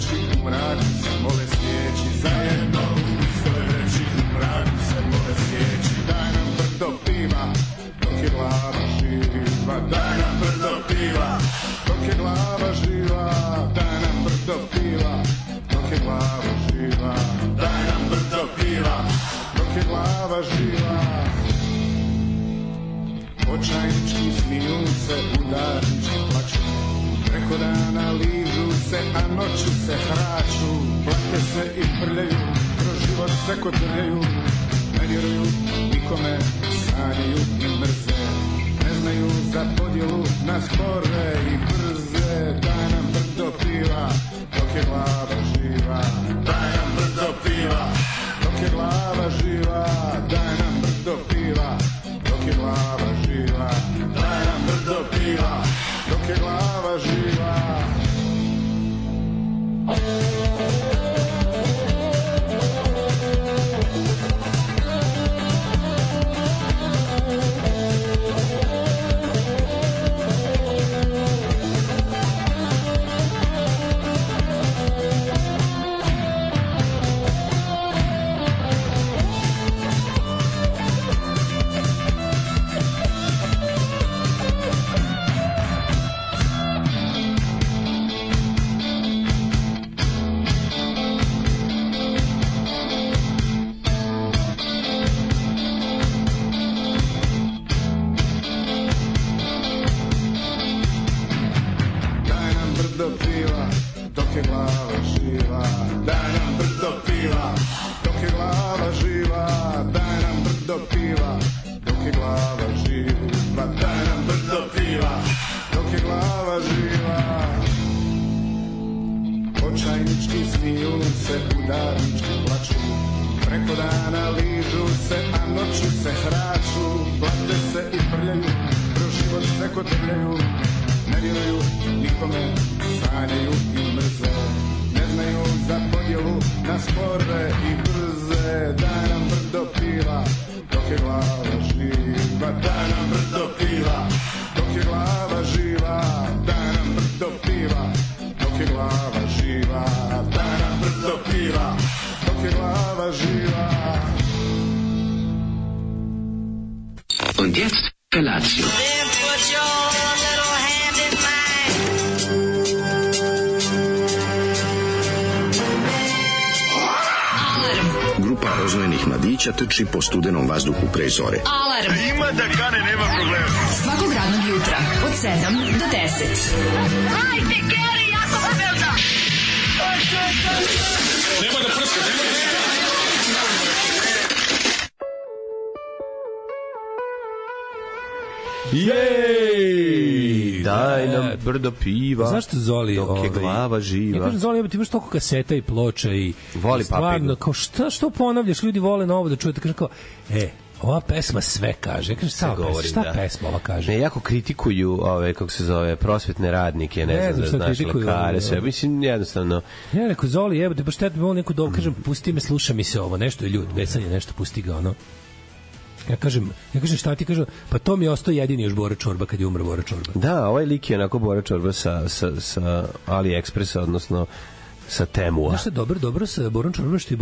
reći, u mraku se mole svijeći, zajedno u istoj reći, u mraku se mole svijeći. Daj nam brdo piva, dok je glava živa, daj nam brdo piva, dok je glava živa, daj nam brdo piva, dok je glava živa, daj nam brdo piva, dok je glava živa. Očajnički smiju se, udarnički plaću, preko dana ližu se, a noću se hraču, plake se i prljaju, kroz život se kotrljaju, ne vjeruju nikome, sanjaju i mrze, ne znaju za podjelu na spore i brze. Daj nam brdo piva, dok je glava živa, daj nam brdo piva, dok je glava živa, daj nam brdo piva, dok je glava živa, daj nam brdo piva, dok je glava živa. Und jetzt Felatio. Grupa rozvojenih mladića trči po studenom vazduhu pre zore. Alarm! Ima da kane, nema problema. Svakog radnog jutra, od 7 do 10. Hajde, Geri, jako se velda! Nema da prska, nema da prska! Jej! Daj nam brdo piva. Zašto Zoli? Dok je glava živa. Ja kažem Zoli, ti imaš toliko kaseta i ploča i voli stvarno, kao što ponavljaš, ljudi vole novo da čujete, kažem kao, ova pesma sve kaže. Ja kažem, šta pesma ova kaže? Ne, jako kritikuju ove, kako se zove, prosvetne radnike, ne znam da znaš, lekare, sve. Mislim, jednostavno. Ja rekao, Zoli, jebote, pa šta ti mogu neku dobu, kažem, pusti me, sluša mi se ovo, nešto je ljud, besanje, nešto, pusti ga, ono. Ja kažem šta ti kažem, pa to mi je ostao jedini još Bora Čorba kad je umro Bora Čorba. Da, ovaj lik je onako Bora Čorba sa AliExpressa, odnosno sa Temua. Znaš što je dobro sa Borom Čorbom, što je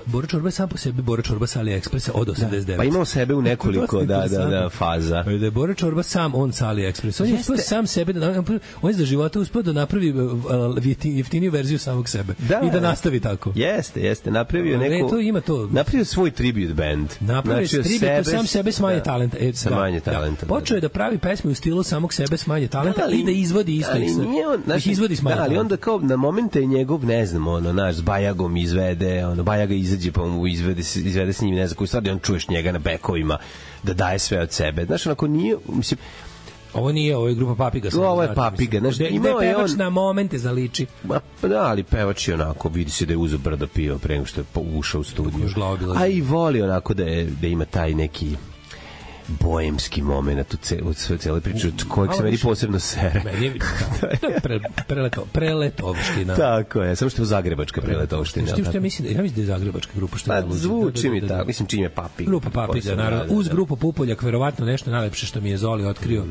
Bora Čorba je sam po sebi Bora Čorba sa AliExpressa od 89. Pa imao sebe u nekoliko da faza. Da je Bora Čorba sam on sa AliExpressa. On je uspio sam sebe, on je za života uspio da napravi jeftiniju verziju samog sebe. I da nastavi tako. Jeste. Napravio neku... To ima to. Napravio svoj tribute band. Napravio tribute, sam sebe s manje talenta. Sa manje talenta. Počeo je da pravi pesme u stilu samog sebe s manje talenta i da izvodi isto. Izvodi s manje talenta. Ali onda kao na momente je njegov, ne znam, s Bajagom izvede, Bajaga izađe pa mu izvede s njim, ne znam koju stvar, on čuješ njega na bekovima da daje sve od sebe. Znaš, onako nije, mislim, ovo je grupa Papiga. Ovo je Papiga. Znaš, gde pevač na momente zaliči. Da, ali pevač je onako, vidi se da je uzeo brdo piva pre nego što je ušao u studiju. A i voli onako da ima taj neki boemski moment u celoj priči, kojeg se meni posebno sere. Meni je preletovština. Tako je, samo što je zagrebačka preletovština. Što ja mislim da je zagrebačka grupa, što pa zvuči mi tako, mislim čim je Papig. Grupa Papig, naravno, uz grupu Pupoljak, verovatno nešto najlepše što mi je Zoli otkrio.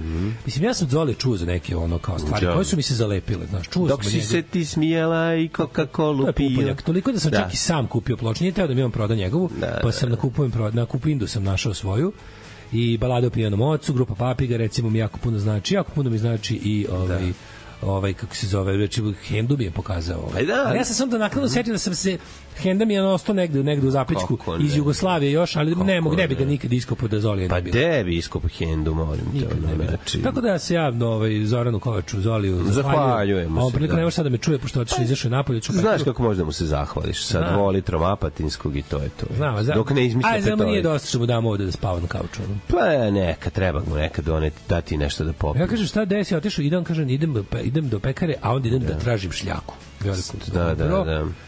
Mislim, ja sam Zoli čuo za neke ono kao stvari koje su mi se zalepile, znaš, čuo sam. Dok si se ti smijela i Coca-Colu pio. Toliko da sam čak i sam kupio ploču, nije teo da mi on proda njegovu, pa sam na Kupindu sam našao svoju. I Balada o pijanom ocu, grupa Papiga, recimo mi jako puno mi znači i kako se zove, reći, Hendu mi je pokazao. Ali ja sam samo da nakladno setio da sam se Henda mi je ostao negde u zapećku iz Jugoslavije još, ali ne bi ga nikad iskopao da Zolije ne bilo. Pa de bi iskopao Hendu, molim te. Tako da se ja Zoranu Kovaču, Zoliju zahvaljujemo se. On prilika ne može sad da me čuje, pošto otišao izašao napolje. Znaš kako možda mu se zahvališ sa 2 litrom apatinskog i to je to. Dok ne izmisli petoj. Aj, znamo nije dosta što mu damo ovde da spava na kauču. Pa neka, treba mu nekad dati nešto da popije. Ja kažem šta desi, otišao, idem do pekare, a onda idem da tražim šljaku.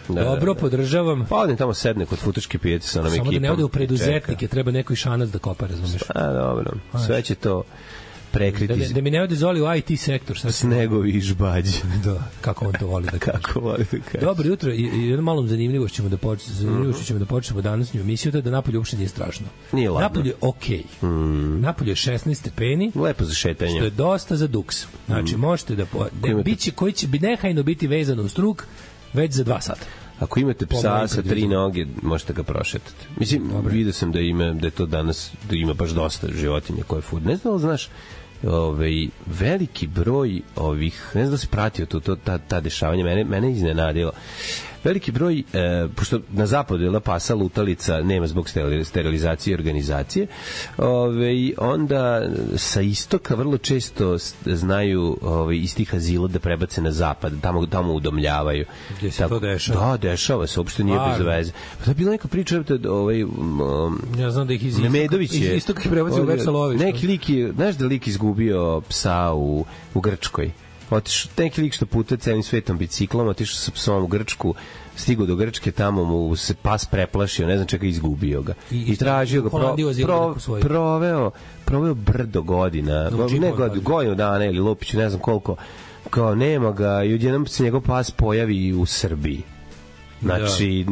Dobro, podržavam. Pa odim tamo sedne kod futoške pijace sa onom ekipom. Samo da ne ode u preduzetnike, treba neko i šanac da kopa, razumeš? A, dobro, sve će to prekriti. Da mi ne ode Zoli u IT sektor. Snegovi i žbađi. Da, kako on to voli da kaže. Kako voli da kaže. Dobro jutro, i jednom malom zanimljivošću ćemo da počnemo današnju emisiju, to je da napolje uopšte nije strašno. Nije ladno. Napolje je okej. Napolje je 16 stepeni. Lepo za šetanje. Što je dosta za duks. Znači, možete da biće koji će nehajno biti vezano u struk već za 2 sata. Ako imate psa sa 3 noge, možete ga prošetati. Mislim, vidio sam da je to danas, da ima baš dosta životinja koje food. Ne znam da znaš, veliki broj ovih, ne znam da se pratio ta dešavanja, mene iznenadilo. Veliki broj, pošto na zapadu je pasa lutalica, nema zbog sterilizacije i organizacije, onda sa istoka vrlo često znaju iz tih azila da prebace na zapad, tamo udomljavaju. Gdje se to dešava? Da, dešava se, uopšte nije bez veze. Pa to je bila neka priča, ja znam da ih iz istoka ih prebaci u veća lovišta. Neki lik je, znaš da lik izgubio psa u Grčkoj? Otišao neki lik što putuje celim svetom biciklom, otišao sa psom u Grčku, stigao do Grčke, tamo mu se pas preplašio, ne znam čega, izgubio ga. I tražio ga, proveo brdo godina, godinu dana ili Lupiću, ne znam koliko, kao nema ga i odjednom se njegov pas pojavi u Srbiji. Znači,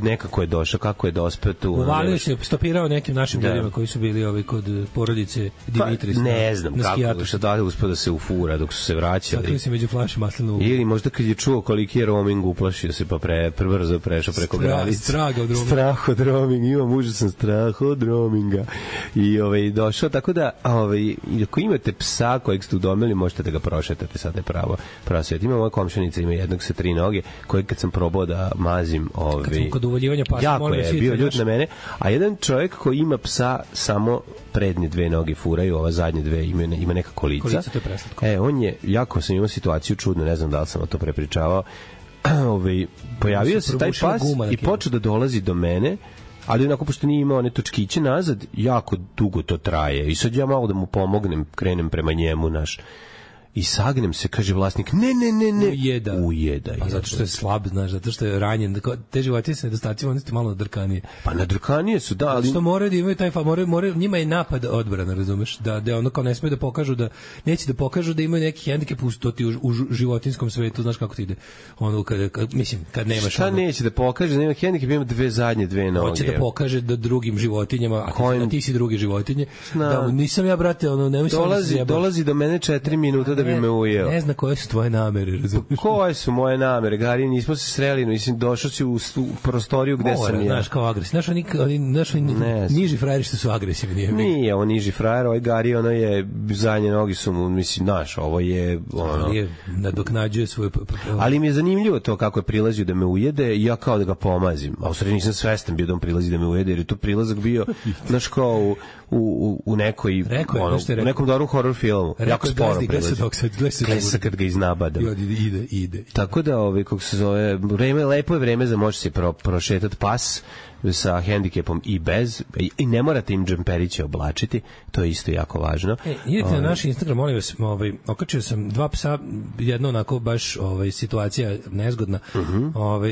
nekako je došao, kako je dospeo tu. Uvalio se, stopirao nekim našim ljudima koji su bili kod porodice Dimitris. Ne znam kako, što da uspeo da se ufura dok su se vraćali. Sakrio se među flaše maslinovog. Ili možda kad je čuo koliki je roaming, uplašio se pa brzo prešao preko granice. Strah od roaminga, imam užasan strah od roaminga. I došao, tako da, ako imate psa kojeg ste udomili, možete da ga prošetate, sad je pravo svijet. Ima moja komšanica, ima jednog sa 3 noge, kojeg kad sam probao da mazim, kad sam kod uvoljivanja pasa, jako je bio ljut na mene, a jedan čovjek koji ima psa samo prednje 2 noge furaju, ova zadnje 2 ima neka kolica. To je preslatko. On je, jako sam imao situaciju čudno, ne znam da li sam to prepričavao, pojavio se taj pas i počeo da dolazi do mene, ali onako, pošto nije imao one točkiće nazad, jako dugo to traje i sad ja malo da mu pomognem, krenem prema njemu, i sagnem se, kaže vlasnik, ne. Ujeda. Pa zato što je slab, znaš, zato što je ranjen. Te životinje sa nedostacima, oni su malo nadrkanije. Pa nadrkanije su, da, ali... Što moraju da imaju taj njima je napad odbrana, razumeš? Da ono kao ne smije da pokažu neće da pokažu da imaju neki hendikep u životinskom svetu, znaš kako ti ide. Ono, kad nemaš... Šta neće da pokaže da nema hendikep, ima 2 zadnje 2 noge. Hoće da pokaže da drugim životinjama, a ti si druge životinje, da nisam ja, brate, ono, nemoj se dolazi do mene 4 minuta da bi me ujeo. Ne zna koje su tvoje namere, razumiješ? Koje su moje namere, Gari, nismo se sreli, mislim, došao si u prostoriju gde sam ja. Znaš, kao agresivni. Znaš, niži frajeri što su agresivni. Nije, ovo niži frajer, ovaj Gari, ono je, zadnje nogi su mu, mislim, znaš, ovo je, ono... nadoknađuje svoje... Ali mi je zanimljivo to kako je prilazio da me ujede i ja kao da ga pomazim. A u stvari nisam svestan bio da on prilazi da me ujede, jer je tu prilazak bio, znaš, kao u nekoj, u nekom dobrom horror filmu. Jako sporo prilazi. Glesa kad ga iznabadam. Ide. Tako da, kako se zove, lepo je vreme za moći se prošetati pas, sa hendikepom i bez, i ne morate im džemperiće oblačiti, to je isto jako važno. Idete na naš Instagram, molim vas, okačio sam 2 psa, jedno onako baš situacija nezgodna,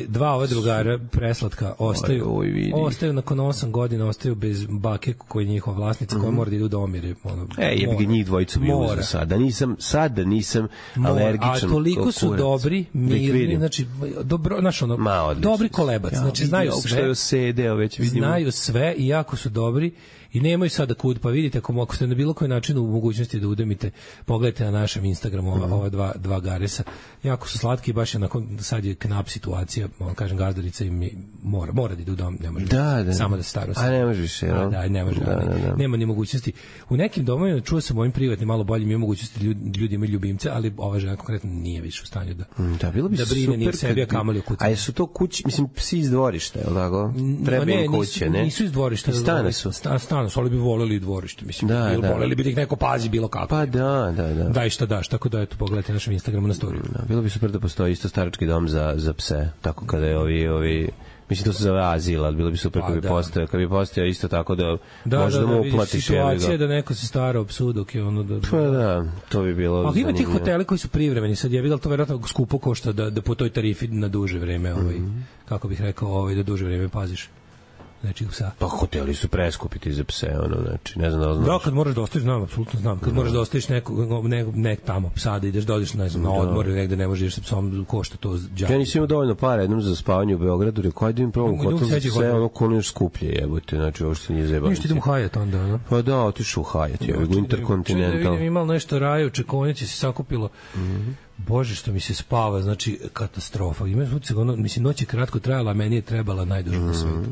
dva ova drugara preslatka ostaju nakon 8 godina, ostaju bez bake koji je njihova vlasnica, koja mora da idu da omire. Jebi ga, njih dvojicu bi uzeo sada nisam alergičan. A toliko su dobri, mirni, znači dobri kolebac, znači znaju sve i jako su dobri i nemaju sada kud, pa vidite ako ste na bilo koji način u mogućnosti da udemite, pogledajte na našem Instagramu ova dva garesa, jako su slatki, baš je nakon, sad je knap situacija, kažem, gazdarica im mora da idu u dom, ne može samo da se staro. A ne može više, ne može, nema ni mogućnosti. U nekim domovima, čuo sam ovim privatnim malo boljim, ima mogućnosti ljudi imaju ljubimce, ali ova žena konkretno nije više u stanju da brine ni o sebi, a kamoli o kući. A jesu to kući, mislim, psi iz dvorišta, je li tako? Treba im kuće, ne? Nisu iz dvorišta. Stane su. Ali bi voleli dvorište, mislim. Voleli bi da ih neko pazi bilo kako. Pa da. Daj šta daš, tako da eto, pogledajte našem Instagramu na storiju. Bilo bi super da postoji isto starački dom za pse, tako kada je ovi mislim, to se zove azil, ali bilo bi super kad bi postojao isto tako da možda mu uplatiš. Situacija da neko se stara o psu dok je ono da... Pa da, to bi bilo zanimljivo. Ali ima tih hoteli koji su privremeni, sad je vidjel to verovatno skupo košta da po toj tarifi na duže vreme, kako bih rekao, da duže vreme paziš. Znači, psa. Pa hoteli su preskupiti za pse, znači, ne znam da li znaš. Da, kad moraš da ostaviš, apsolutno znam, kad moraš da ostaviš nek tamo psa, da ideš da odiš, ne znam, na odmor ili negde ne možeš sa psom, košta to džabe. Ja nisam imao dovoljno para jednom za spavanje u Beogradu, rekao, ajde im probam hotel za pse, koliko još skuplje jebote, znači, ovo što nije zajebano. Ništa idem u Hyatt onda, Pa da, otišu u Hyatt, u Intercontinental. Da vidim, imalo nešto raju, čekonjaci se sakupilo. Bože, što mi se spava, znači katastrofa. Mislim, noć je kratko trajala, a meni je trebala najduže na svetu.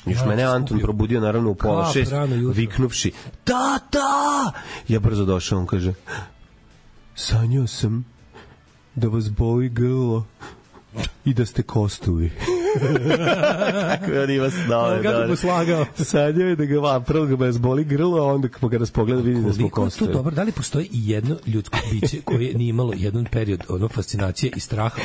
Još mene Anton probudio naravno u 5:30, viknuvši tata! Ja brzo došao, on kaže, sanjao sam da vas boli grlo i da ste kostuvi. Kako on ima snove. Kako mu slagao. Sanjao je da ga prvo ga vas boli grlo, a onda po kada nas pogleda vidi da smo kostuvi. To dobro, da li postoji i jedno ljudsko biće koje nije imalo jedan period fascinacije i straha?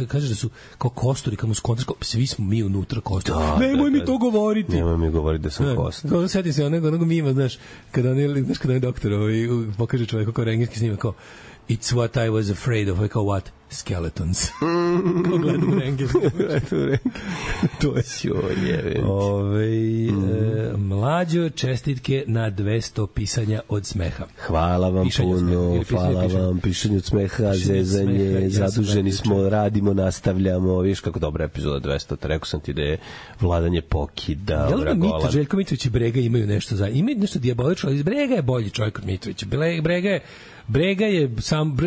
Kažeš da su kao kosturi, kao muskontarsko, svi smo mi unutra kosturi. Nemoj mi to govoriti. Nemoj mi govoriti da sam kostur. Sjetim se onog mima, znaš, kada on doktor pokaže čoveku kao rengenski snima, kao It's what I was afraid of. Kao what? Skeletons. Kao gledam rengenski. To je sjojeve. Mlađo, čestitke na 200 pisanja od smeha. Hvala vam puno, hvala vam. Pišanje od smeha, zezanje, zaduženi smo, radimo, nastavljamo. Viš kako dobra epizoda 200. Rekao sam ti da je vladanje pokida. Jel da Željko Mitrović i Brega imaju nešto za... Imaju nešto dijabolično, ali Brega je bolji čovjek od Mitrovića.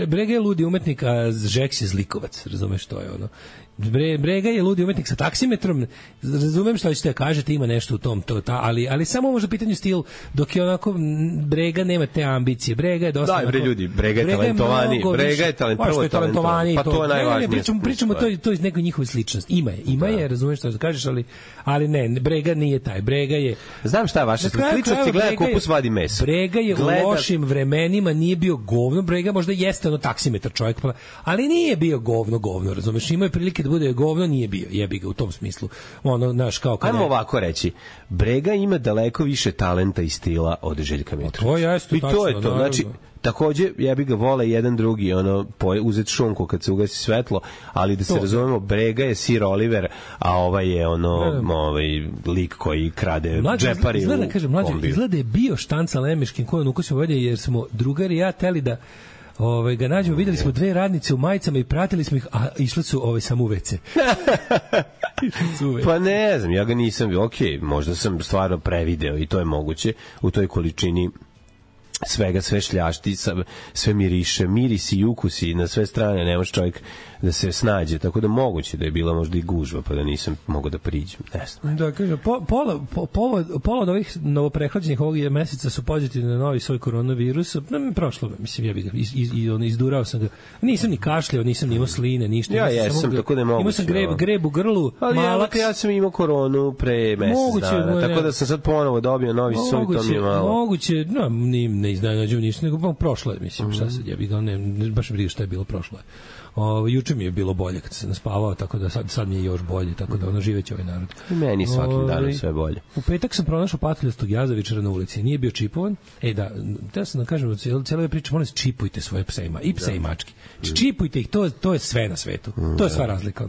Brega je ludi umetnik, a Žeks je zlikovac, razumeš, to je ono. Brega je ludi umetnik sa taksimetrom, razumem što ćete da kažete, ima nešto u tom, ali samo možda pitanje stil, dok je onako Brega nema te ambicije, Brega je dosta... Daj bre ljudi, Brega je talentovani, pa to je najvažnije. Pričamo to iz nekoj njihove sličnosti, ima je, razumeš što da kažeš, ali ne, Brega nije taj, Brega je... Znam šta je vaša sličnost, gleda kupus vadi meso. Brega je u lošim vremenima nije bio govno, Brega možda jeste ono taksimetar čovjek, ali nije bio govno, razumeš, imao je prilike da bude govno, nije bio, jebi ga u tom smislu. Ono, naš, kao kada... Ajmo ovako reći, Brega ima daleko više talenta i stila od Željka Mitrovića. I to je to, znači, takođe, jebi ga vole jedan drugi, uzet šunku kad se ugasi svetlo, ali da se razumemo, Brega je Sir Oliver, a ovaj je lik koji krade džepari u kombiju. Izgleda je bio Štanca Lemeškin koji on ukosio ovdje, jer smo drugari i ja teli da ga nađemo, videli smo 2 radnice u majicama i pratili smo ih, a išle su samo u WC. Pa ne znam, ja ga nisam bio, možda sam stvarno prevideo i to je moguće u toj količini svega, sve šljašti, sve miriše, mirisi i ukusi na sve strane, ne može čovjek da se snađe, tako da moguće da je bila možda i gužva, pa da nisam mogao da priđem, ne znam. Da, kažem, pola od ovih novoprehlađenih ovog meseca su pozitivni na novi svoj koronavirus, prošlo, mislim, ja bih ga, izdurao sam ga, nisam ni kašljao, nisam ni imao sline, ništa. Ja jesam, tako da je moguće. Imao sam greb u grlu, malaks. Ja sam imao koronu pre mesec dana, tako da sam sad ponovo dobio novi svoj, to mi je malo. Moguće, ne iznenađujem ništa, nego prošlo je, mislim, šta sad, ja bih ga, baš mi briga šta je bilo, prošlo je. Juče mi je bilo bolje kad sam naspavao, tako da sad mi je još bolje, tako da živeće ovaj narod. I meni svakim danom sve bolje. U petak sam pronašao patuljastog jazavičara na ulici. Nije bio čipovan. Da sam da kažem, cijela priča, molim se, čipujte svoje pse i pse i mački. Čipujte ih, to je sve na svetu. To je sva razlika.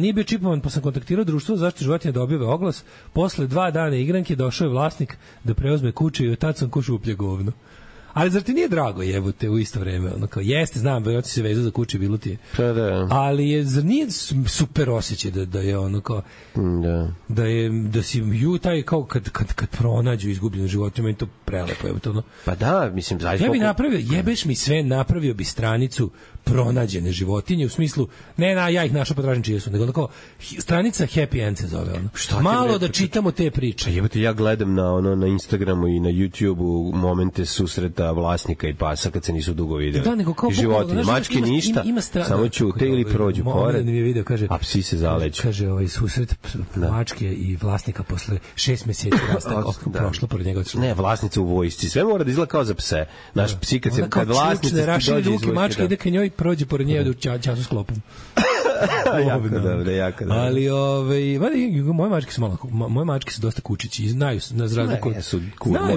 Nije bio čipovan, pa sam kontaktirao društvo za zaštitu životinja da objave oglas. Posle 2 dana igranke došao je vlasnik da preuzme kuću i od tad sam ko šuplje govno. Ali zar ti nije drago, jebote, u isto vreme? Ono kao, jeste, znam, verovatno si se vezao za kuće, bilo ti je. Pa da. Ali zar nije super osjećaj da je ono kao... Da si taj kao kad pronađu izgubljenu životinju, meni to prelepo, jebote, ono. Pa da, mislim, zaista... Ja bi jebeš mi sve, napravio bi stranicu pronađene životinje, u smislu, ja ih našao, potražim čije su, nego onako, stranica Happy End se zove, ono. Malo da čitamo te priče. Jebote, ja gledam na Instagramu i na YouTubeu momente susreta vlasnika i pasa kad se nisu dugo videli. Da, nego kao životinje, mačke ništa, samo ćute ili prođu pored, a psi se zaleću. Kaže, susret mačke i vlasnika posle 6 meseci prošlo pored njega. Ne, vlasnica u vojsci, sve mora da izgleda kao za pse. Naš psi kad vlasnica dođe iz vojske, ide ka njoj, prođe pored nje u času s klopom. Jako dobro. Ali moje mačke su dosta kučići i znaju na razliku.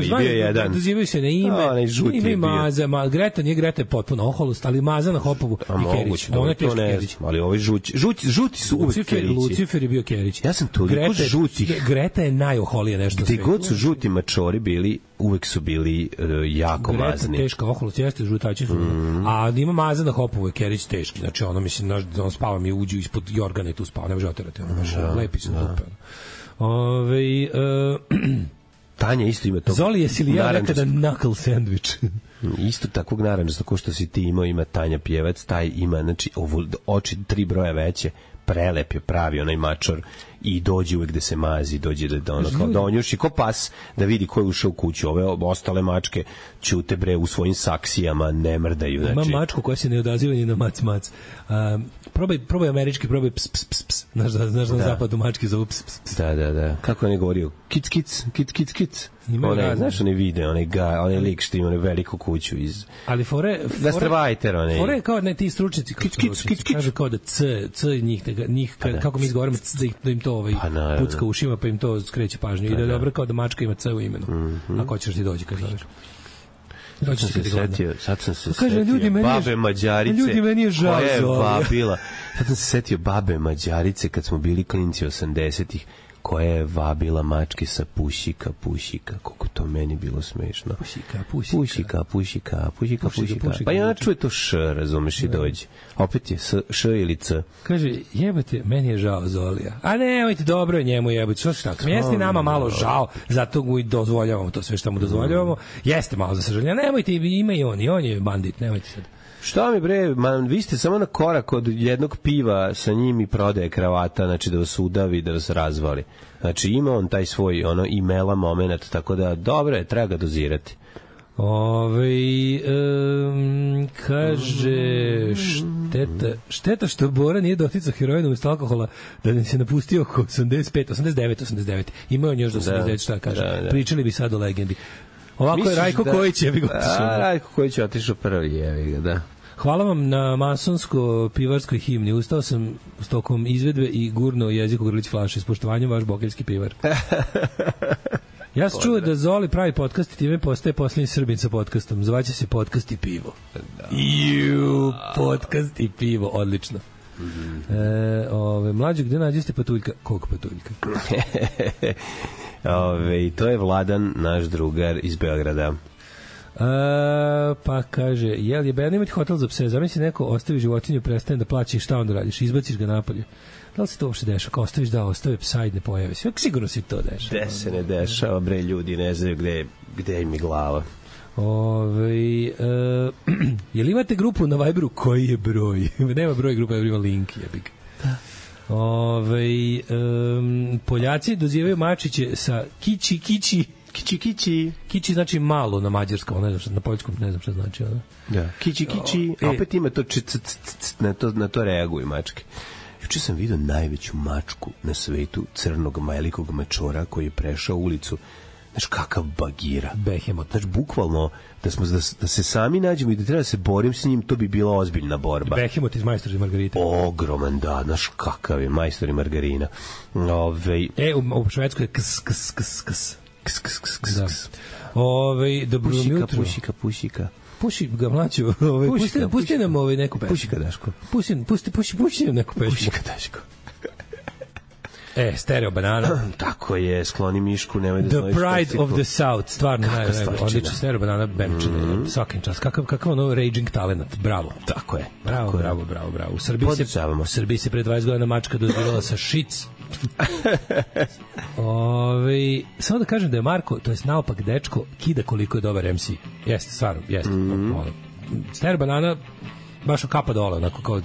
Bio je jedan. Dozivaju se na ime. Ime Maza, Greta je potpuno oholost, ali Maza na Hopovu i Kerić. Ona je teški Kerić. Ali ovi žuti su uvek Kerići. Lucifer je bio Kerić. Ja sam toliko žutih. Greta je najoholije nešto sve. Gde god su žuti mačori bili, uvek su bili jako mazni. Greta teška oholost, jeste, žutači su. A ima Maza na Hopovu je Kerić teški. Znači ono, mislim, on spava mi uđu ispod jorgana i tu spava, ne može oterati. Lepi se dupe. Tanja isto ima tog. Zoli, jesi li ja nekada knuckle sandwich? Isto takvog naranđasta ko što si ti imao, ima Tanja Pjevac, taj ima, znači, oči 3 broja veće, prelep je, pravi onaj mačor i dođe uvek gde se mazi, dođe da ono kao donjuši ko pas da vidi ko je ušao u kuću. Ove ostale mačke ćute bre u svojim saksijama, ne mrdaju. Znači... Ima mačku koja se ne odaziva ni na mac. Probaj američki, probaj ps. Znaš na zapadu mačke zovu ps. Da. Kako on je govorio? Kic. Znaš onaj video, onaj lik što ima veliku kuću iz... Ali Gastarbajter, onaj... Fore kao ti stručnici, kažu kao da c njih kako mi izgovaramo da im to pucka ušima, pa im to skreće pažnju. I da je dobro kao da mačka ima c u imenu. Ako hoćeš ti dođi kad zoveš. Sad sam se setio babe Mađarice. Ljudi, meni je žao vabila. Sad sam se setio babe Mađarice kad smo bili klinci 80-ih, koja je vabila mačke sa pušika. Koliko to meni bilo smešno. Pušika. Pa i ona čuje to š, razumeš, i dođe. Opet je š ili c. Kaže, jebate, meni je žao Zolija. A nemojte, dobro je njemu jebati. Što se tako? Jeste nama malo žao, zato mu i dozvoljavamo to sve što mu dozvoljavamo. Jeste malo za sažaljenje. Nemojte, ima i on je bandit, nemojte sad. Šta mi bre, vi ste samo na korak od jednog piva sa njim i prodaje kravata, znači da vas udavi, da vas razvali. Znači ima on taj svoj imela moment, tako da dobro je, treba ga dozirati. Kaže šteta što Bora nije doticao heroina umesto alkohola, da ne se napustio oko 89. Imao on još do 89, šta kaže. Pričali bi sad o legendi. Ovako je Rajko Kojić, jebi ga. Rajko Kojić je otišao prvi, jebi ga, da. Hvala vam na masonsko-pivarskoj himni. Ustao sam s tokom izvedbe i gurno jeziku grlić flaše. S poštovanjem, vaš bokeljski pivar. Ja sam čuo da Zoli pravi podcast i time postaje posljednji Srbin sa podcastom. Zvaće se Podcast i pivo. Podcast i pivo, odlično. Mlađe, gde nađeste patuljka? Koliko patuljka? To je Vladan, naš drugar iz Beograda. Pa kaže, jel je bedno imati hotel za pse? Zamisli neko ostavi životinju, prestane da plaća i šta onda radiš? Izbaciš ga napolje. Da li se to uopšte dešava? Kao ostaviš ostave psa i ne pojave se. Sigurno si to dešava. Gde se ne dešava, bre, ljudi ne znaju gde im je glava. Jel imate grupu na Viberu? Koji je broj? Nema broj grupa, ima link. Da. Poljaci dozivaju mačiće sa kiči. Kiči znači malo na mađarskom, ne znam, na poljskom ne znam šta znači. Da. Kiči. Opet ima to na to reaguju mačke. Juče sam vidio najveću mačku na svetu, crnog velikog mačora koji je prešao ulicu. Znaš kakav bagira. Behemoth. Znači, bukvalno, da se sami nađemo i da treba da se borim s njim, to bi bila ozbiljna borba. Behemoth iz Majstor i Margarita. Ogroman, da, znaš kakav je Majstor i Margarina. U Švedskoj je ks. Dobro jutro. Pušika. Puši ga mlađu, pusti nam neku pesmu. Pušika Daško. Pusti nam neku pesmu. Pušika Daško. Stereo Banana. Tako je, skloni mišku, nemoj da The Pride of the South, stvarno odlično. Stereo Banana benčine, svakim čas. Kakav ono raging talent, bravo. Tako je. Bravo. U Srbiji se pre 20 godina mačka dozirala sa šic. Samo da kažem da je Marko, to jest naopak dečko, kida koliko je dobar MC. Jeste, stvarno, jeste. Stereo Banana baš kapa dole, onako kao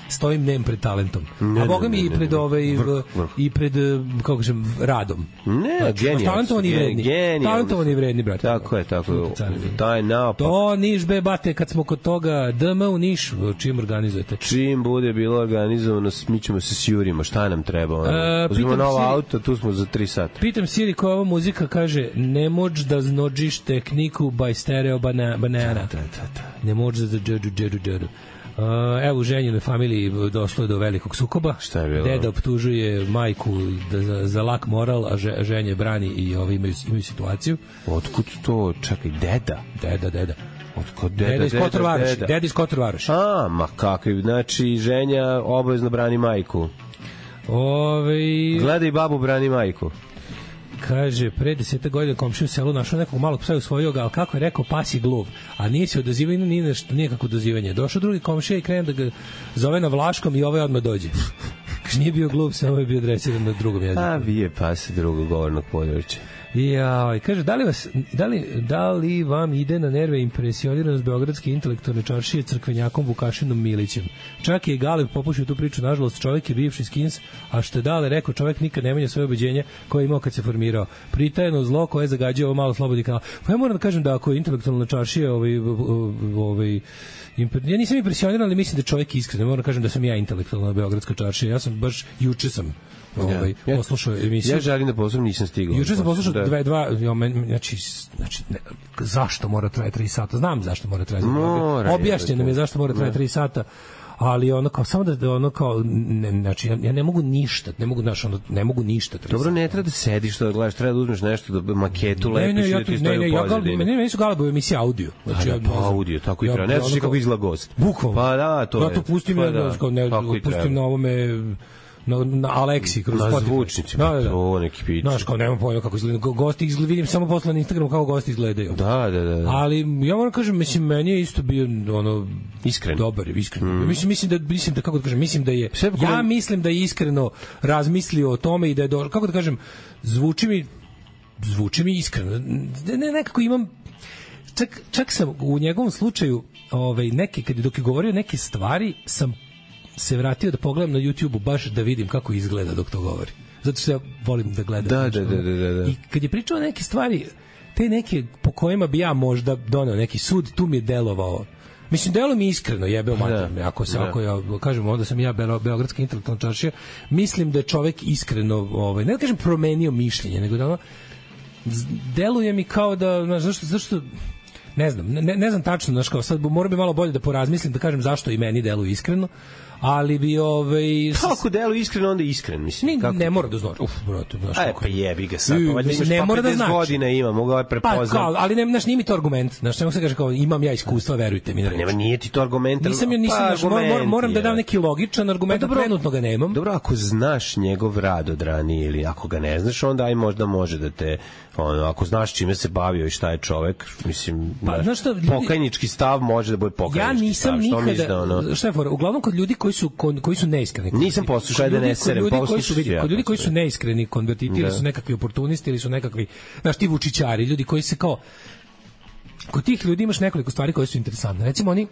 stojim nem pred talentom. A boga mi i pred kako kažem radom. Ne, genijal. Talentovani i vredni, brate. Tako je. Taj naopak. To Niš be bate, kad smo kod toga DM u Nišu, čim organizujete? Čim bude bilo organizovano, mi ćemo se sjurimo, šta nam treba? Uzmimo novo auto, tu smo za 3 sata. Pitam Siri koja ova muzika kaže ne moć da znođiš tehniku by Stereo Banana. Ne moć da džedu. Evo u ženjenoj familiji došlo je do velikog sukoba. Šta je bilo? Deda optužuje majku za lak moral, a ženje brani i imaju situaciju. Otkud to? Čekaj, deda? Deda. Otkud deda iz Kotor Varoši. Ma kakvi, znači ženja obavezno brani majku. Gledaj babu brani majku. Kaže, pre 10 godina komšiju u selu našao nekog malog psa i usvojio ga, ali kako je rekao, pas je gluv. A nije se odazivao, nije kako odazivanje. Došao drugi komšija i krene da ga zove na vlaškom i ovaj odmah dođe. Kaže, nije bio gluv, samo je bio dresiran na drugom jeziku. A, bije pas drugog govornog područja. Kaže, da li vam ide na nerve impresioniranost beogradske intelektualne čaršije crkvenjakom Vukašinom Milićem? Čak je i Galeb popušio tu priču, nažalost, čovjek je bivši skins, a što je Dale rekao, čovjek nikad ne menja svoje ubeđenje koje je imao kad se formirao. Pritajeno zlo koje je zagađio ovo malo slobodni kanal. Pa ja moram da kažem da ako je intelektualna čaršija ja nisam impresioniran, ali mislim da čovjek iskren. Moram da kažem da sam ja intelektualna beogradska čaršija. Ja sam baš juče sam poslušao emisiju. Ja želim da poslušam, nisam stigao. Juče sam poslušao znači zašto mora trajati 3 sata? Znam zašto mora trajati. Objašnjeno mi je zašto mora trajati 3 sata. Ali ono kao samo da ono kao znači ja ne mogu ništa, ne mogu ništa. Dobro, ne treba da sediš, da gledaš, treba da uzmeš nešto da maketu lepiš i da ti stoji u pozadini. Ne su Galebove emisije audio. Znači audio, tako i treba. Ne znaš kako izgleda gost. Bukvalno. Pa da, to je. Ja to pustim na ovome na Aleksi kroz Spotify. Na zvučnicima, to neki pić. Znaš, kao nemam pojma kako izgleda. Gosti izgledaju, vidim samo posle na Instagramu kako gosti izgledaju. Da. Ali ja moram kažem, mislim, meni je isto bio iskren. Dobar je, iskren. Mislim da kako da kažem, mislim da je iskreno razmislio o tome i da je kako da kažem, zvuči mi iskreno. Nekako imam čak sam u njegovom slučaju dok je govorio neke stvari sam se vratio da pogledam na YouTubeu baš da vidim kako izgleda dok to govori. Zato što ja volim da gledam. Da. I kad je pričao neke stvari, te neke po kojima bi ja možda doneo neki sud, tu mi je delovao. Mislim, delo mi iskreno, jebeo mater. Ako ja kažem, onda sam ja beogradska intelektualna čaršija, mislim da je čovek iskreno, ne da kažem promenio mišljenje, nego da deluje mi kao da, zašto ne znam tačno, znaš, kao sad moram bi malo bolje da porazmislim, da kažem zašto i meni deluje iskreno, ali bi kako deluje iskreno, onda iskren, mislim. Ne mora da znači. Pa jebi ga sad. Ne mora da znači. Godina ima, mogu ovaj prepoznat. Pa, ali nije mi to argument. Znaš, ne se kaže kao imam ja iskustva, verujte mi. Nema, nije ti to argument. Moram da dam neki logičan argument, trenutno ga nemam. Dobro, ako znaš njegov rad od ranije ili ako ga ne znaš, onda aj možda može da te ako znaš čime se bavio i šta je čovek, mislim, pokajnički stav može da bude pokajnički stav. Ja nisam nikada, šta je fora, uglavnom kod ljudi koji su neiskreni. Nisam poslušao da ne serem, kod ljudi koji su neiskreni konvertiti ili su nekakvi oportunisti ili su nekakvi, znaš, ti vučićari, ljudi koji se kao, kod tih ljudi imaš nekoliko stvari koje su interesantne. Recimo, oni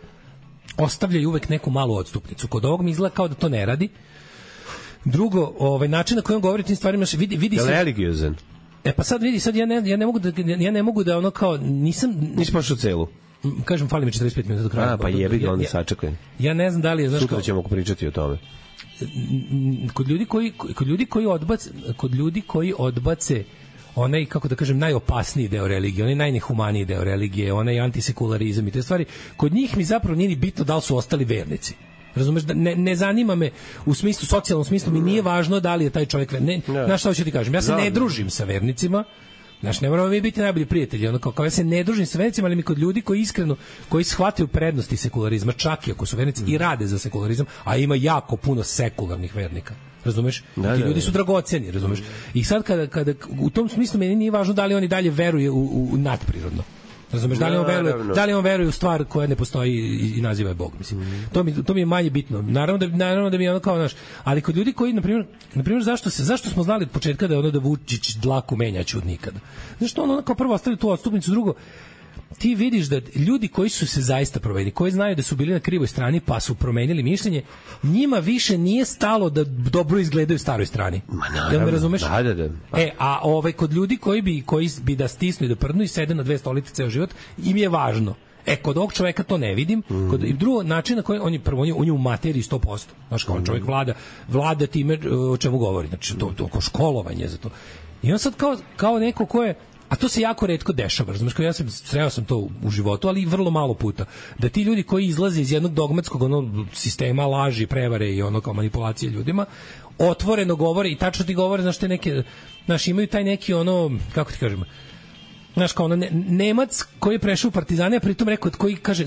ostavljaju uvek neku malu odstupnicu. Kod ovog mi izgleda kao da to ne radi. Drugo, način na koji on govori tim stvarima, vidi se... Religiozan. Pa sad vidi, sad ja ne mogu da ono kao nisam pošao celu. Kažem, fali mi 45 minuta do kraja. Pa jebi ga, onda sačekaj. Ja ne znam da li je, znaš, sutra ćemo pričati o tome. Kod ljudi koji odbace onaj, kako da kažem, najopasniji deo religije, onaj najnehumaniji deo religije, onaj antisekularizam i te stvari, kod njih mi zapravo nije ni bitno da li su ostali vernici. Razumeš, da ne zanima me u smislu, socijalnom smislu, mi nije važno da li je taj čovjek znaš šta hoću ti kažem, ja se ne družim sa vernicima. Znaš, ne moramo mi biti najbolji prijatelji, ono kao ja se ne družim sa vernicima, ali mi kod ljudi koji iskreno, koji shvataju prednosti sekularizma, čak i ako su vernici i rade za sekularizam, a ima jako puno sekularnih vernika. Razumeš? Ti ljudi su dragoceni, razumeš? I sad kada u tom smislu meni nije važno da li oni dalje veruje u nadprirodno. Razumeš, da li on veruje u stvar koja ne postoji i naziva je Bog, mislim. To mi je manje bitno. Naravno da mi je ono kao naš, ali kod ljudi koji na primjer zašto smo znali od početka da je ono da Vučić dlaku menjaće od nikada. Zašto ono kao prvo ostavili tu odstupnicu, drugo ti vidiš da ljudi koji su se zaista promenili, koji znaju da su bili na krivoj strani pa su promenili mišljenje, njima više nije stalo da dobro izgledaju staroj strani. Da me razumeš? Da. A kod ljudi koji bi da stisnu i da prdnu i sede na dve stolice ceo život, im je važno. Kod ovog čoveka to ne vidim. I drugo, način na koji on je u materiji 100%. Znaš, kao čovjek vlada time o čemu govori. Znači, to kao školovanje za to. I on sad kao neko ko je, a to se jako retko dešava, razumeš, kao ja sreo sam to u životu, ali i vrlo malo puta, da ti ljudi koji izlaze iz jednog dogmatskog sistema laži, prevare i kao manipulacije ljudima, otvoreno govore i tačno ti govore, znaš, te neke, znaš, imaju taj neki kako ti kažem, znaš, kao Nemac koji je prešao u partizane, a pritom rekao, koji kaže,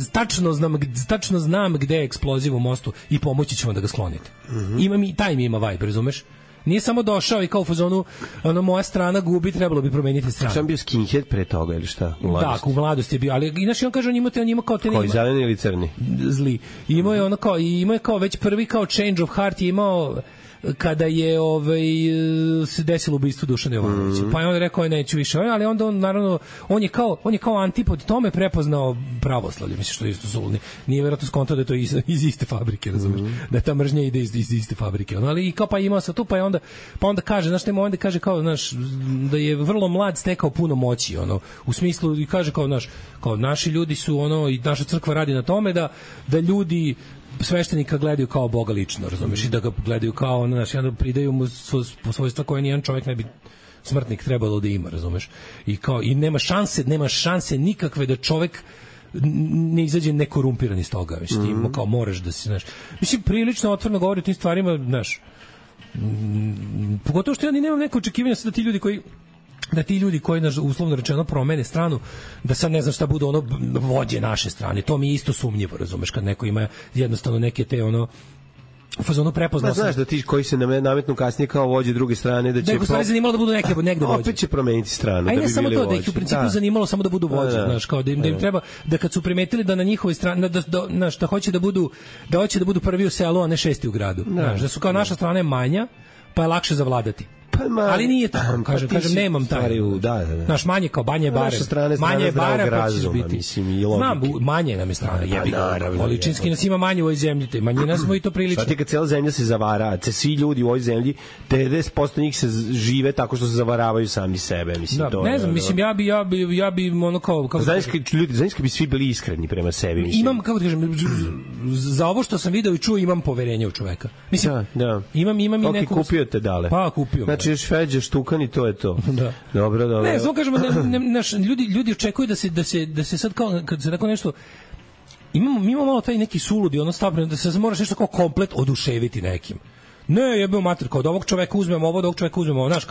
tačno znam gde je eksploziv u mostu i pomoći ćemo da ga sklonite. Taj mi ima vibe, razumeš? Nije samo došao i kao u fazonu moja strana gubi, trebalo bi promeniti stranu. Sam bio skinhead pre toga ili šta? Da, u mladosti je bio, ali inače on kaže on ima kao te koji zeleni ili crni? Zli. Imao je kao već prvi kao change of heart je imao kada je se desilo ubistvo Dušana Jovanovića. Pa je on rekao neću više, ali onda on naravno on je kao antipod tome prepoznao pravoslavlje, mislim što je isto zulni. Nije verovatno skontao da je to iz iste fabrike, razumeš? Da ta mržnja ide iz iste fabrike. Ali i kao pa imao se tu, pa onda kaže, znaš, nema onda kaže kao, znaš, da je vrlo mlad stekao puno moći, u smislu i kaže kao naši ljudi su i naša crkva radi na tome da ljudi sveštenika gledaju kao Boga lično, razumiješ, i da ga gledaju kao, znaš, onda pridaju mu svojstva koje nijedan čovjek ne bi smrtnik trebalo da ima, razumeš, i nema šanse nikakve da čovjek ne izađe nekorumpiran iz toga, mislim, kao moraš da si, znaš, mislim, prilično otvoreno govori o tim stvarima, znaš, pogotovo što ja ni nemam neko očekivanja da ti ljudi koji uslovno rečeno promene stranu, da sad ne znam šta budu vođe naše strane, to mi je isto sumnjivo, razumeš, kad neko ima jednostavno neke te fazonu prepoznao. Znaš da ti koji se nametnu kasnije kao vođe druge strane, da će nego stvari zanimalo da budu negde vođe. Opet će promeniti stranu, da bi bili vođe. Ajde, samo to, da ih u principu zanimalo samo da budu vođe, znaš, kao da im treba, da kad su primetili da na njihovoj strani, da hoće da budu prvi u selu, a ne šesti u gradu. Znaš, da su kao naša strana je manja, pa je lakše zavladati. Ali nije tako, kažem, nemam taj. Naš manje kao Banje Bare. Manje je Bare, pa ćeš biti. Znam, manje nam je strana. Količinski nas ima manje u ovoj zemlji. Manjina smo i to prilično. Šta ti kad cijela zemlja se zavara, svi ljudi u ovoj zemlji, 90% njih se žive tako što se zavaravaju sami sebe. Ne znam, mislim, ja bi kao... Znaš kad bi svi bili iskreni prema sebi. Imam, kako ti kažem, za ovo što sam video i čuo, imam poverenje u čoveka. Mislim, imam i neku... Kupio te dale. Pa, kupio. Znači, još Feđe štukan i to je to. Da. Dobro. Ne, samo kažemo, ljudi očekuju da se sad kao, kad se tako nešto, imamo malo taj neki suludi, stavljeno, da se moraš nešto kao komplet oduševiti nekim. Ne, jebeo mater, kao od ovog čoveka uzmemo ovo, od ovog čoveka uzmemo ovo, znaš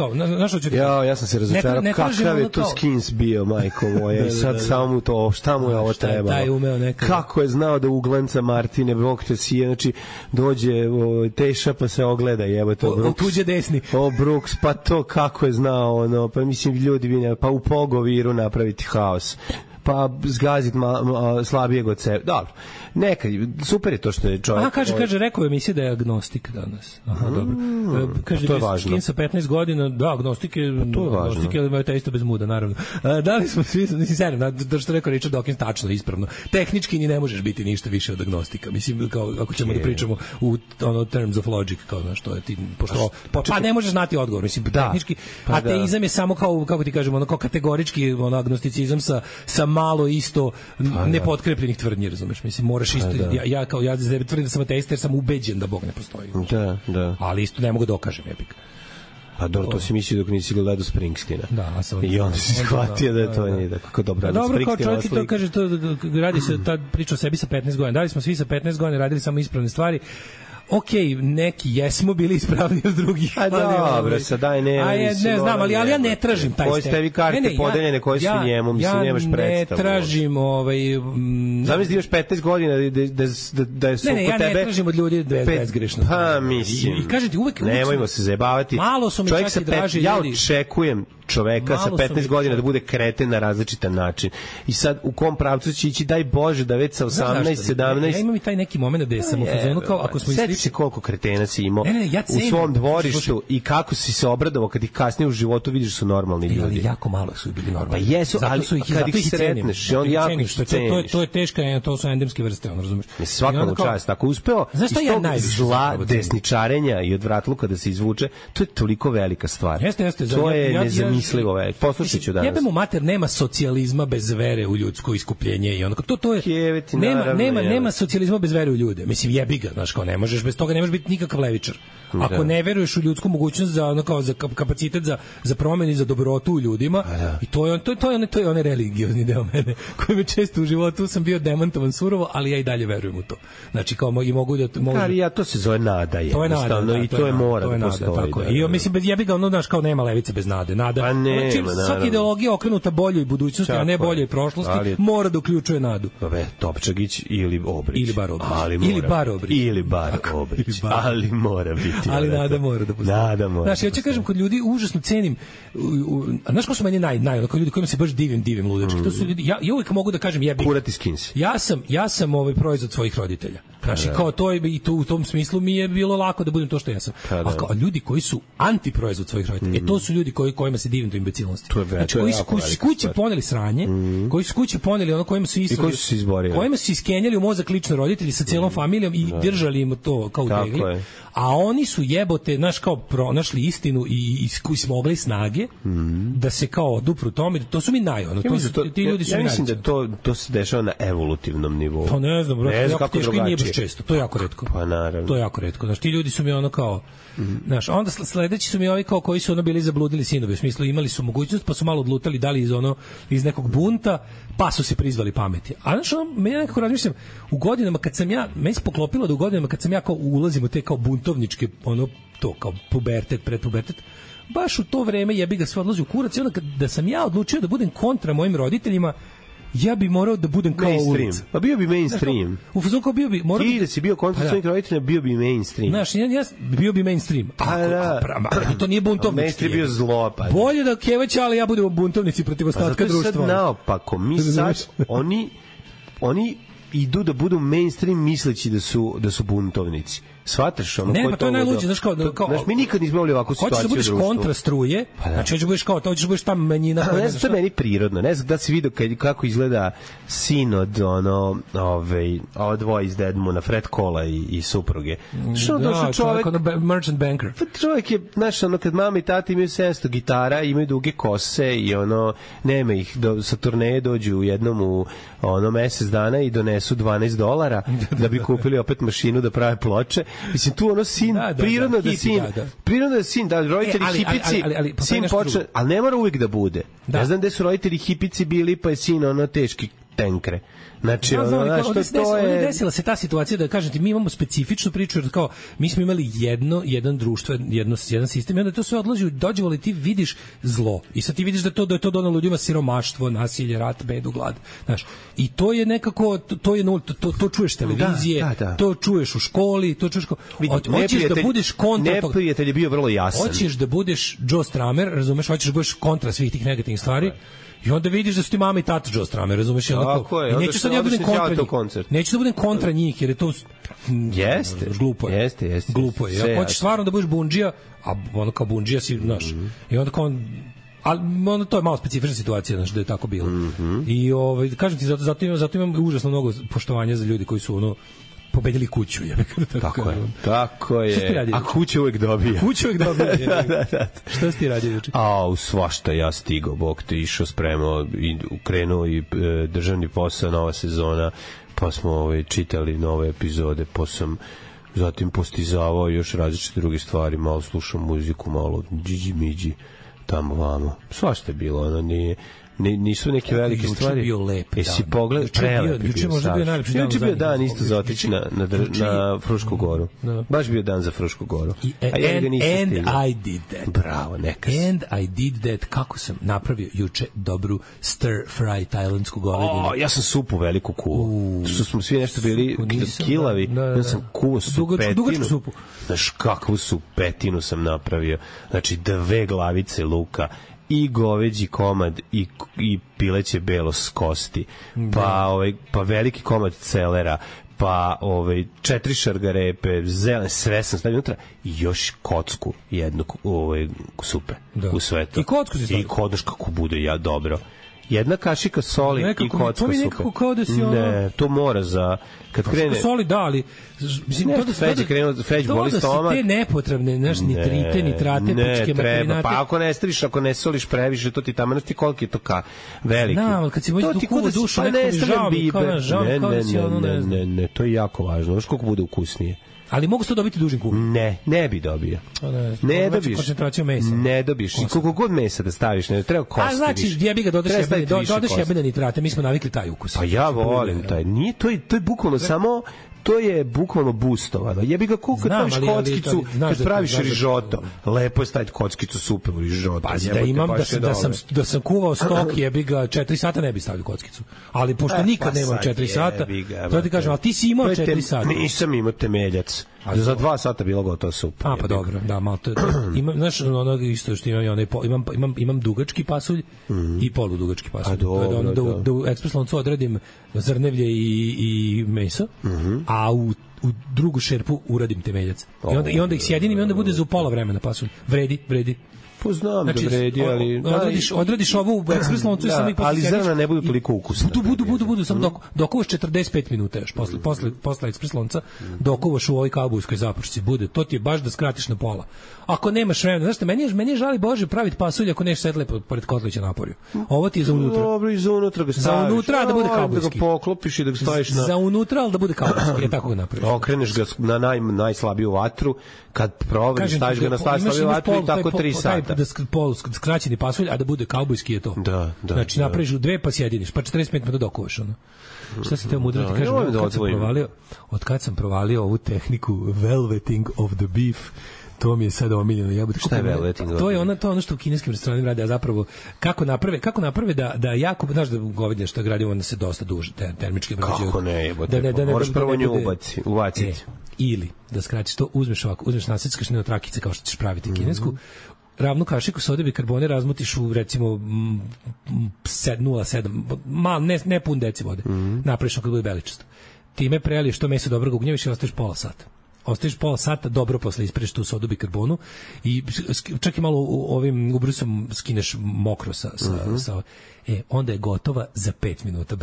što ću ti... Ja sam se razočarao, kakav je to skins bio, majko moja, i sad samo to, šta mu je ovo trebalo? Kako je znao da uglanca Martine, Bog te sije, znači, dođe Teša pa se ogleda, jebo to Brooks. Tuđe desni. Brooks, pa to kako je znao, pa mislim, ljudi, pa u Pogoviru napraviti haos. Pa zgazit slabijeg od sebe. Dobro. Super je to što je čovjek... Kaže, rekao je emisija da je agnostik danas. Dobro. Kaže to je važno. Skin sa 15 godina, da, agnostik je... To je važno. Agnostik je te isto bez muda, naravno. Da li smo svi... Mislim, serio, da što rekao Richard Dawkins, tačno, ispravno. Tehnički ni ne možeš biti ništa više od agnostika. Mislim, kao, ako ćemo da pričamo u terms of logic, kao, znaš, to je ti... Pa ne možeš znati odgovor, mislim, tehnički. Ateizam je samo kao, kako ti kažemo, kao kategorički agnosticizam sa malo isto nepotkrepljenih tvrdnji, razumeš? Mislim, moraš isto, ja tvrdim da sam ateista jer sam ubeđen da Bog ne postoji. Da. Ali isto ne mogu da dokažem, jebik. Pa dobro, to si mislio dok nisi gledao Springsteena. Da, a sam. I onda si shvatio da to nije tako dobro. Dobro, kao čovjek to kaže, to radi se ta priča o sebi sa 15 godina. Da li smo svi sa 15 godina radili samo ispravne stvari? Neki jesmo bili ispravni od drugih. A dobro, sad daj ne znam, ali ja ne tražim taj stepen. Koje ste vi karte podeljene, koje su njemu, mislim, nemaš predstavu. Ja ne tražim Zamisli da imaš 15 godina da su oko tebe... Ne, ja ne tražim od ljudi bezgrešno. Pa, mislim. I kažete, uvek... Nemojmo se zajebavati. Malo su mi čak i draži ljudi. Ja očekujem čoveka sa 15 godina da bude kreten na različitan način. I sad u kom pravcu će ići, daj Bože, da već sa 18, 17... Ja imam i taj neki moment da sam u fazonu kao ako smo slični se koliko kretena si imao u svom dvorištu i kako si se obradovao kad ih kasnije u životu vidiš su normalni ljudi. Ali jako malo su bili normalni. Pa jesu, ali kad ih sretneš, on jako ih ceniš. To je teška, to su endemske vrste, on razumeš. Svakom čast, ako uspeo iz tog zla desničarenja i odvratluka da se izvuče, to je toliko velika stvar. To je nezamislivo veliko. Poslušaću danas. Jebemo mater, nema socijalizma bez vere u ljudsko iskupljenje i onako to je nema socijalizma bez vere u ljude. Mislim jebi ga, znaš, kao ne možeš bez toga, ne možeš biti nikakav levičar. Ako ne veruješ u ljudsku mogućnost za kapacitet za promenu i za dobrotu u ljudima, i to je onaj religiozni deo mene koji me često u životu sam bio demantovan surovo, ali ja i dalje verujem u to. Znači kao i mogu da ali ja to se zove nada je. To je nada, i to je mora da postoji. I mislim bez jebi ga, ono znaš kao nema levice bez nade. Nada. Svaka ideologija okrenuta boljoj budućnosti, a ne boljoj prošlosti, mora da uključuje nadu. Topčagić ili Obrić. Ili bar Obrić. Ali mora biti. Ali nada mora da postoji. Nada mora. Znaš, ja ću kažem, kod ljudi užasno cenim, znaš ko su meni kod ljudi kojima se baš divim ludački, to su ljudi, ja uvijek mogu da kažem jebi. Kurati skins. Ja sam proizvod svojih roditelja. Znači, kao to je, i to u tom smislu mi je bilo lako da budem to što ja sam. A ljudi koji su antiproizvod svojih roditelja, to su ljudi kojima se divim do imbecilnosti. Znači, koji su kući poneli sranje, koji su kući poneli ono kojima su koji su se izborili. Kojima su iskenjali u mozak lično roditelji sa celom familijom i držali im to kao u tegli. A oni su jebote, znaš, kao pronašli istinu i smogli snage da se kao odupru tome. To su mi ti ljudi su mi mislim da to se dešava na evolutivnom nivou. Pa ne znam, jako teško i nije baš često. To je jako retko. Pa naravno. To je jako retko. Znaš, ti ljudi su mi ono kao, znaš, onda sledeći su mi ovi kao koji su ono bili zabludili sinovi. U smislu imali su mogućnost, pa su malo odlutali, dali iz nekog bunta, pa su se prizvali pameti. A znaš, meni nekako razmišljam, u godinama kad sam meni se poklopilo da u godinama kad sam ja kao ulazim u te kao buntovničke, to kao pubertet, predpubertet, baš u to vreme jebi ga sve odlazi u kurac i onda da sam ja odlučio da budem kontra mojim roditeljima, ja bi morao da budem kao ulica. Pa bio bi mainstream. U fazonu kao bio bi... Ti da si bio kontra svojih roditelja, bio bi mainstream. Znaš, ja bio bi mainstream. To nije buntovnički. Mainstream bio zlo. Bolje da kevaća, ali ja budem buntovnici protiv ostatka društva. Zato je sad naopako. Mi sad, oni idu da budu mainstream misleći da su buntovnici. Shvataš ono? Ne, pa to je najluđe, znaš kao mi nikad nismo imali ovakvu situaciju. Hoćeš da budeš kontra struje, znači hoćeš da budeš ta manjina. Ne znam, to je meni prirodno. Ne znam da si vidio kako izgleda sin od ova dvoje iz Dedmuna, Fred Kola i supruge. Da, čovjek merchant banker. Čovjek je, znaš, kad mama i tata imaju 700 gitara, imaju duge kose i nema ih, sa turneje dođu jednom u mesec dana i donesu $12 da bi kupili opet mašinu da prave ploče. Mislim, tu sin, prirodno da sin, da roditelji hipici, sin počne, ali ne mora uvijek da bude. Ne znam gde su roditelji hipici bili, pa je sin teški tenkre. Znači, ovdje desila se ta situacija da kažem ti, mi imamo specifičnu priču, jer kao mi smo imali jedan društvo, jedan sistem, i onda to sve odlazi, dođe ti vidiš zlo i sad ti vidiš da je to donalo ljudima siromaštvo, nasilje, rat, bedu, glad, znaš, i to je nekako, to čuješ televizije, to čuješ u školi, to čuješ hoćeš da budeš kontra toga. Neprijatelj je bio vrlo jasan. Hoćeš da budeš Joe Stramer, razumeš, hoćeš da budeš kontra svih tih negativnih stvari. I onda vidiš da su ti mama i tata Joe Stramer, razumeš? Tako je. I neću sad ja budem kontra njih. Neću da budem kontra njih, jer je to glupo je. Jeste. Glupo je. Ako hoćeš stvarno da budeš bundžija, a ono kao bundžija si, znaš, i onda kao ali to je malo specifična situacija, znaš, da je tako bilo. I kažem ti, zato imam užasno mnogo poštovanja za ljudi koji su pobedili kuću. Tako je. A kuća uvek dobija. Šta si ti radio juče? Svašta, ja stigao, Bog te išao, spremao i krenuo i državni posao, nova sezona, pa smo čitali nove epizode, pa sam zatim postizavao još različite druge stvari, malo slušao muziku, malo džiđi miđi tamo vamo, svašta je bilo, ono nije nisu neke velike stvari. Bio lep jesi pogled prelep juče možda bio najlepši dan. Juče bio dan isto za otići na Frušku goru. Baš bio dan za Frušku goru. And I did that. Bravo, neka. And I did that. Kako sam napravio juče dobru stir fry tajlandsku govedinu. Ja sam supu veliku kuo. Što smo svi nešto bili kilavi. Ja sam kuo dugačku supu. Znaš kakvu supetinu sam napravio. Znači 2 glavice luka i goveđi komad i pileće belo s kosti, pa veliki komad celera, pa 4 šargarepe, zelene, sve sam stavio unutra i još kocku jednu supe u sve to. I kocku si stavio? I kodaš kako bude dobro. Jedna kašika soli nekako, i kocka supe. Nekako kao da si Ne, to mora za... Kad krene... Soli da, ali... Mislim, to da Feć boli stomak. Te nepotrebne, znaš, nitrite, nitrate, pičke treba. Pa ako ne staviš, ako ne soliš previše, to ti tamo, znaš ti koliki je to veliki. Da, kad si moći duku dušu, nekako mi žao, kao da si ono, ne znam. Ne, to je jako važno. Znaš koliko bude ukusnije. Ali mogu se to dobiti dužim kubom? Ne bi dobio. Ne dobiš. Koncentraciju mesa. Ne dobiš. Koliko god mesa da staviš, ne treba kosti. A znači, jebi ga dodaš jebene nitrate, mi smo navikli taj ukus. Pa ja volim taj. Nije, to je bukvalno samo to je bukvalno boostovano. Jebi ga kad praviš kockicu, kad praviš rižoto, lepo je staviti kockicu supe u rižoto. Pa da imam da sam kuvao stok, jebi ga 4 sata ne bi stavio kockicu. Ali pošto nikad nemam 4 sata, to ti kažem, ali ti si imao 4 sata. Nisam imao temeljac. Za 2 sata bilo gotovo supa. Pa dobro, da, malo to. Imam, znaš, ono isto što imam dugački pasulj i poludugački pasulj. Da u ekspres loncu odradim zrnevlje i meso, a u drugu šerpu uradim temeljac. I onda ih sjedinim i onda bude za pola vremena pasulj. Vredi. Poznam da vredi, ali... Odradiš ovo u ekspres loncu i samo ih ali zrna ne budu toliko ukusne. Budu, samo dokuvaš 45 minuta još, posle ekspres lonca, dokuvaš u ovoj kaubojskoj zapršci, bude, to ti je baš da skratiš na pola. Ako nemaš vremena, znaš šta, meni je žali Bože praviti pasulj ako neš sedle pored kotlića naporju. Ovo ti je za unutra. Dobro, i za unutra ga staviš. Za unutra da bude kaubojski. Da ga poklopiš i da ga staviš na... Za unutra, ali da bude kaubojski, je tako ga napraviš. Okreneš ga na najslabiju vatru, kad proveriš, staviš ga na najslabiju vatru i tako 3 sata. Da skraćeni pasulj, a da bude kaubojski je to. Da. Znači napraviš 2 pa sjediniš, pa 45 minuta dokuvaš ono. Šta se teo mudro ti kažem, od kad sam provalio ovu tehniku velveting of the beef, to mi je sad omiljeno. Šta je velveting? To je ono što u kineskim restoranima rade, a zapravo kako naprave da jako, znaš da govedine što gradimo onda se dosta duže termički obrađuju. Kako ne, moraš prvo nju ubaciti. Ili da skratiš to, uzmeš naseckaš na trakice kao što ćeš praviti kinesku, ravnu kašiku sode bikarbone razmutiš u recimo 0,7 ne pun deci vode. Napraviš kad bude beličasto. Time preliješ to meso dobro ga ugnjeviš i ostaviš pola sata. Ostaviš pola sata, dobro posle ispereš tu sodu bikarbonu i čak i malo ovim ubrusom skineš mokro sa onda je gotova za 5 minuta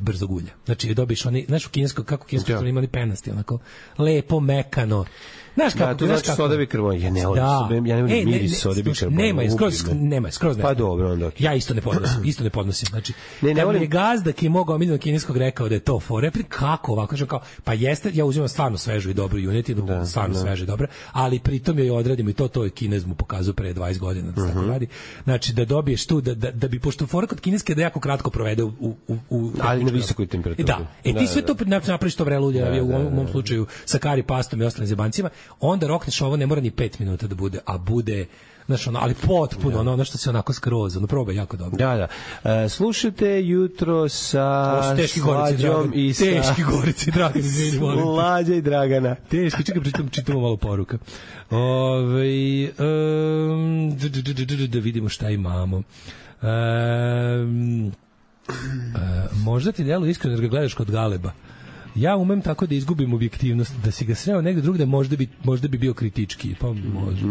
brzog ulja. Znači dobiješ oni, znaš u kinesko, kako kinesko su imali penasti, onako lepo, mekano. Znaš kako, to znači soda bikarbon. Ja ne volim miris sode bikarbon. Nema, skroz ne. Pa dobro, onda. Ja isto ne podnosim. Znači, ne volim. Je gazda ki je mogao omiljeno kineskog rekao da je to fore, kako ovako, kažem kao, pa jeste, ja uzimam stvarno svežu i dobru junetinu, stvarno svežu i dobra, ali pritom joj odradim i to je Kinez mu pokazao pre 20 godina da se tako radi. Znači da dobiješ tu da bi pošto fora kod kineske da jako kratko provede u ali na visokoj temperaturi. Da. Ti sve to napraviš to vrelo ulje, u mom slučaju sa kari pastom i ostalim zebancima, onda rokneš ovo, ne mora ni 5 minuta da bude, a bude, znaš, ali potpuno, ono što se onako skroz, probaj jako dobro. Da. Slušajte jutro sa Slađom i sa... Teški Gorici, Dragan, izvini, molim. Slađa i Dragana. Teški, čekaj, čitamo malo poruka. Da vidimo šta imamo. Možda ti delo iskreno jer ga gledaš kod Galeba. Ja umem tako da izgubim objektivnost, da si ga sreo negde drugde, možda bi bio kritički, pa može.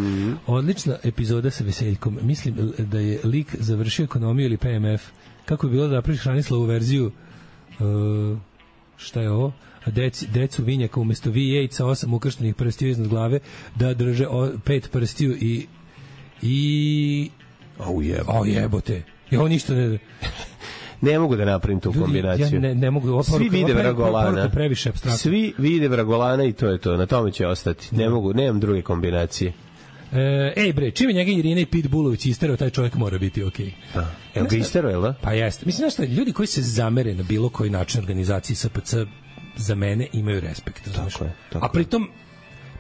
Odlična epizoda sa Veseljkom. Mislim da je lik završio ekonomiju ili PMF. Kako je bilo da napraviš Hranislavu verziju, šta je ovo? Decu vinjaka umesto V8 sa 8 ukrštenih prstiju iznad glave, da drže 5 prstiju i... jebote. Ja ovo ništa ne... Ne mogu da napravim tu kombinaciju. Ja ne mogu. Svi vide Vragolana. Previše apstraktno. Svi vide Vragolana i to je to. Na tome će ostati. Ne mogu, nemam druge kombinacije. Ej bre, čime njega Irina i Pitbullović isterao, taj čovjek mora biti okej. Da. Evo ga isterao, jel da? Pa jeste. Mislim, znaš šta, ljudi koji se zamere na bilo koji način organizaciji SPC za mene imaju respekt. Tako je. A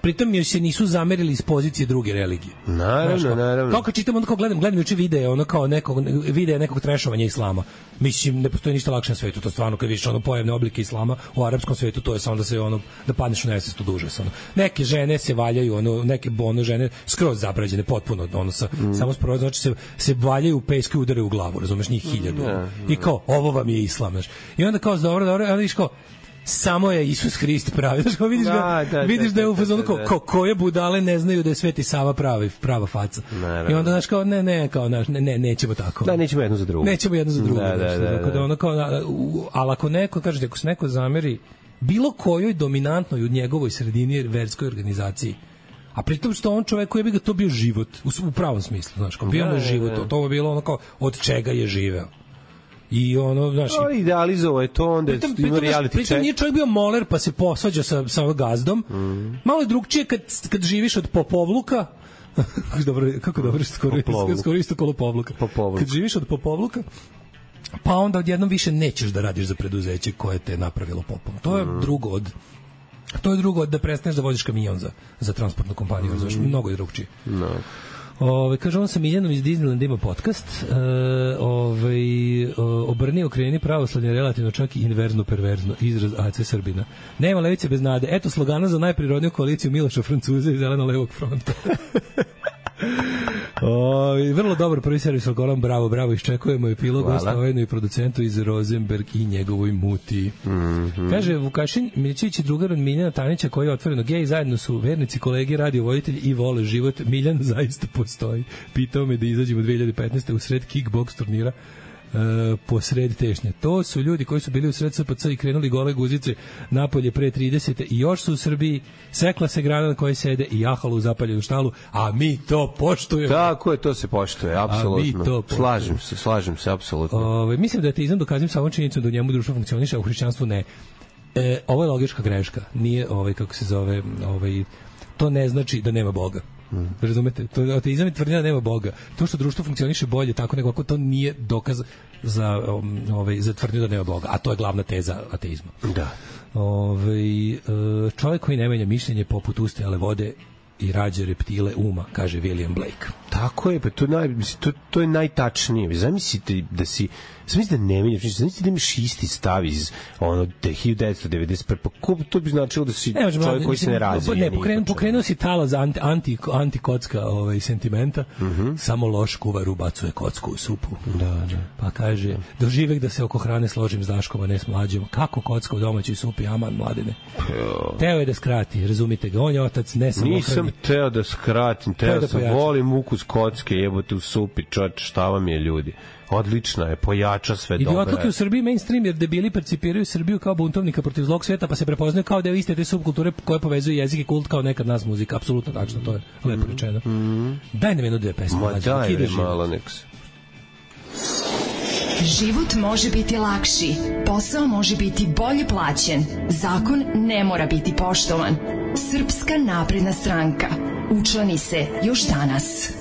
pritom joj se nisu zamerili iz pozicije druge religije. Naravno. Kao kad čitam, onda kao gledam juče videe, ono kao nekog trešovanja islama. Mislim, ne postoji ništa lakše na svetu, to stvarno kad vidiš ono pojavne oblike islama u arapskom svetu, to je samo da se da padneš u nesvest od užasa. Neke žene se valjaju, neke žene skroz zabrađene, potpuno, samo skroz, znači se valjaju u pesku i udaraju u glavu, razumeš, njih 1000. I kao, ovo vam je islam, znaš. I onda kao, dobro, onda vidiš kao, samo je Isus Hrist pravi. Znaš, vidiš da je u fazonu koje budale ne znaju da je Sveti Sava prava faca. I onda, znaš, kao, nećemo tako. Da, nećemo jedno za drugo. Ali ako neko, kažete, ako se neko zameri bilo kojoj dominantnoj u njegovoj sredini verskoj organizaciji, a pritom što on čovek koji bi ga to bio život, u pravom smislu, znaš, kao bio mu život, to bi bilo ono kao od čega je živeo. I ono, znaš, idealizovao je to, onda ima reality check. Pritom nije čovjek bio moler pa se posvađa sa gazdom. Malo je drugčije kad živiš od popovluka. Kako dobro, skoro isto kolopovluka. Kad živiš od popovluka, pa onda odjednom više nećeš da radiš za preduzeće koje te je napravilo popom. To je drugo od da prestaneš da voziš kamion za transportnu kompaniju. Znaš, mnogo je drugčije. Kaže, on sa Miljanom iz Disneylanda ima podcast. Obrni, okreni, pravoslavlje, relativno čak i inverzno, perverzno. Izraz AC Srbina. Nema levice bez nade. Eto slogana za najprirodniju koaliciju Miloša Francuza i Zeleno-levog fronta. Vrlo dobar prvi servis Algoran, bravo, iščekujemo epilog osnovenu i producentu iz Rosenberg i njegovoj muti. Kaže Vukašin Milićević i drugar od Miljana Tanića koji je otvoreno gej, zajedno su vernici, kolege, radiovoditelji i vole život. Miljan zaista postoji. Pitao me da izađemo 2015. u sred kickboks turnira po sred tešnje. To su ljudi koji su bili u sred SPC i krenuli gole guzice napolje pre 30. i još su u Srbiji, sekla se grana na kojoj sede i jahalo u zapaljenu štalu, a mi to poštujemo. Tako je, to se poštuje, apsolutno. Slažem se, apsolutno. Mislim da je ateizam dokazim sa ovom činjenicom da u njemu društvo funkcioniše, a u hrišćanstvu ne. Ovo je logička greška. Nije, kako se zove, to ne znači da nema Boga. Razumete? Ateizam je tvrdnja da nema Boga. To što društvo funkcioniše bolje tako nego ako to nije dokaz za tvrdnju da nema Boga. A to je glavna teza ateizma. Da. Čovjek koji ne menja mišljenje poput ustajale vode i rađe reptile uma, kaže William Blake. Tako je, pa to je najtačnije. Zamislite da si da ne menjaš, zamislite da imaš isti stav iz 1991. Pa to bi značilo da si čovjek koji se ne razvije. Pokrenuo si talaz anti-kocka sentimenta, samo loš kuvar ubacuje kocku u supu. Da. Pa kaže, doživek da se oko hrane složim s Daškom, a ne s Mlađom. Kako kocka u domaćoj supi, aman, Mladene. Teo je da skrati, razumite ga, on je otac, ne samo nisam teo da skratim, teo sam, volim ukus kocke, jebote u supi, šta vam je ljudi. Odlična je, pojača sve dobro. Idiotluk je u Srbiji mainstream jer debili percipiraju Srbiju kao buntovnika protiv zlog sveta, pa se prepoznaju kao deo iste te subkulture koje povezuju jezik i kult kao nekad nas muzika. Apsolutno tačno, to je lepo rečeno. Daj nam jednu dve pesme. Daj malo neks. Život može biti lakši, posao može biti bolje plaćen, zakon ne mora biti poštovan. Srpska napredna stranka. Učlani se još danas.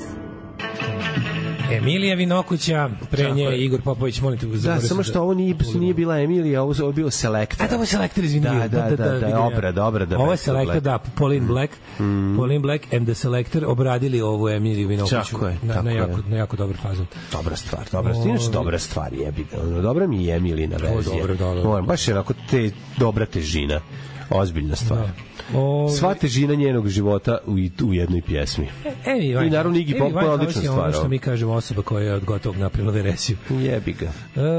Emilija Vinokuća, pre nje Igor Popović, molim te. Da, samo što ovo nije bila Emilija, ovo je bio Selektor. A da, ovo je Selektor, izvinio. Da, obrada. Ovo je Selektor, da, Pauline Black and the Selector obradili ovu Emiliju Vinokuću na jako dobar fazon. Dobra stvar. Inače dobra stvar, jebi ga. Dobra mi je Emilina verzija. Dobro. Baš je onako dobra težina. Ozbiljna stvar. Sva težina njenog života u jednoj pjesmi. I naravno Iggy Pop je odlična stvar. Ono što mi kažemo, osoba koja je od gotovog napravila veresiju. Jebi ga.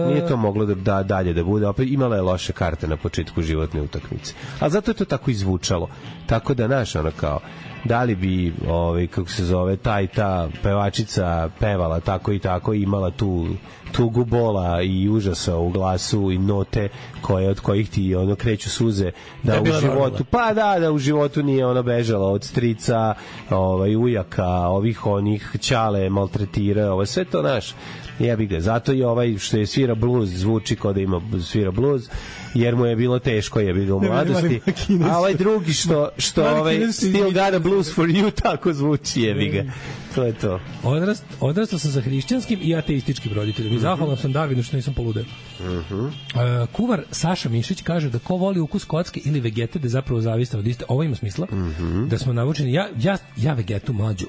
Nije to moglo da dalje da bude. Opet imala je loše karte na početku životne utakmice. A zato je to tako izvučalo. Tako da, znaš, ono kao da li bi kako se zove ta pevačica pevala tako i tako, imala tu tugu bola i užasa u glasu i note od kojih ti kreću suze, da u životu da u životu nije ona bežala od strica, ujaka, onih ćale maltretira, sve to naš. Jebi ga, zato i što je svira blues zvuči kao da ima svira blues, jer mu je bilo teško, jebi ga, u mladosti, a drugi što Still Got a Blues for You tako zvuči, jebi ga. To je to. Odrastao sam sa hrišćanskim i ateističkim roditeljom i zahvalan sam Darvinu što nisam poludeo. Kuvar Saša Mišić kaže da ko voli ukus kocke ili vegete da je zapravo zavistan od iste. Ovo ima smisla, da smo navučeni. Ja vegetu mlađu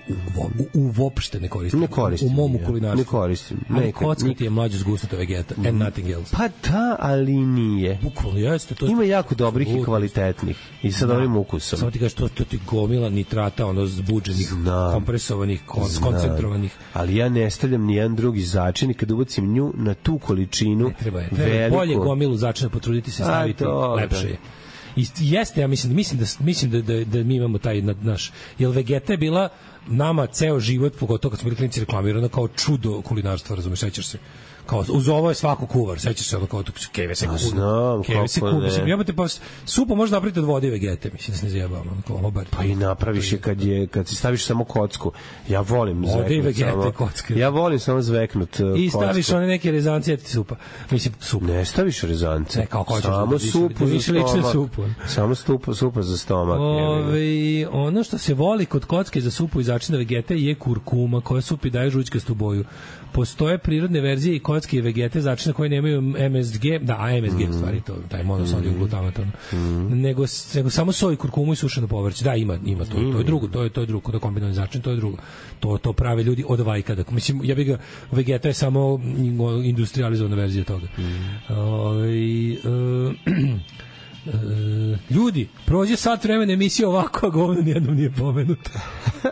uopšte ne koristim. U mom kulinarstvu. Ne koristim. Ali kocka ti je mlađu zgusnuta vegeta and nothing else. Pa da, ali nije. Bukvalno jeste. Ima jako dobrih i kvalitetnih i sa dobrim ukusom. Samo ti kažeš, to ti gomila nitrata, zbuđenih, kompresovanih, koncentrovanih. Ali ja ne stavljam nijedan drugi začin i kad ubacim nju na tu količinu treba bolje gomilu začina potruditi se staviti, lepše je. I jeste, ja mislim da mi imamo taj naš, jer vegeta je bila nama ceo život, pogotovo kad smo bili klinici, reklamirana kao čudo kulinarstva, razumeš, sećaš se. Kao, uz ovo je svako kuvar, sećaš se kao keve se kuvar. Znam, kako ne. Jebate, pa supu možda napraviti od vode i vegete, mislim da se ne zajebamo. Pa i napraviš je kad si staviš samo kocku. Ja volim zveknut samo. Ja volim samo zveknut kocku. I staviš one neke rezance, ti supa. Mislim, supu. Ne staviš rezance. Kao hoćeš samo supu za stomak. Samo supa za stomak. Ono što se voli kod kocke za supu i začina vegete je kurkuma, koja supi daje žućkastu boju. Postoje prirodne verzije i kocke i vegete začina koje nemaju MSG, MSG u stvari, to taj monosodijum glutamat, nego samo soj, kurkumu i sušeno povrće. Da, ima to je drugo, to je drugo, da kombinovani začin, to je drugo. To prave ljudi od vajkada. Mislim, ja bih ga, vegeta je samo industrializovana verzija toga. Ljudi, prođe sat vremena emisije ovako, a govno nijednom nije pomenuto.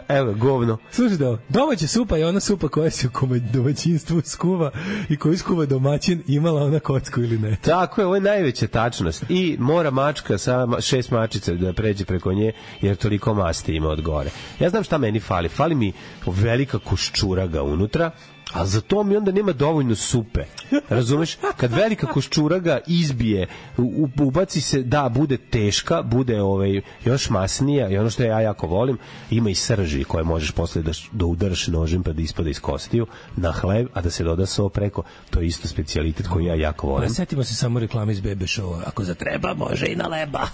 Evo, govno. Slušaj da, domaća supa je ona supa koja se u domaćinstvu skuva i koju skuva domaćin, imala ona kocku ili ne. Tako je, ovo je najveća tačnost. I mora mačka sa 6 mačica da pređe preko nje, jer toliko masti ima od gore. Ja znam šta meni fali. Fali mi velika kuščuraga unutra, a za to mi onda nema dovoljno supe. Razumeš? Kad velika koščuraga izbije, ubaci se, da, bude teška, bude još masnija, i ono što ja jako volim, ima i srži koje možeš posle da udaraš nožem pa da ispada iz kostiju na hleb, a da se doda so preko. To je isto specijalitet koji ja jako volim. Setimo se samo reklame iz Bebe Showa. Ako zatreba, može i na leba.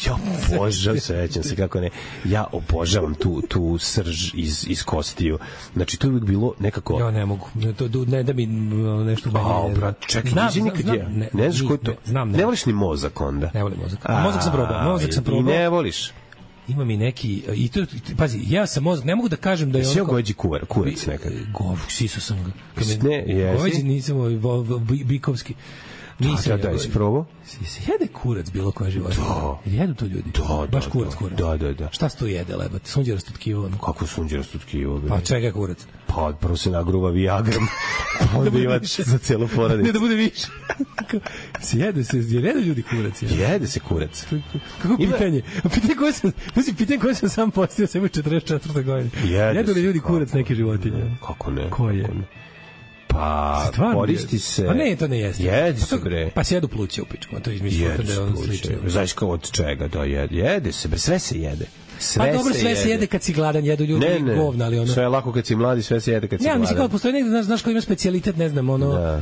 Ja obožavam, sećam se kako ne. Ja obožavam tu srž iz kostiju. Znači, to je uvijek bilo nekako... Ja ne mogu. Ne da mi nešto meni. Čekaj, ne znaš ko je to? Ne voliš ni mozak onda? Ne volim mozak. Mozak sam probao. I ne voliš? Ima mi neki, i to, pazi, ja sam mozak, ne mogu da kažem da je on... Jesi goveđi kurac nekad? Siso sam ga. Ne, jesi? Goveđi nisam bikovski. Da, isprobao? Se jede kurac bilo koja života? Da. Jedu to ljudi? Da. Baš kurac. Da. Šta se to jede, lebate? Sunđerasto tkivo? Kako sunđerasto tkivo? Pa čega je kurac? Pa prvo se nagruva Viagram, onda ima za cijelu porodicu. Ne da bude više. Jedu ljudi kurac? Jede se kurac. Kako pitanje? Pitanje koje sam sam postavio sve u 44. godini. Jedu li ljudi kurac neke životinje? Kako ne? Koje? Pa, koristi se... Pa ne, to ne jeste. Jede se, bre. Pa se jedu pluće u pičku, to izmišljamo da je on slično. Znaš kao od čega, da jede se, bre, sve se jede. Pa dobro, sve se jede kad si gladan, jedu ljudi govna, ali ono... Sve je lako kad si mladi, sve se jede kad si gladan. Ja, mislim kao postoji negde, znaš kao ima specijalitet, ne znam, ono...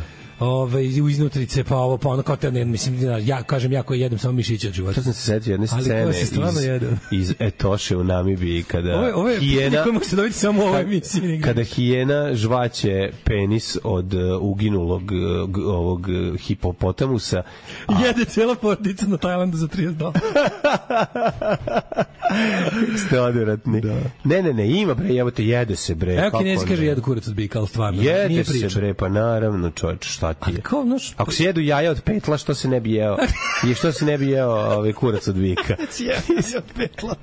u iznutrice, pa ovo, pa ono, kao te, ne, mislim, ja kažem, ja koji jedem samo mišiće od života. To sam se setio jedne scene iz Etoše u Namibiji, kada hijena... Koje možete dobiti samo u ovoj emisiji. Kada hijena žvaće penis od uginulog ovog hipopotamusa. Jede cijela porodica na Tajlandu za $30. Ste odvratni. Ne, ima, bre, jede se, bre. Evo Kinezi kaže jedu kurac od bika, ali stvarno. Jede se, bre, pa naravno, čovječ, šta ti je? Ako se jedu jaja od petla, što se ne bi jeo? I što se ne bi jeo kurac od bika? Jaja od petla.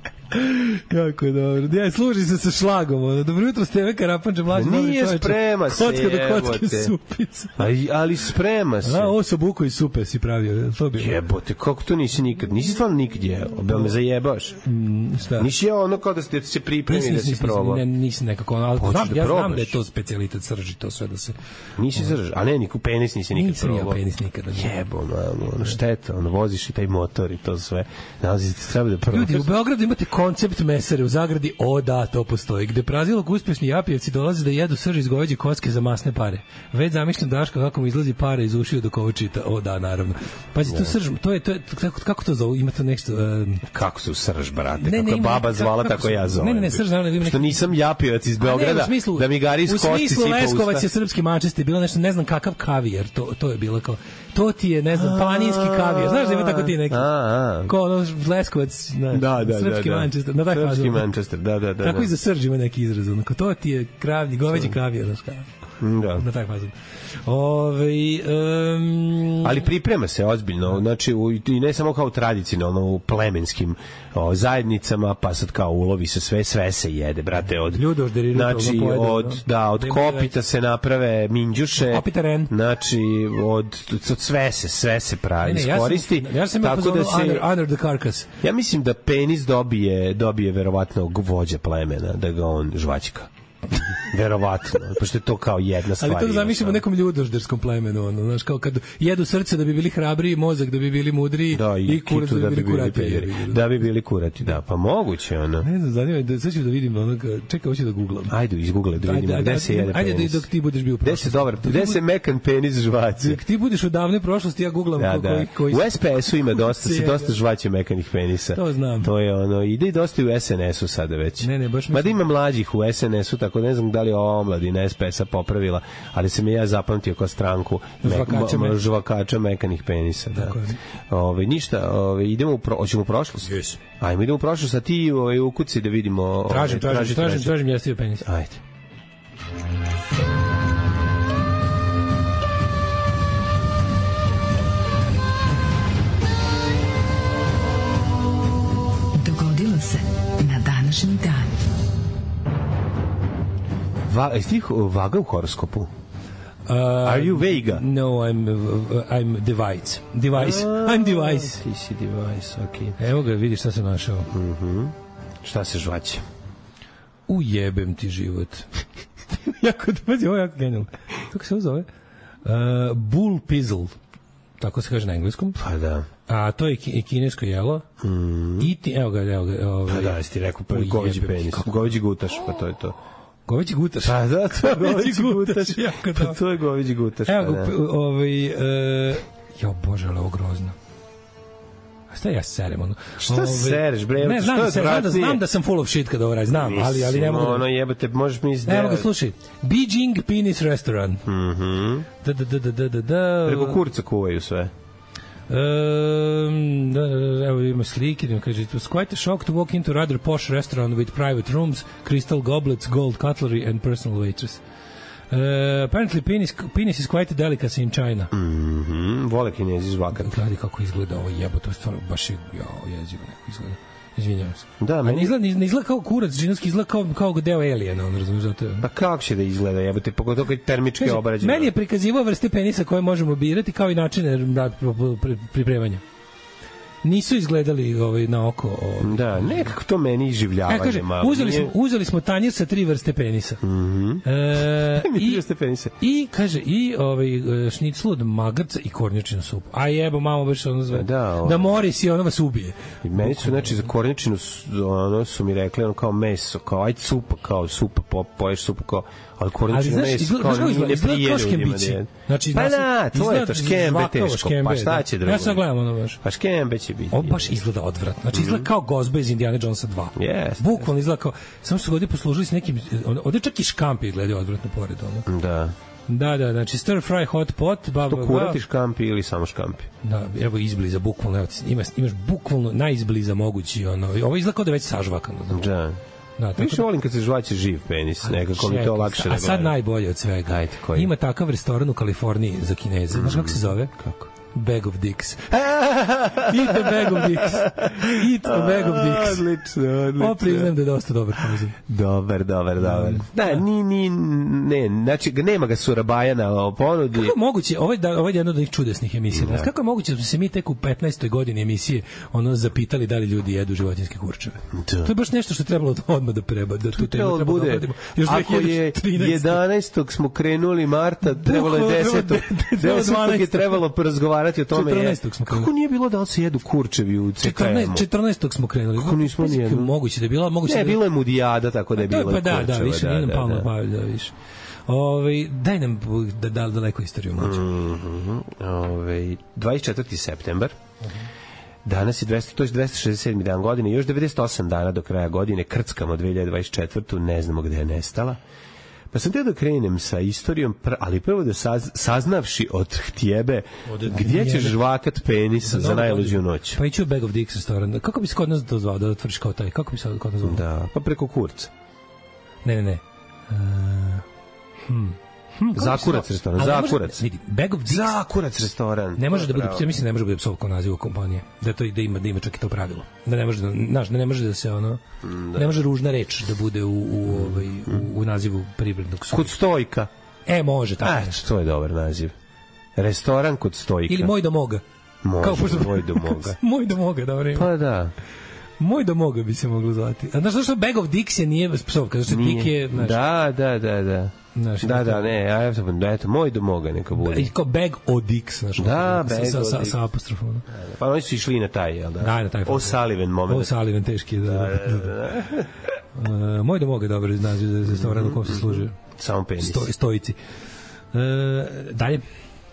Kako je dobro. Ja, služi se sa šlagom. Dobro jutro, Steve Karapanđe, mlađi novi čovječe. Nije sprema se, kocka do kocke supica. Ali sprema se. Ovo su buko i supe si pravio. To bi... Jebote, kako to nisi nikad? Nisi stvarno nikad jeo? Bel me zajebaš? Šta? Nisi jeo ono kao da se pripremi da si probao? Nisam nekako, ali znam da je to specijalitet srži, to sve da se... Nisi srži, a ne, niku penis nisi nikad probao. Nisam ja penis nikada. Jebo, ono šteta, ono voziš i taj motor i to sve. Nalazi se, treba da probaš. Ljudi, u Beogradu imate koncept mesare, u zagradi, o da, to postoji, gde prazilog uspešni Japijevci dolaze da jedu srž iz goveđe koske za masne pare. Već zamišljam Daška kako mu izlazi pare iz ušiju dok ovo čita. O da, naravno. Pazi, tu srž, to je kako to zove, ima to nešto... Kako su srž, brate? Kako baba zvala, tako ja zovem. Ne, srž, naravno. Što nisam Japijevac iz Beograda, da mi gari iz kosti sipa usta. U smislu Leskovac je srpski Manchester, bilo nešto, ne znam kakav kavijer, to je bilo kao... To ti je, ne znam, planinski kavijer. Znaš da ima tako ti neki? Ko ono Leskovac, srpski Manchester. Srpski Manchester, da. Tako i za srž ima neki izraz. To ti je kravlji, goveđi kavijer, znaš kao. Da. Na taj fazon. Ali priprema se ozbiljno, znači i ne samo kao tradicionalno u plemenskim zajednicama, pa sad kao ulovi se sve se jede, brate, od znači od kopita se naprave minđuše, znači od sve se pravi, iskoristi, tako da se under the carcass. Ja mislim da penis dobije verovatno vođa plemena, da ga on žvaćka. Verovatno, pošto je to kao jedna stvar. Ali to zamišljamo nekom ljudožderskom plemenu, ono, znaš, kao kad jedu srce da bi bili hrabriji, mozak da bi bili mudriji, i kurac da bi bili kurati. Da bi bili kurati, da, pa moguće, ono. Ne znam, zanima, sad ću da vidim, ono, čekaj, hoću da googlam. Ajde, izgooglaj da vidimo gde se jede penis. Ajde, dok ti budeš bio u prošlosti. Gde se mekan penis žvaće? Dok ti budeš u davnoj prošlosti, ja googlam koji... U SPS-u ima dosta žvaće mekanih penisa. To znam. To je ono, ide i dosta u SNS-u sada već. Ne, baš ma da ima mlađih u SNS-u, tako ne znam da li ova omladina SPS-a popravila, ali sam ja zapamtio kao stranku žvakača mekanih penisa. Da. Ništa, idemo hoćemo u prošlost. Yes. Ajmo, idemo u prošlost, a ti ukuci da vidimo... Tražim jesti penis. Ajde. Dogodilo se na današnji dan. Jesi ti vaga u horoskopu? Are you Vega? No, I'm device. I'm device. Ti si device, okej. Evo ga, vidiš šta sam našao. Šta se žvaće? Ujebem ti život. Ovo je jako genijalno. Kako se ovo zove? Bull pizzle. Tako se kaže na engleskom. Pa da. A to je kinesko jelo. Evo ga. Pa da, jesi ti rekao goveđi penis. Goveđi gutaš, pa to je to. Goveđi gutaš. Pa da, to je goveđi gutaš. Pa to je goveđi gutaš. Evo ga, jo bože, ali ovo grozno. A šta ja serem? Ono? Šta sereš, bre? Ne, znam da sam full of shit kada ovo radim, znam, ali ne mogu. Ono jebate, možeš mi izdjeti. Evo ga, slušaj. Beijing Penis Restaurant. Preko kurca kuvaju sve. Evo ima slike, kaže, it was quite a shock to walk into a rather posh restaurant with private rooms, crystal goblets, gold cutlery and personal waitress. Apparently penis is quite a delicacy in China. Vole Kinezi žvakat. Gledaj kako izgleda ovo jebo, to je stvarno baš jezivo neko izgleda. Izvinjavam se. Da, ne izgleda kao kurac, džinovski izgleda kao deo Aliena, on razumiješ da to je. Pa kako će da izgleda, jebote, pogotovo kad je termički obrađeno. Meni je prikazivao vrste penisa koje možemo birati kao i načine pripremanja. Nisu izgledali na oko. Da, nekako to meni iživljavanje. Kaže, uzeli smo tanjir sa 3 vrste penisa. I kaže, šniclu od magarca i kornjačinu supu. A jebo, mamo, baš ono zve. Da moris i ono vas ubije. I meni su, znači, za kornjačinu ono su mi rekli, ono kao meso, kao ajde supa, kao supa, poješ supu, kao ali kornjačino meso, kao ne prije ljudima. Pa da, to je to, škembe teško. Pa šta će drugo? Ja sad gledam ono baš. Pa škembe će biti. On baš izgleda odvratno. Znači izgleda kao gozba iz Indiana Jonesa 2. Yes. Bukvalno izgleda kao, samo što ovdje poslužili s nekim, ovdje čak i škampi izgledaju odvratno pored ono. Da. Da, znači stir fry hot pot, što kurati škampi ili samo škampi? Da, evo izbliza, bukvalno, evo, imaš bukvalno najizbliza mogući, ono, ovo izgleda kao da već sažvakano. Da. Više volim kad se žvaće živ penis, nekako mi to lakše. A sad najbolje od svega. Ima takav restoran u Kaliforniji za Kineze. Znaš kako se zove? Kako? Bag of dicks. Eat a bag of dicks. Eat a bag of dicks. Odlično. Priznajem da je dosta dobar poziv. Dobar. Da, ne, znači, nema ga Surabajana o ponudi. Kako je moguće, ovo je jedna od onih čudesnih emisija. Da. Kako je moguće da smo se mi tek u 15. godini emisije zapitali da li ljudi jedu životinjske kurčeve? Da. To je baš nešto što je trebalo odmah da preba. Da tu treba da obradimo. Ako je 11. smo krenuli marta, trebalo je 10. 10. je trebalo porazgovarati o tome. 14. smo krenuli. Kako nije bilo da li se jedu kurčevi u CKM-u? 14. smo krenuli. Kako nismo nijedno? Moguće da je bilo. Ne, bilo je Mudijada, tako da je bilo kurčeva. Da, više nije nam palno pa da više. Daj nam daleko istoriju mlađe. 24. septembar. Danas je 267. dan godine, još 98 dana do kraja godine, krckamo 2024. Ne znamo gde je nestala. Pa sam teo da krenem sa istorijom, ali prvo da saznavši od htjebe gdje ćeš žvakat penis za najluđu noć. Pa ići u Bag of Dicks restoran. Kako bi se kod nas to zvao, da otvoriš kao taj? Kako bi se kod nas zvao? Da, pa preko kurca. Ne. Zakurac restoran, Zakurac. Vidi, Bag of Dicks. Zakurac restoran. Ne može da bude, ja mislim ne može da bude psovka nazivu kompanije. Da to da ima čak i to pravilo. Da ne može ne može da se ne može ružna reč da bude u nazivu privrednog subjekta. Kod Stojka. Može tako. To je dobar naziv. Restoran kod Stojka. Ili Moj do moga. Moj do moga. Moj do moga, dobro ime. Pa da. Moj do moga bi se moglo zvati. A znaš što Bag of Dicks je psovka, zato što Dick je... Da. Eto, Moj do moga neka bude. I kao Bag o Dicks, znaš. Da, Bag o Dicks. Sa apostrofom. Pa oni su išli na taj, jel da? Da, na taj. O'Sullivan moment. O'Sullivan, teški, da. Moj do moga je dobar naziv za restoran u kom se služe. Samo penis. Stojici. Dalje.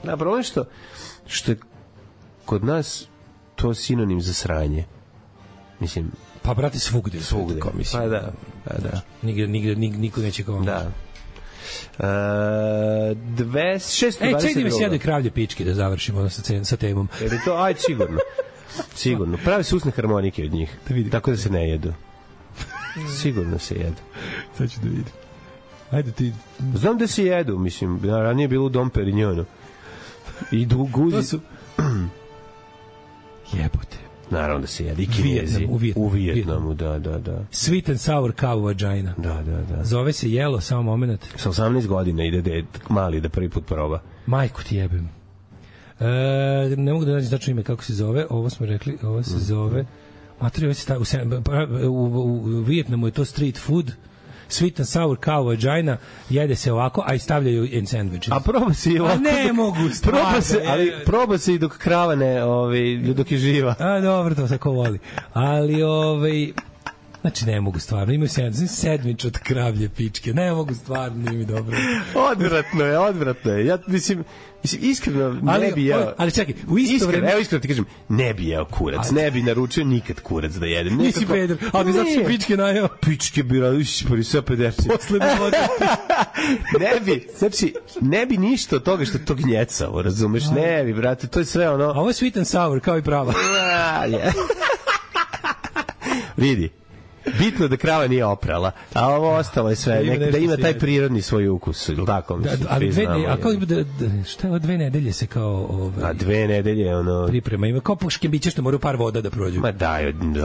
Da, problem što je kod nas to sinonim za sranje. Mislim, pa brate svugde. Pa da. Nigde niko neće kao. Da. 622. Čekaj mi sjede kravlje pičke da završimo sa temom. Jer je to, ajde sigurno. Prave se usne harmonike od njih, tako da se ne jedu. Sigurno se jedu. Sad ću da vidim. Ajde ti. Znam da se jedu, mislim, ranije je bilo u Dom Perignonu. I guzi. Jebote. Naravno da se jede. I Kinezi. U Vijetnamu, da. Sweet and sour cow vagina. Da. Zove se jelo, samo moment. Sa 18 godina ide mali da prvi put proba. Majku ti jebem. Ne mogu da nađem tačno ime kako se zove. Ovo smo rekli, ovo se zove... Materi, u Vijetnamu je to street food. Sweet and sour cow vagina, jede se ovako, a i stavljaju in sandwiches. A proba se i ovako. A ne mogu stvarno. Proba se i dok krava ne, dok je živa. A dobro, to se ko voli. Ali, znači ne mogu stvarno, imaju sandvič od kravlje pičke, ne mogu stvarno, nije mi dobro. Odvratno je. Ja mislim iskreno ne bi jeo. Ali čekaj, u isto vreme... Evo iskreno ti kažem, ne bi jeo kurac, ne bi naručio nikad kurac da jedem. Nisi peder, ali zato si pičke najeo. Pičke bi radili sve 50. Posle bi vodio. Ne bi ništa od toga što to gnjecao, razumeš? Ne bi, brate, to je sve ono... A ovo je sweet and sour, kao i prava. Vidi. Bitno da krava nije oprala, a ovo ostalo je sve, da ima taj prirodni svoj ukus, ili tako mislim. A kako šta je 2 nedelje se kao... A 2 nedelje, ono... Priprema, ima kao škembiće što moraju par voda da prođu. Ma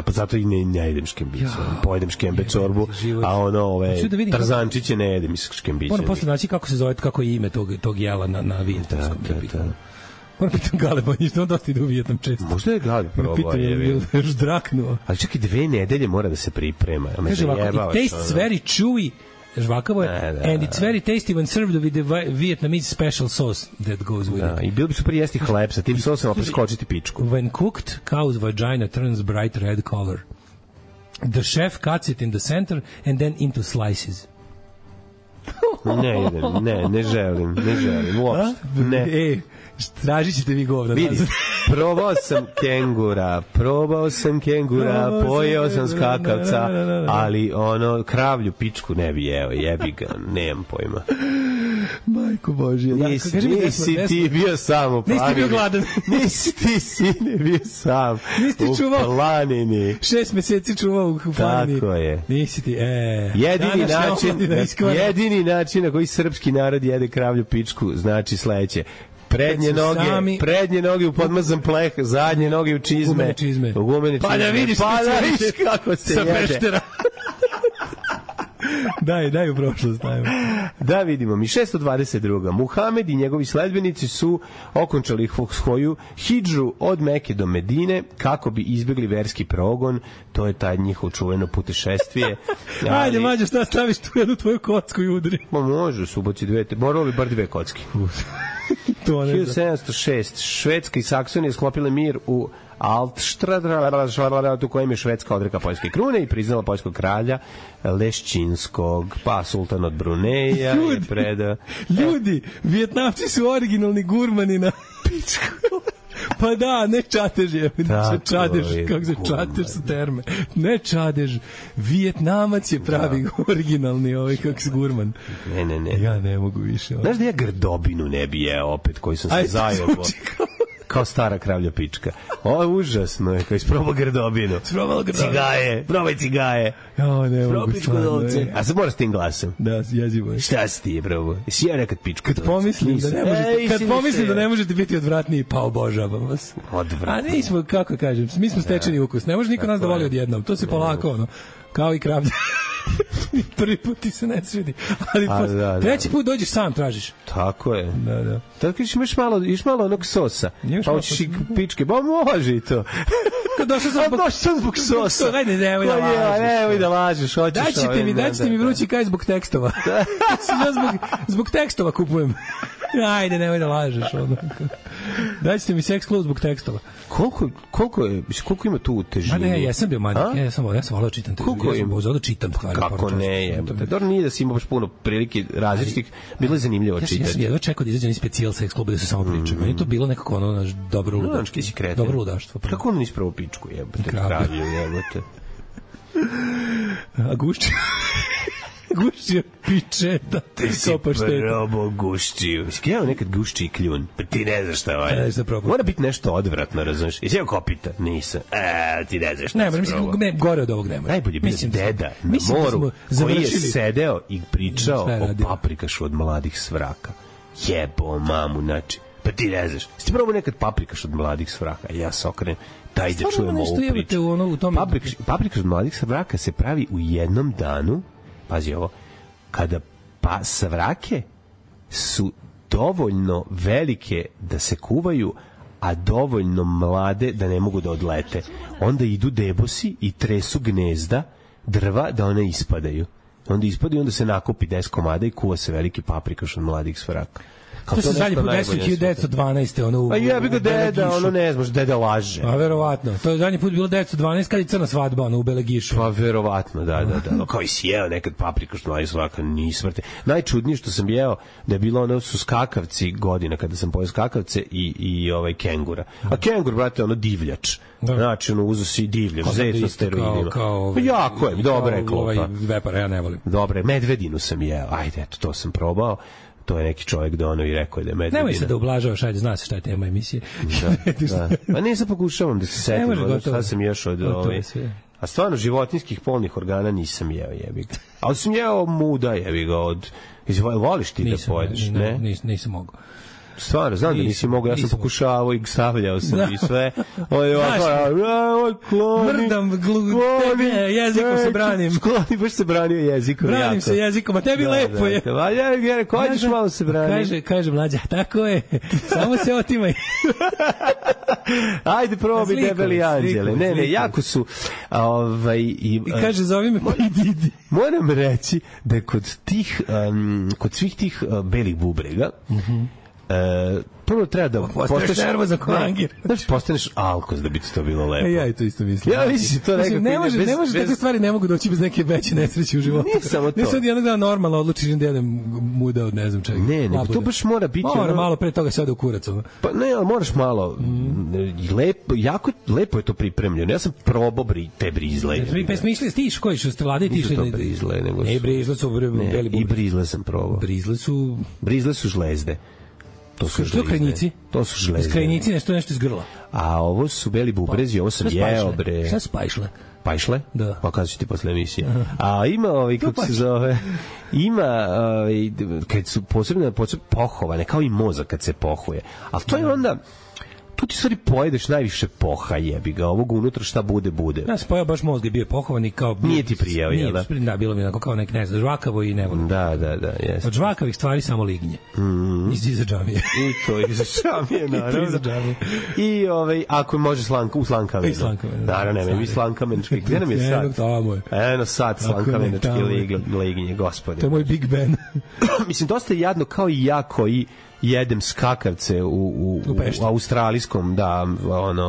pa zato i ne jedem škembiće. Pojedem škembe čorbu, a tarzančiće ne jedem škembiće. Moram posle naći kako se zove, kako je ime tog jela na vijetnamskom. Moram pitam Galeba, ništa on dosta ide u Vijetnam često. Možda je Galeb probao. Pitam je još draknuo. Ali čak i 2 nedelje mora da se priprema. Kaže ovako, it tastes very chewy, žvakavo je, and it's very tasty when served with the Vietnamese special sauce that goes with it. I bilo bi super jesti hleb sa tim sosom, a preskočiti pičku. When cooked, cow's vagina turns bright red color. The chef cuts it in the center and then into slices. Ne želim, uopšte. Ne. Tražit ćete vi govna. Vidi, probao sam kengura, pojeo sam skakavca, ali kravlju pičku ne bi jeo, jebi ga, nemam pojma. Majko Božje. Nisi ti bio sam u planini. Nisi bio gladan. Nisi ti sine bio sam u planini. 6 meseci čuvao u planini. Tako je. Nisi ti, jedini način na koji srpski narod jede kravlju pičku znači sledeće. Prednje noge u podmazan pleh, zadnje noge u čizme. U gumene čizme. Pa da vidiš kako se sa jede. Peštera. Daj u prošlost. Da vidimo mi 622. Muhamed i njegovi sledbenici su okončali svoju hidžu od Meke do Medine kako bi izbjegli verski progon. To je taj njihov čuveno putešestvije. Ajde, Mađo, šta staviš tu jednu tvoju kocku i udri? Pa može, suboci dve, moralo bi bar dve kocki. 1706. Švedska i Saksonija sklopile mir u Altstrad, u kojem je Švedska odrekla poljske krune i priznala poljskog kralja Lešćinskog, pa sultan od Bruneja je predao. Ljudi, Vijetnamci su originalni gurmani na pičku. Pa da, ne čatež je. Čadež, kako se čatež su terme. Ne čadež. Vijetnamac je pravi originalni kako se gurman. Ne. Ja ne mogu više. Znaš da ja grdobinu ne bi jeo opet, koji sam se zajebo. Kao stara kravlja pička. Ovo je užasno, je, kao isprobao grdobinu. Cigaje, probaj cigaje. Probaj pičku dovce. A sad moraš tim glasom. Da, jezivo je. Šta si ti, probao? Jesi ja nekad pičku dovce? Kad pomislim da ne možete biti odvratniji, pa obožavam vas. Odvratniji. A nismo, kako kažem, mi smo stečeni ukus. Ne može niko nas da voli odjednom. To se polako, kao i kravlja. Prvi put ti se ne svidi. Ali treći put dođeš sam, tražiš. Tako je. Da. Tako iš malo onog sosa. Pa hoćeš i pičke. Ba može i to. Došao sam zbog sosa. Ajde, nemoj da lažeš. Nemoj da lažeš. Daćete mi vrući kaj zbog tekstova. Ja zbog tekstova kupujem. Ajde, nemoj da lažeš. Daćete mi seks klub zbog tekstova. Koliko ima tu težine? Ma ne, ja sam bio manjak. Ja sam volao čitam te. Ja čitam stvari. Kako ne je? Dobro, nije da si imao baš puno prilike različitih. Bilo je zanimljivo čitati. Ja sam jedva čekao da izađe specijal seks kluba da se samo priča. Meni to bilo nekako dobro ludaštvo. Dobro ludaštvo. Kako ono nisi pravo pičku jebote? Kravlju jebote. A Gušćio pičeta. Ti si probao Gušćiju. Ja nekad Gušći kljun. Pa ti ne znaš šta je. Mora biti nešto odvratno, razumiješ? Jesi jeo kopita? Nisam. Ti ne znaš šta je. Ne, gore od ovog nema. Najbolje bio deda na moru koji je sedeo i pričao o paprikašu od mladih svraka. Jebo mamu, znači. Pa ti ne znaš. Jesi ti probao nekad paprikaš od mladih svraka? Ja se okrenem. Daj da čujemo ovu priču. Paprikaš od mladih svraka se pravi u jednom danu. Pazi ovo, kada savrake su dovoljno velike da se kuvaju, a dovoljno mlade da ne mogu da odlete, onda idu debosi i tresu gnezda drva da one ispadaju. Onda ispadaju, onda se nakupi 10 komada i kuva se veliki paprikaš od mladih savraka. To se zadnji put desilo 1912. A jebi ga deda, ne znaš, deda laže. A verovatno. To je zadnji put bilo 1912 kad je crna svadba, u Belegišu. Pa verovatno, da. Kao i si jeo nekad paprikaš od mladih svraka, nismrte. Najčudnije što sam jeo da je bilo su skakavci godina kada sam pojeo skakavce i kengura. A kengur, brate, divljač. Znači, uzo si divljač, zec na steroidima. Jako je, dobro je klopa. Vepara, ja ne volim. Dobre, medvedinu sam jeo. Ajde, eto, to sam probao. To je neki čovjek da i rekao da je medvedina. Nemoj se da ublažavaš, ajde, zna se šta je tema emisije. Da. A nisam pokušavam da se setim, šta sam ješ od A stvarno, životinjskih polnih organa nisam jeo, jebi ga. Ali sam jeo muda, jebi ga, voliš ti da pojedeš, ne? Nisam mogao. Stvarno, znam da nisi mogao, ja sam pokušavao i stavljao sam i sve. Mrdam jezikom se branim. Skloni, baš se branio jezikom. Branim se jezikom, a tebi lepo je. Kođeš malo se brani. Kaže mlađa, tako je, samo se otimaj. Ajde, probaj debeli anđele. Ne, jako su... I kaže, zovi me Didi. Moram reći da kod svih tih belih bubrega, prvo treba da postaneš nervozan ko angir. Postaneš alkos da bi ti to bilo lepo. Ja i to isto mislim. Ja mislim to nekako ne može takve stvari ne mogu doći bez neke veće nesreće u životu. Nije samo to. Ne sad jednog dana normalno odlučiš da jedem muda od ne znam čega. Ne, nego to baš mora biti malo pre toga se ode u kurac. Pa ne, ali moraš malo lepo, jako lepo je to pripremljeno. Ja sam probao te brizle. Pa smišljali stiš koji što ste vlade tišli. To brizle, nego ne brizle su beli i brizle sam probao. Brizle su žlezde. To su krajnici. To su žlezde. Krajnici nešto iz grla. A ovo su beli bubrezi, ovo sam jeo, bre. Šta su pajšle? Pa išle? Da. Pa kada ću ti posle emisije. A ima kako se zove, ima kad su posebno pohovane, kao i mozak kad se pohuje. Ali to je onda, tu ti stvari pojedeš najviše poha, jebi ga, ovog unutra šta bude. Ja sam pojao baš mozg je bio pohovan i kao... Nije ti prijao, jel da? Da, bilo mi onako kao nek, ne znam, žvakavo i ne volim. Da, jes. Od žvakavih stvari samo lignje. Iza džamije. I to iza džamije, naravno. I to iza džamije. I ako može u slankamenu. I slankamenu. Naravno, nema, mi slankamenčki. Gde nam je sad? Eno sad slankamenčki lignje, gospodine. To je moj Big Ben. Mislim, dosta je jadno kao i ja koji jedem skakavce u australijskom,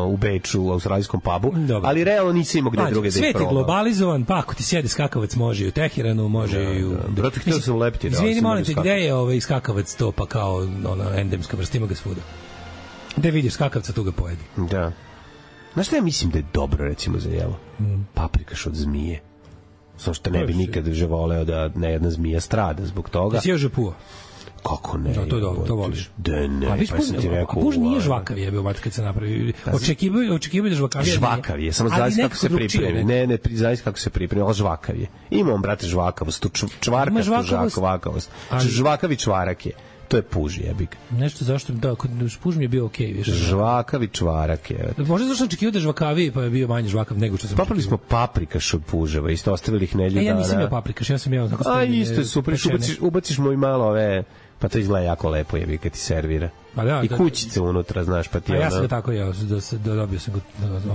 u Beču, u australijskom pubu, ali realno nisi imao gde druge da ih probao. Svet je globalizovan, pa ako ti sjede skakavac može i u Teheranu, može i u... Brate, htio sam lepiti. Izvini, molim te, gde je skakavac to, pa kao endemska vrsta, ima ga svuda. Gde vidiš skakavca, tu ga pojedi. Da. Znaš šta ja mislim da je dobro, recimo, za jelo? Paprikaš od zmije. Samo što ne bi nikad voleo da ne jedna zmija strada zbog toga. Ti si još žepuo? Kako ne? To je dobro, to voliš. Da ne, pa sam ti rekao... A puž nije žvakav jebeo, mat kad se napravi. Očekivaju da žvakav je. Žvakav je, samo zavisi kako se pripremi. Ne, zavisi kako se pripremi, ali žvakav je. Ima on, brate, žvakavost, tu čvarkastu žvakavost. Žvakavi čvarak je. To je puž, jebik. Nešto zašto, da, puž mi je bio okej, više. Žvakavi čvarak je. Možda zašto očekivao da žvakavi, pa je bio manje žvakav nego što sam očekivao. Papali smo paprikaš od puževa, isto ostavili ih nedelju dana. Ja nisam jeo paprikaš, ja sam jeo tako stavljene. A isto je super, ubaciš mu i malo ove... Pa to izgleda jako lepo, jebi, kad ti servira. I kućice unutra, znaš, pa ti ja sam ga tako jeo, dobio sam ga...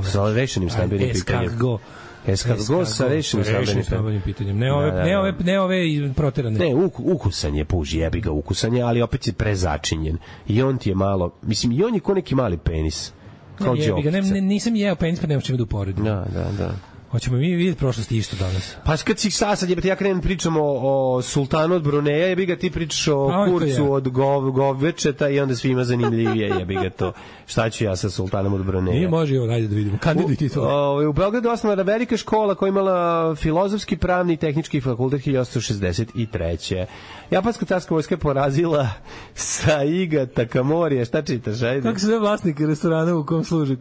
Sa rešenim stambenim pitanjem. Escargot sa rešenim stambenim pitanjem. Ne ove proterane. Ne, ukusan je puž, jebi ga, ukusan je, ali opet je prezačinjen. I on ti je malo, mislim, i on je ko neki mali penis. Kao džokica. Nisam jeo penis, pa nema čemu da uporedim. Da. Hoćemo mi vidjeti prošlosti isto danas. Pa kad si sad jebate, ja krenem pričamo o sultanu od Bruneja, jebi ga ti pričaš o kurcu od Govečeta i onda svima zanimljivije, jebi ga to. Šta ću ja sa sultanom od Bruneja? Nije može, ajde da vidimo. Kandiduj ti to. U Beogradu osnovana velika škola koja imala filozofski, pravni i tehnički fakultet 1863. Japanska carska vojska je porazila Saiga Takamorija. Šta čitaš, ajde? Kako se zove vlasnik restorana u kom služi?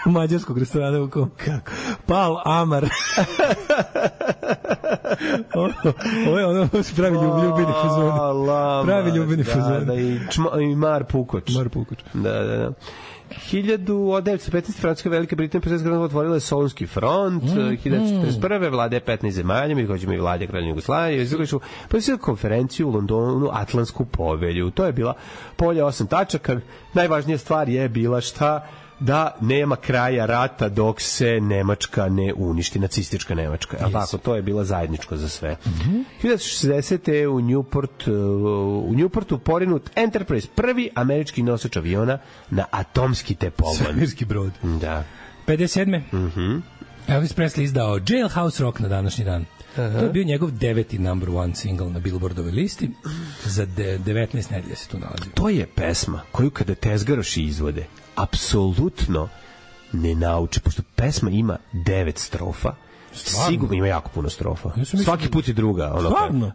Mađarskog restorana u kom? Kako? Pal Amar. Ovo se pravi ljubini fazon. Pravi ljubini fazon. Da, i Mar Pukoč. Da. 1915. Francuska Velika Britanija predsjednika otvorila je Solunski front, 1941. vlade 15 zemalja, mi hoćemo i vlade Kraljevine Jugoslavije, potpisali konferenciju u Londonu, Atlantsku povelju. To je bila polje 8 tačaka. Najvažnija stvar je bila šta? Da nema kraja rata dok se Nemačka ne uništi, nacistička Nemačka. Yes. Tako, to je bila zajedničko za sve. 1960. u Newportu porinut Enterprise, prvi američki nosač aviona na atomski pogon. Svemirski brod. Da. 57. Elvis Presley izdao Jailhouse Rock na današnji dan. To je bio njegov 9. number one single na Billboardovoj listi. Za 19 nedelja se tu nalazi. To je pesma koju kada tezgaroši izvode apsolutno ne nauče, pošto pesma ima 9 strofa. Sigurno ima jako puno strofa. Svaki put je druga. Stvarno?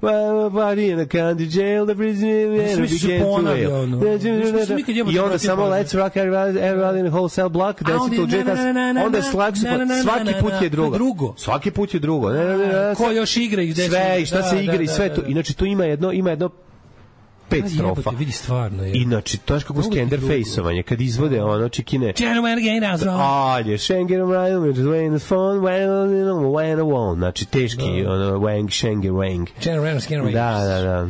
I onda samo let's rock everybody in the whole cell block, onda svaki put je drugo. Svaki put je drugo. Ko još igra i sve, i šta se igra i sve to. Inače tu ima jedno 5 strofa. Vidi stvarno je. Inače, to je kako Skender Face-ovanje, kad izvode ono čikine. Alje, Schengen Ride, when the phone, when the wall. Znači, teški, ono, wang, Schengen, wang. Da.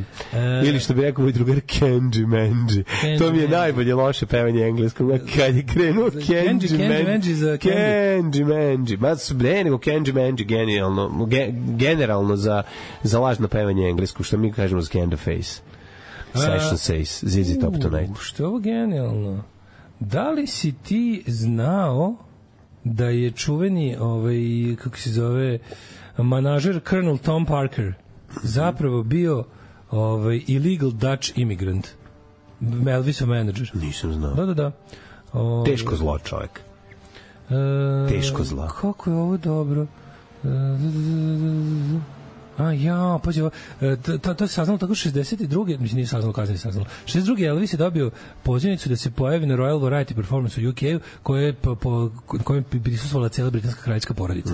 Ili što bi rekao moj drugar, Kenji Menji. To mi je najbolje loše pevanje engleskog. Kad je krenuo Kenji Menji. Ne, nego Kenji Menji, generalno za lažno pevanje engleskog, što mi kažemo Skender Face. Session says, ZZ Top Tonight. Što je ovo genijalno? Da li si ti znao da je čuveni, kako se zove, manažer Colonel Tom Parker zapravo bio illegal Dutch immigrant? Elvisov menadžer. Nisam znao. Da. Teško zlo, čovjek. Teško zlo. Kako je ovo dobro? pađe, to se saznalo tako 62. Mislim, nije saznalo, kasnije saznalo. 62. Elvis je dobio pozivnicu da se pojavi na Royal Variety Performance u UK-u, kojem je prisustvovala cijela britanska kraljevska porodica.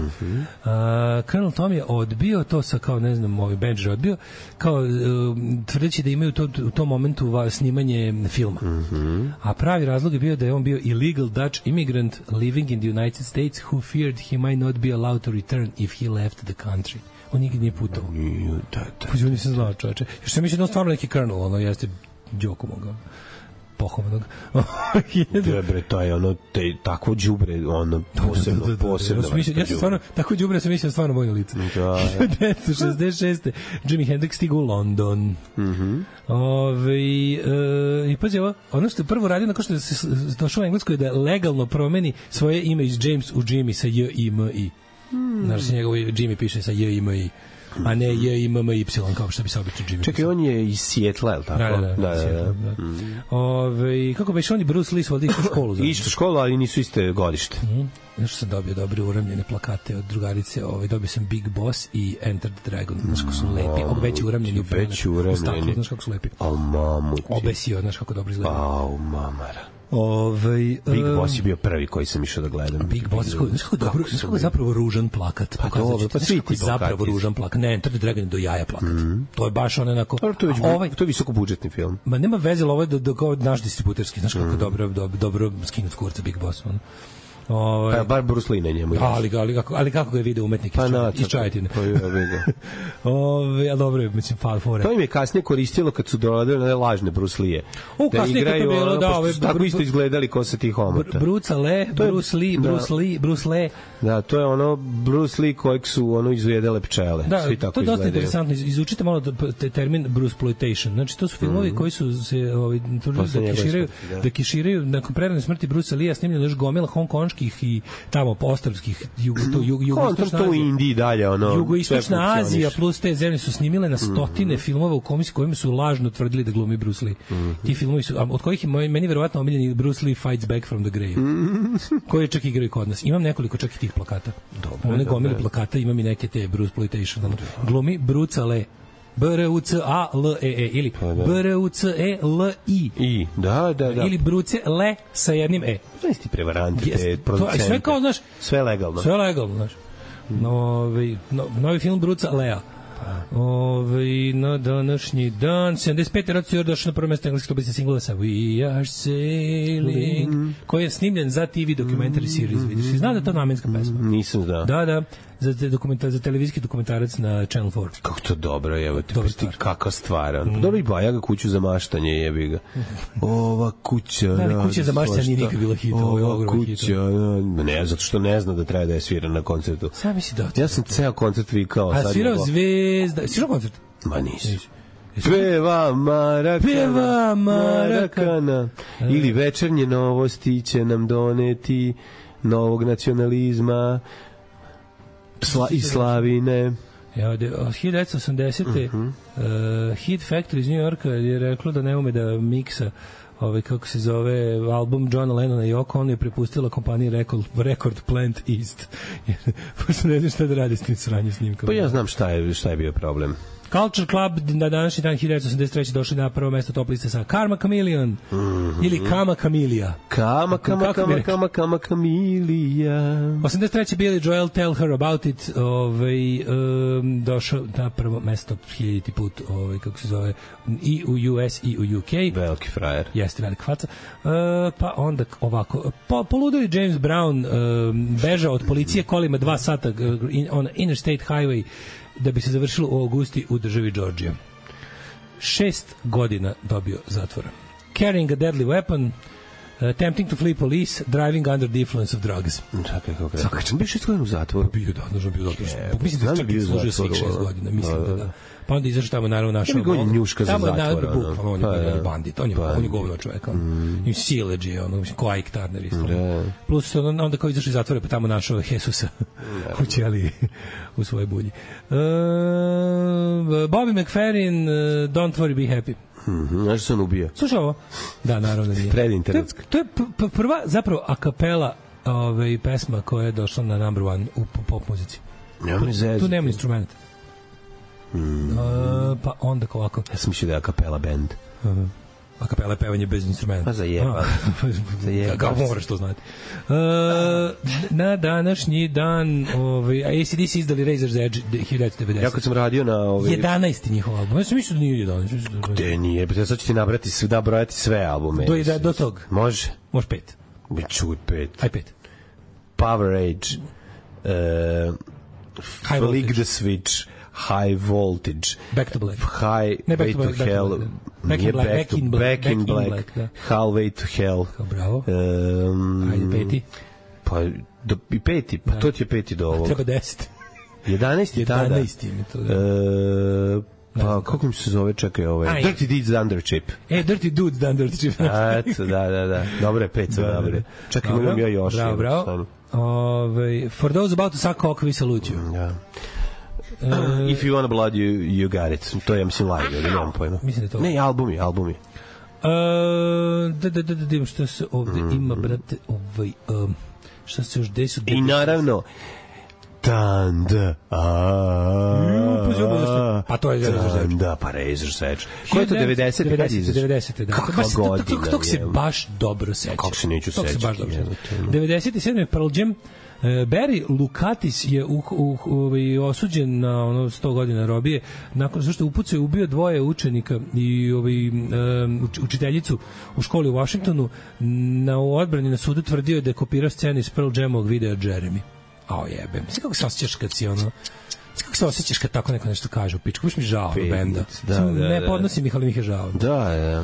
Colonel Tom je odbio to sa, kao, ne znam, ovaj Benji je odbio, kao tvrdeći da imaju u tom momentu snimanje filma. A pravi razlog je bio da je on bio illegal Dutch immigrant living in the United States who feared he might not be allowed to return if he left the country. On nikad nije putao. Puđu, nisam znao, čoveče. Još sam mislio da on stvarno neki Colonel, ono, jeste Đoku mogao. Pohovanog. Dobre, to je ono, takvo đubre, ono, posebno. Ja sam stvarno, tako đubre sam mislio stvarno vojno lice. 1966. Jimi Hendrix stigu u London. I pazi ovo, ono što je prvo radio nakon što je došao u Engleskoj da legalno promeni svoje ime iz James u Jimmy sa J-I-M-I. Znaš se njegovo Jimmy piše sa J-I-M-I, a ne J-I-M-M-Y, kao što bi se obično Jimmy. Čekaj, on je iz Sijetla, je li tako? Da. Kako biš, on je Bruce Lee svodi istu školu. Istu školu, ali nisu iste godište. Nešto sam dobio dobre uramljene plakate od drugarice, dobio sam Big Boss i Enter the Dragon, znaš kako su lepi, veći uramljeni u staklu, znaš kako su lepi. Obesio, znaš kako dobro izgleda. Mamara. Big Boss je bio prvi koji sam išao da gledam. Big Boss, znaš kako je zapravo ružan plakat. Pa dobro, pa svi ti zapravo ružan plakat. Ne, Enter the Dragon do jaja plakat. To je baš onako. To je visokobudžetni film. Ma nema veze, ovo je kao naš distributerski, znaš kako dobro skinut kurca Big Boss. Pa bar Bruce Lee na njemu. Ali kako ga je video umetnik iz Čajetine. A dobro je, mislim, fore. To im je kasnije koristilo kad su dodali lažne Bruce Lee-e. Da igraju, tako isto izgledali ko sa tih omota. Bruce Lee. Da, to je ono Bruce Lee kojeg su izujedele pčele. Da, to je dosta interesantno. Izučite malo termin Bruceploitation. Znači, to su filmovi koji su se da kiširaju nakon prerane smrti Brucea Lee-a, snimljeno još gomila hongkonških i tamo postavskih jugoistočna Azija. To u Indiji dalje, jugoistočna Azija plus te zemlje su snimile na stotine filmova u kojima su lažno tvrdili da glumi Bruce Lee. Ti filmovi su, od kojih je meni verovatno omiljeni Bruce Lee Fights Back from the Grave, koji čak igraju kod nas. Imam nekoliko čak i tih plakata. One gomile plakata, imam i neke te Bruceploitation. Glumi Brucea Lee. B-R-U-C-A-L-E-E ili B-R-U-C-E-L-I. Da. Ili Bruce Le sa jednim E. Znaš ti prevaranti, te producente. Sve kao, znaš. Sve legalno, znaš. Novi film Brucea Lea. Na današnji dan 75. rad su došli na prvo mjesto engleskog dobiti singlova sa We Are Sailing, koji je snimljen za TV documentary series. Vidiš, zna da je to namenska pesma? Nisam znao. Da, za televizijski dokumentarac na Channel 4. Kako to dobro, evo ti kakva stvar. Dobro i Bajaga kuću za maštanje, jebi ga. Ova kuća. Da, kuća za maštanje nije nikad bila hit. Ova kuća, ne, zato što ne zna da treba da je svira na koncertu. Sam misli da. Ja sam ceo koncert vikao. A svirao Zvezda. Svirao koncert? Ma nisi. Peva Marakana. Ili večernje novosti će nam doneti novog nacionalizma i slavine. 1980. Hit Factory iz New Yorka je reklo da ne ume da miksa kako se zove album Johna Lennona i Yoko, on je prepustila kompaniji Record Plant East. Pošto ne znam šta da radi s tim sranje snimkama. Pa ja znam šta je bio problem. Culture Club na današnji dan 1983. došli na prvo mesto top liste sa Karma Chameleon ili Kama Chameleon. Kama Chameleon. 83. Billy Joel Tell Her About It, došao na prvo mesto 1000 put, kako se zove, i u US i u UK. Veliki frajer. Jeste velika faca. Pa onda ovako, poludeli James Brown bežao od policije kolima 2 sata on Interstate Highway da bi se završilo u Augusti u državi Georgia. 6 godina dobio zatvora. Carrying a deadly weapon, attempting to flee police, driving under the influence of drugs. Čakaj, kako je? Čakaj, bio 6 godina u zatvoru? Bio, da, nužno bio zatvor. Mislim da čak i služio svih 6 godina, mislim da. Pa onda izašao tamo, naravno, našao... Ja bi on njuška za zatvora. On je bandit, on je govno čovjek. I sileđi, ko Ike Turner isto. Plus onda kao izašao iz zatvora, pa tamo našao Jesusa u ćeliji, u svojoj bulji. Bobby McFerrin, Don't Worry, Be Happy. Znaš se on ubio? Slušaj ovo. Da, naravno da nije. Predinternetska. To je prva zapravo a kapela pesma koja je došla na number one u pop muzici. Tu nema instrumenta. Pa onda ovako. Ja sam mislio da je a cappella band. A kapela je pevanje bez instrumenta. Pa zajeba. Kako moraš to znati. Na današnji dan AC/DC izdali Razor's Edge 1990. Ja kad sam radio na 11. njihov album. Ja sam mislio da nije 11. Gde nije? Sad ću ti nabrojati sve albume. Do tog. Može 5. Čuj 5. Aj 5. Power Age, Flick the Switch, High Voltage, Back to Black, Highway to Hell, Back in Black, Halfway to Hell. Bravo. Ajde, 5. Pa i 5. Pa to ti je 5. do ovog. Treba 10. 11. tada. 11. mi to da. Pa kako mi se zove, čekaj, Dirty Deeds Under Chip. Dirty Dudes Under Chip. Eto, da. Dobro je, 5 sve dobro. Čekaj, imam ja još. Bravo. For those about to suck cock, we salute you. Ja. If you want blood, you got it. To je, mislim, live, ali nemam pojma. Mislim da to. Ne, albumi. Da, što se ovde ima, brate, šta se još desu? I naravno, Tanda. Pa to je Razor's Edge. Da, pa Razor's Edge. Ko je to 90? 90. Da. Kakva godina. Tog se baš dobro seća. Kako se neću sećati. 97. Pearl Jam. Barry Lukatis je osuđen na 100 godina robije nakon što je upucao i ubio 2 učenika i učiteljicu u školi u Washingtonu. Na odbrani na sudu tvrdio je da je kopirao scenu iz Pearl Jamovog videa Jeremy. Ao jebem. Sve kako se osjećaš kad si kako se osjećaš kad tako neko nešto kaže u pičku? Baš mi žao benda. Ne podnosim ih, ali mi je žao. Da.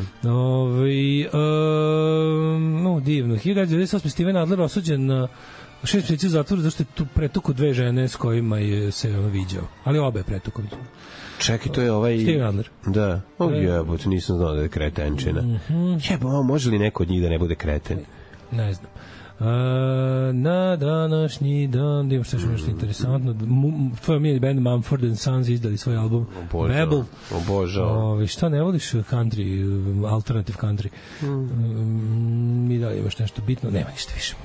Divno. 1998. Steven Adler osuđen na 6 meseci u zatvoru zašto je tu pretuku 2 žene s kojima je se viđao. Ali obe je pretuku. Čekaj, to je Steven Adler. Da. Jebote, nisam znao da je kretenčina. Može li neko od njih da ne bude kreten? Ne znam. Na današnji dan, da imamo što nešto interesantno, tvoj omiljeni band Mumford & Sons izdali svoj album Rebel. Obožao. Šta ne voliš country, alternative country? Mi da li imaš nešto bitno? Nema ništa više.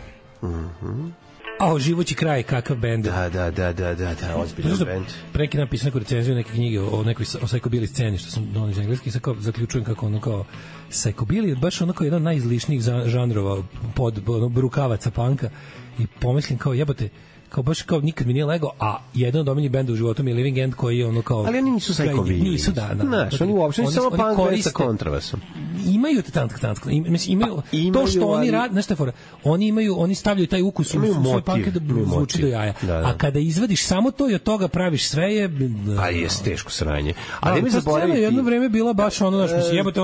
Živući kraj, kakav bend. Da, ozbiljan bend. Preki napisao neku recenziju neke knjige o nekoj psychobilly sceni, što sam donio iz engleski, i sad zaključujem kako psychobilly je baš kao jedan od najizlišnijih žanrova pod rukavaca panka i pomislim jebote, baš nikad mi nije lego, a jedan od omiljenih benda u životu mi je Living End, koji je ali oni nisu psychobilly. Nisu, da. Znaš, oni uopšte samo punk band sa kontrabasom. Imaju to što oni rade, znaš šta je fora, oni stavljaju taj ukus u svoj punk da zvuči do jaja. A kada izvadiš samo to i od toga praviš sve je... A je teško sranje. Ali mi zaboraviti... Jedno vreme bila baš jebote,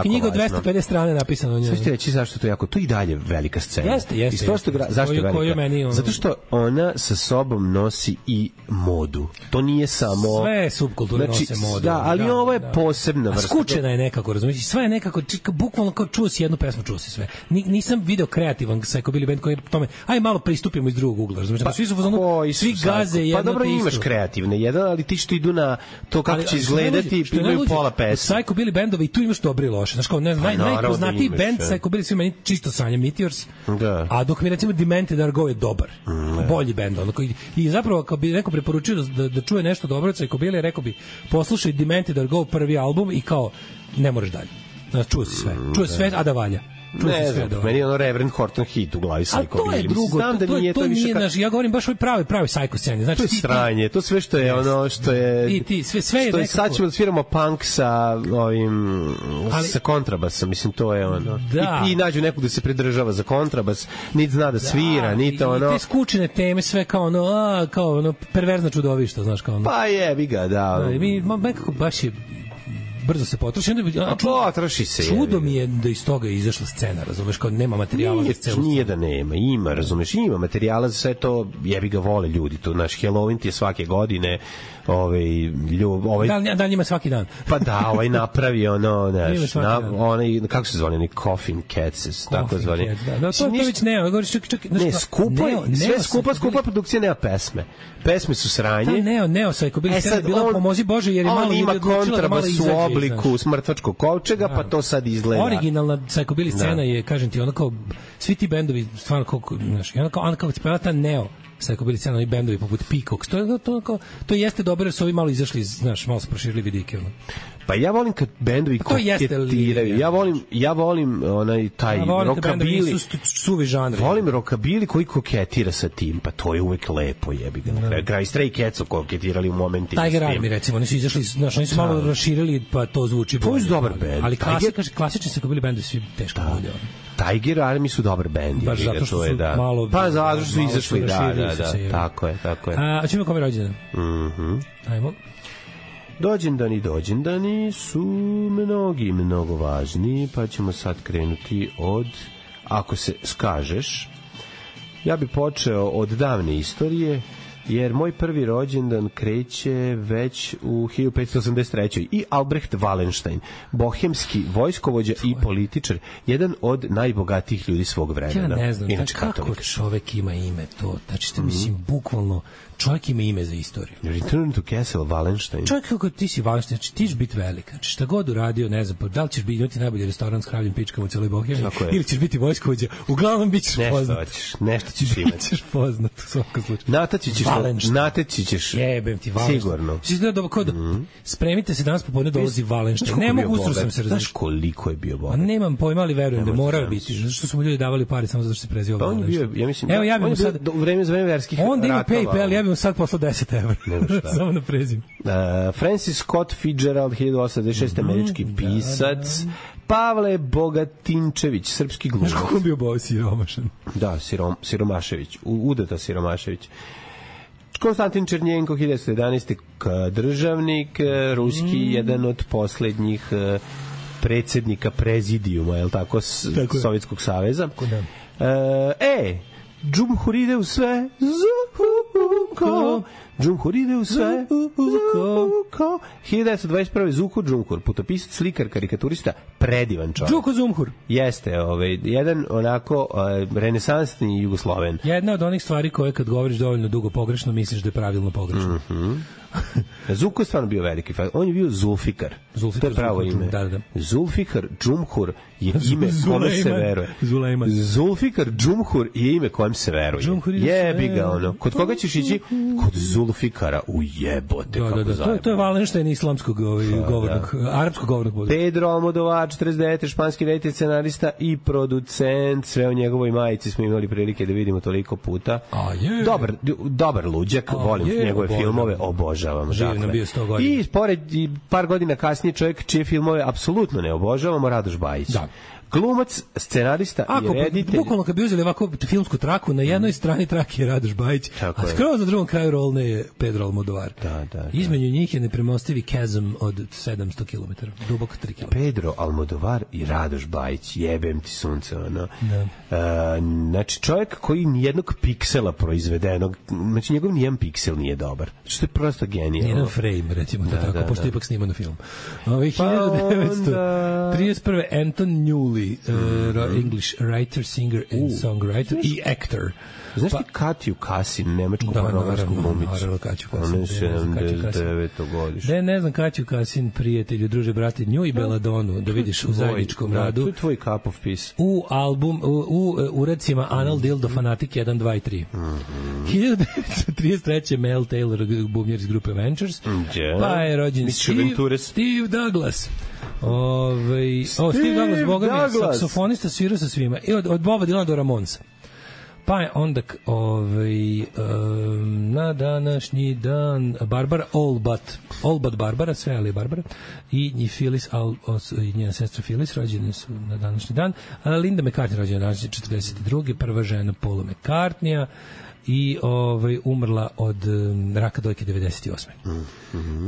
knjiga od 250 strane napisano. Sve ćete reći zašto je to jako, to i dalje velika scena. Jeste. Zašto je velika? Zato što ona sa sobom nosi i modu. To nije samo... Sve subkulture nose modu. Da, ali ovo je posebna vrsta. Skučena je nekako, razumiješ? Sve je nekako, bukvalno kao čuo si jednu pesmu, čuo si sve. Nisam video kreativan psychobilly band koji je tome, aj malo pristupimo iz drugog ugla, razumiješ? Svi su svi gaze jedno te isto. Pa dobro, imaš kreativne jedan, ali ti što idu na to kako će izgledati, imaju pola pesme. Psychobilly bendovi, tu imaš dobro i loše. Znaš kao, najpoznatiji band psychobilly svi meni čisto sanje Meteors, a dok mi recimo Demented Are Go je dobar. Bolji bend, i zapravo kao bi neko preporučio da čuje nešto dobro od psychobilly, rekao bi poslušaj Demented Are Go prvi album i kao ne moraš dalje. Znači, čuje sve, a da valja. Ne znam, meni je Reverend Horton hit u glavi psychobilly. A to je drugo, to nije naš, ja govorim baš o pravi psycho sceni. Znači, to je sranje, to sve što je što je... I ti, sve je nekako... Sad ćemo da sviramo punk sa kontrabasom, mislim, to je I nađu nekog da se pridržava za kontrabas, niti zna da svira, niti I te skučene teme, sve kao perverzna čudovišta, znaš, kao Pa jebi ga, da. Mi, nekako baš je brzo se potroši. Potroši se. Čudo mi je da iz toga je izašla scena, razumeš, kao nema materijala za celu. Nije da nema, ima, razumeš, ima materijala za sve to, jebi ga vole ljudi, to naš Halloween ti je svake godine, Da njima svaki dan. Pa da, napravi onaj, kako se zvoni, Coffin Cats, tako zvoni. Da, to već nema, govoriš čak... Ne, skupa produkcija, nema pesme. Pesme su sranje. Ta neo psychobilly scena bila pomozi Bože, jer je malo ljudi odlučila da malo izađe. U obliku smrtvačkog kovčega, pa to sad izgleda. Originalna psychobilly scena je, kažem ti, kao svi ti bendovi stvarno znaš, ona kao spela ta neo psychobilly scena, oni bendovi poput Peacocks. To jeste dobro jer su ovi malo izašli, znaš, malo su proširili vidike. Pa ja volim kad bendovi koketiraju. Ja volim onaj taj rockabilly. Suvi žanri. Volim rockabilly koji koketira sa tim, pa to je uvek lepo, jebi ga. Kraj Stray Cats su koketirali u momentima. Tiger Army, recimo, oni su izašli, znaš, oni su malo raširili, pa to zvuči bolje. To je dobar bend. Ali klasični psychobilly bendovi svi teško bolje. Tiger Army su dobar bend. Baš zato što su malo... Pa zato što su izašli, da. Tako je. A ćemo kome rođendan? Ajmo. Dođendani su mnogo važni, pa ćemo sad krenuti od, ako se skažeš, ja bi počeo od davne istorije, jer moj prvi rođendan kreće već u 1583. I Albrecht Wallenstein, bohemski vojskovođa i političar, jedan od najbogatijih ljudi svog vremena. Ja ne znam, kako čovek ima ime to, znači, mislim, bukvalno, čovjek ima ime za istoriju. Return to Castle Wallenstein. Čovjek kako ti si Wallenstein, znači ti ćeš biti velika. Znači šta god uradio, ne znam, da li ćeš imati najbolji restoran s kravljim pičkama u celoj Bohemiji, ili ćeš biti vojskovođa, uglavnom bit ćeš poznat. Nešto ćeš imati. Bićeš poznat u svakom slučaju. Nateći ćeš. Jebem ti Wallenstein. Sigurno. Spremite se, danas popodne dolazi Wallenstein. Ne mogu, ustro sam se različiti. Znaš koliko je bio bogat? Nemam pojma, ali verujem da morao biti. Zato što su mu ljudi davali pare samo zato što se prezivao Wallenstein. On je bio, ja mislim, evo, ja bih mu sad u vreme verskih ratova. Onda ima PayPal, ja bih mu sad poslao 10 €. Samo na prezim. Francis Scott Fitzgerald, 1826, američki pisac. Pavle Bogatinčević, srpski glumac. Znaš kako on bio bao siromašan? Da, Siromašević, Udata Siromašević. Konstantin Černjenko, 1911. državnik, ruski, jedan od poslednjih predsjednika prezidijuma, je li tako, Sovjetskog saveza. Džumhur ide u sve, Zuko. Džumhur ide u sve, Zuko. 1921. Zuko Džumhur, putopisac, slikar, karikaturista, predivan čovjek. Džuko Džumhur. Jeste, jedan onako renesansni Jugosloven. Jedna od onih stvari koje kad govoriš dovoljno dugo pogrešno, misliš da je pravilno pogrešno. Zuko je stvarno bio veliki fan. On je bio Zulfikar. To je pravo ime. Da. Zulfikar Džumhur je ime kome se veruje. Zulfikar Džumhur je ime kojem se veruje. Jebi ga ono. Kod koga ćeš ići? Kod Zulfikara. U jebote. To je Wallenstein islamskog govornog, arapskog govornog budu. Pedro Almodovar, 49. španski reditelj, scenarista i producent. Sve o njegovoj majici smo imali prilike da vidimo toliko puta. Dobar luđak. Volim njegove filmove. Obožavam. I pored par godina kasnije čovjek čije filmove apsolutno ne obožavamo, Radoš Bajić. Da. Glumac, scenarista i reditelj. Bukvalno kad bi uzeli ovako filmsku traku, na jednoj strani trake je Radoš Bajić, a skroz na drugom kraju rolne je Pedro Almodovar. Da. Između njih je nepremostivi chasm od 700 km, dubok 3 km. Pedro Almodovar i Radoš Bajić, jebem ti sunce, ono. Znači, čovjek koji nijednog piksela proizvedenog, znači njegov nijedan piksel nije dobar. Što je prosto genijalno. Nijedan frame, recimo tako, pošto ipak snima na film. 1931. Anton Newley, English writer, singer and songwriter i actor. Znaš ti Katju Kasin, nemačku pornogratsku glumicu? Naravno, Katju Kasin. Ona je 79. godište. Ne znam Katju Kasin, prijatelju, druže, brate, nju i Belladonu, da vidiš u zajedničkom radu. To je tvoj cup of peace. U uradcima Anal Dildo Fanatic 1, 2 i 3. 1933. Mel Taylor, bubnjar iz grupe Ventures. Pa je rođen Steve Douglas. Steve Douglas, boga mi, saksofonista, svirao sa svima. I od Boba Dylana do Ramonsa. Pa je onda na današnji dan Barbara All but Barbara, sve ali Barbara, i Phyllis, i njena sestra Phyllis rođene su na današnji dan. Linda McCartney rođena na 42. prva žena Paula McCartneya i umrla od raka dojke 98.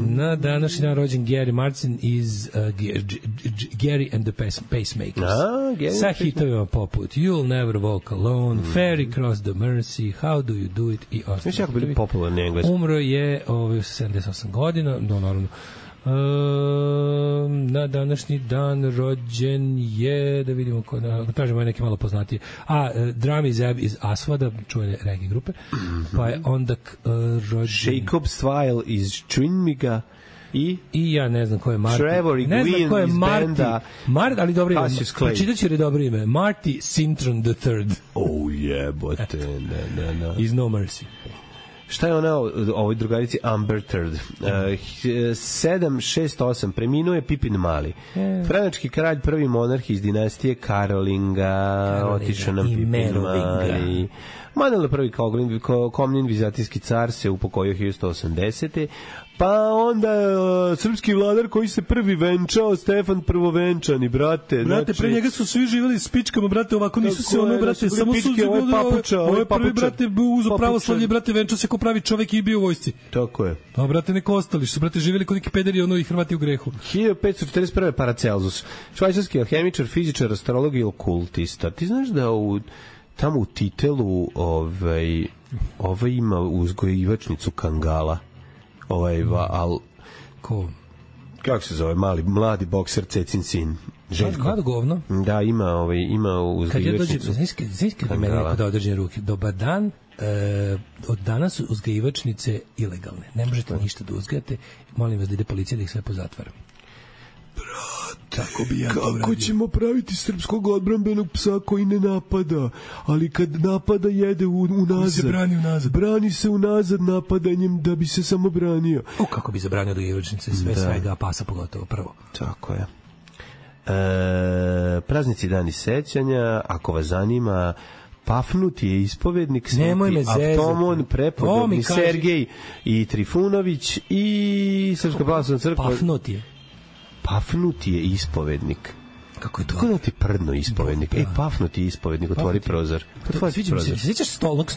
Na današnji dan rođen Gary Martin iz Gary and the Pacemakers. Sa hitovima poput You'll Never Walk Alone, Ferry Cross the Mersey, How Do You Do It i ostalo. Jako bili popularni engleski. Umro je 78 godina, naravno. Na današnji dan rođen je, da vidimo tražimo neke malo poznatije, Drami Zeb iz Aswada, čuvene reggae grupe, pa je onda rođen Jacob Style iz Trinmiga, I ja ne znam ko je Marty. Trevor i ne znam ko je Gwyn iz Marty. benda Ali dobro ime. Cassius Clay. Pročitaću jer je dobro ime. Marty Sintron III. Oh jebote, ne. Is No Mercy. Šta je ona ovoj drugarici Amber Third? 768 preminuo je Pipin Mali. Franački kralj, prvi monarh iz dinastije Karolinga. Otišao nam Pipin Mali. Manuel prvi Komnin vizantijski car se upokojio 1180. Pa onda srpski vladar koji se prvi venčao, Stefan Prvovenčani, brate. Brate, pre njega su svi živjeli s pičkama, brate, ovako nisu se ono, brate, samo su ovo je prvi, brate, uzo pravoslavlje, brate, venčao se ko pravi čovek i bio u vojsci. Tako je. A, brate, neko ostali su, brate, živjeli kod neki pederi, ono, i Hrvati u grehu. 1541. Paracelsus, švajcarski alhemičar, fizičar, astrolog i okultista. Ti znaš da tamo u Titelu ima uzgojivačnicu kangala. Kako se zove, mladi bokser Cecin sin Željko. Mlado govno. Da, ima uzgajivačnicu. Kad je meni neko da određene ruke, dobar dan, od danas su uzgajivačnice ilegalne. Ne možete ništa da uzgajate. Molim vas da ide policija da ih sve pozatvara. Tako bi ja kako ćemo praviti srpskog odbrambenog psa koji ne napada, ali kad napada jede unazad. Se brani unazad. Brani se unazad napadanjem da bi se samo branio. Kako bi zabranio dogivačnice, svega, pasa pogotovo, prvo. Tako je. Praznici dani sećanja, ako vas zanima, Pafnut je ispovednik, Avtomon, prepodobni Sergej i Trifunović i Srpska pravoslavna crkva. Pafnut je ispovednik. Kako je to? Kako da ti prdno ispovednik? Pafnut je ispovednik, otvori prozor. Sviđa mi se, sjećaš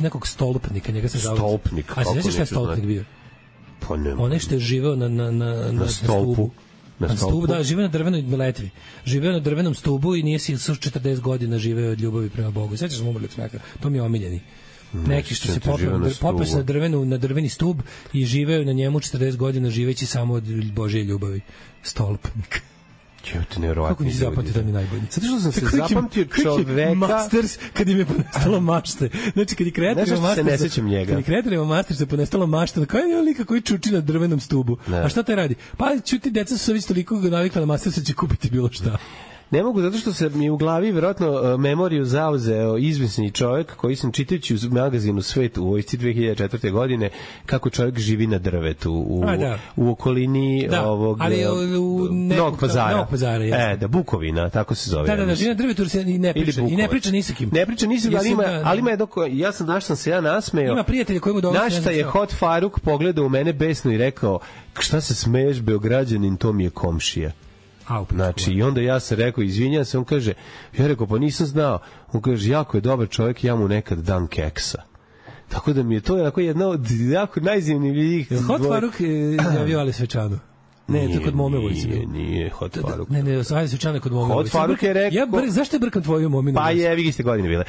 nekog stolpnika, njega se zove. Stolpnik. A se sjećaš šta je stolpnik bio? Pa ne. Onaj što je živeo na stolpu. Na stubu, da, živeo na drvenoj letvi. Živeo na drvenom stubu i nije si 40 godina živeo od ljubavi prema Bogu. Sjećaš sam umrli od smeka? To mi je omiljeni. Neki što se popeo se na drveni stub i živeo na njemu 40 godina živeći samo od Božje ljubavi. Stolpnik. Kako nisi zapamtio da mi najbolji? Zato što sam se zapamtio čoveka... Masters, kad im je ponestalo mašte. Znači, kad je kreatorima Mastersa ponestalo mašte, kao je lika koji čuči na drvenom stubu. A šta te radi? Pa, čuti, deca su već toliko navikla na Mastersa, će kupiti bilo šta. Ne mogu, zato što se mi u glavi verovatno memoriju zauzeo izvisni čovjek koji sam čitajući u magazinu Svet u vojsci 2004. godine kako čovjek živi na drvetu u okolini ovog Novog Pazara. Bukovina, tako se zove. Da, živi na drvetu i ne priča ni sa kim. Ne priča ni sa kim, ali ima jedno sam se nasmejao. Ima prijatelje koji mu dolaze. Našta je Hot Faruk pogledao u mene besno i rekao, šta se smeješ, Beograđanin, to mi je komšija. Znači, i onda ja sam rekao, izvinjam se, on kaže, ja rekao, pa nisam znao, on kaže, jako je dobar čovjek, ja mu nekad dam keksa. Tako da mi je to jedna od jako najzanimljivijih. Hot Faruk javio Ali Svečanu. Ne, to kod Mome Vojci. Nije Hot Faruk. Ne, Ali Svečana kod Mome Vojci. Hot Faruk je rekao... Zašto je brkam tvoju Mominu? Pa je, vi ste godine bile.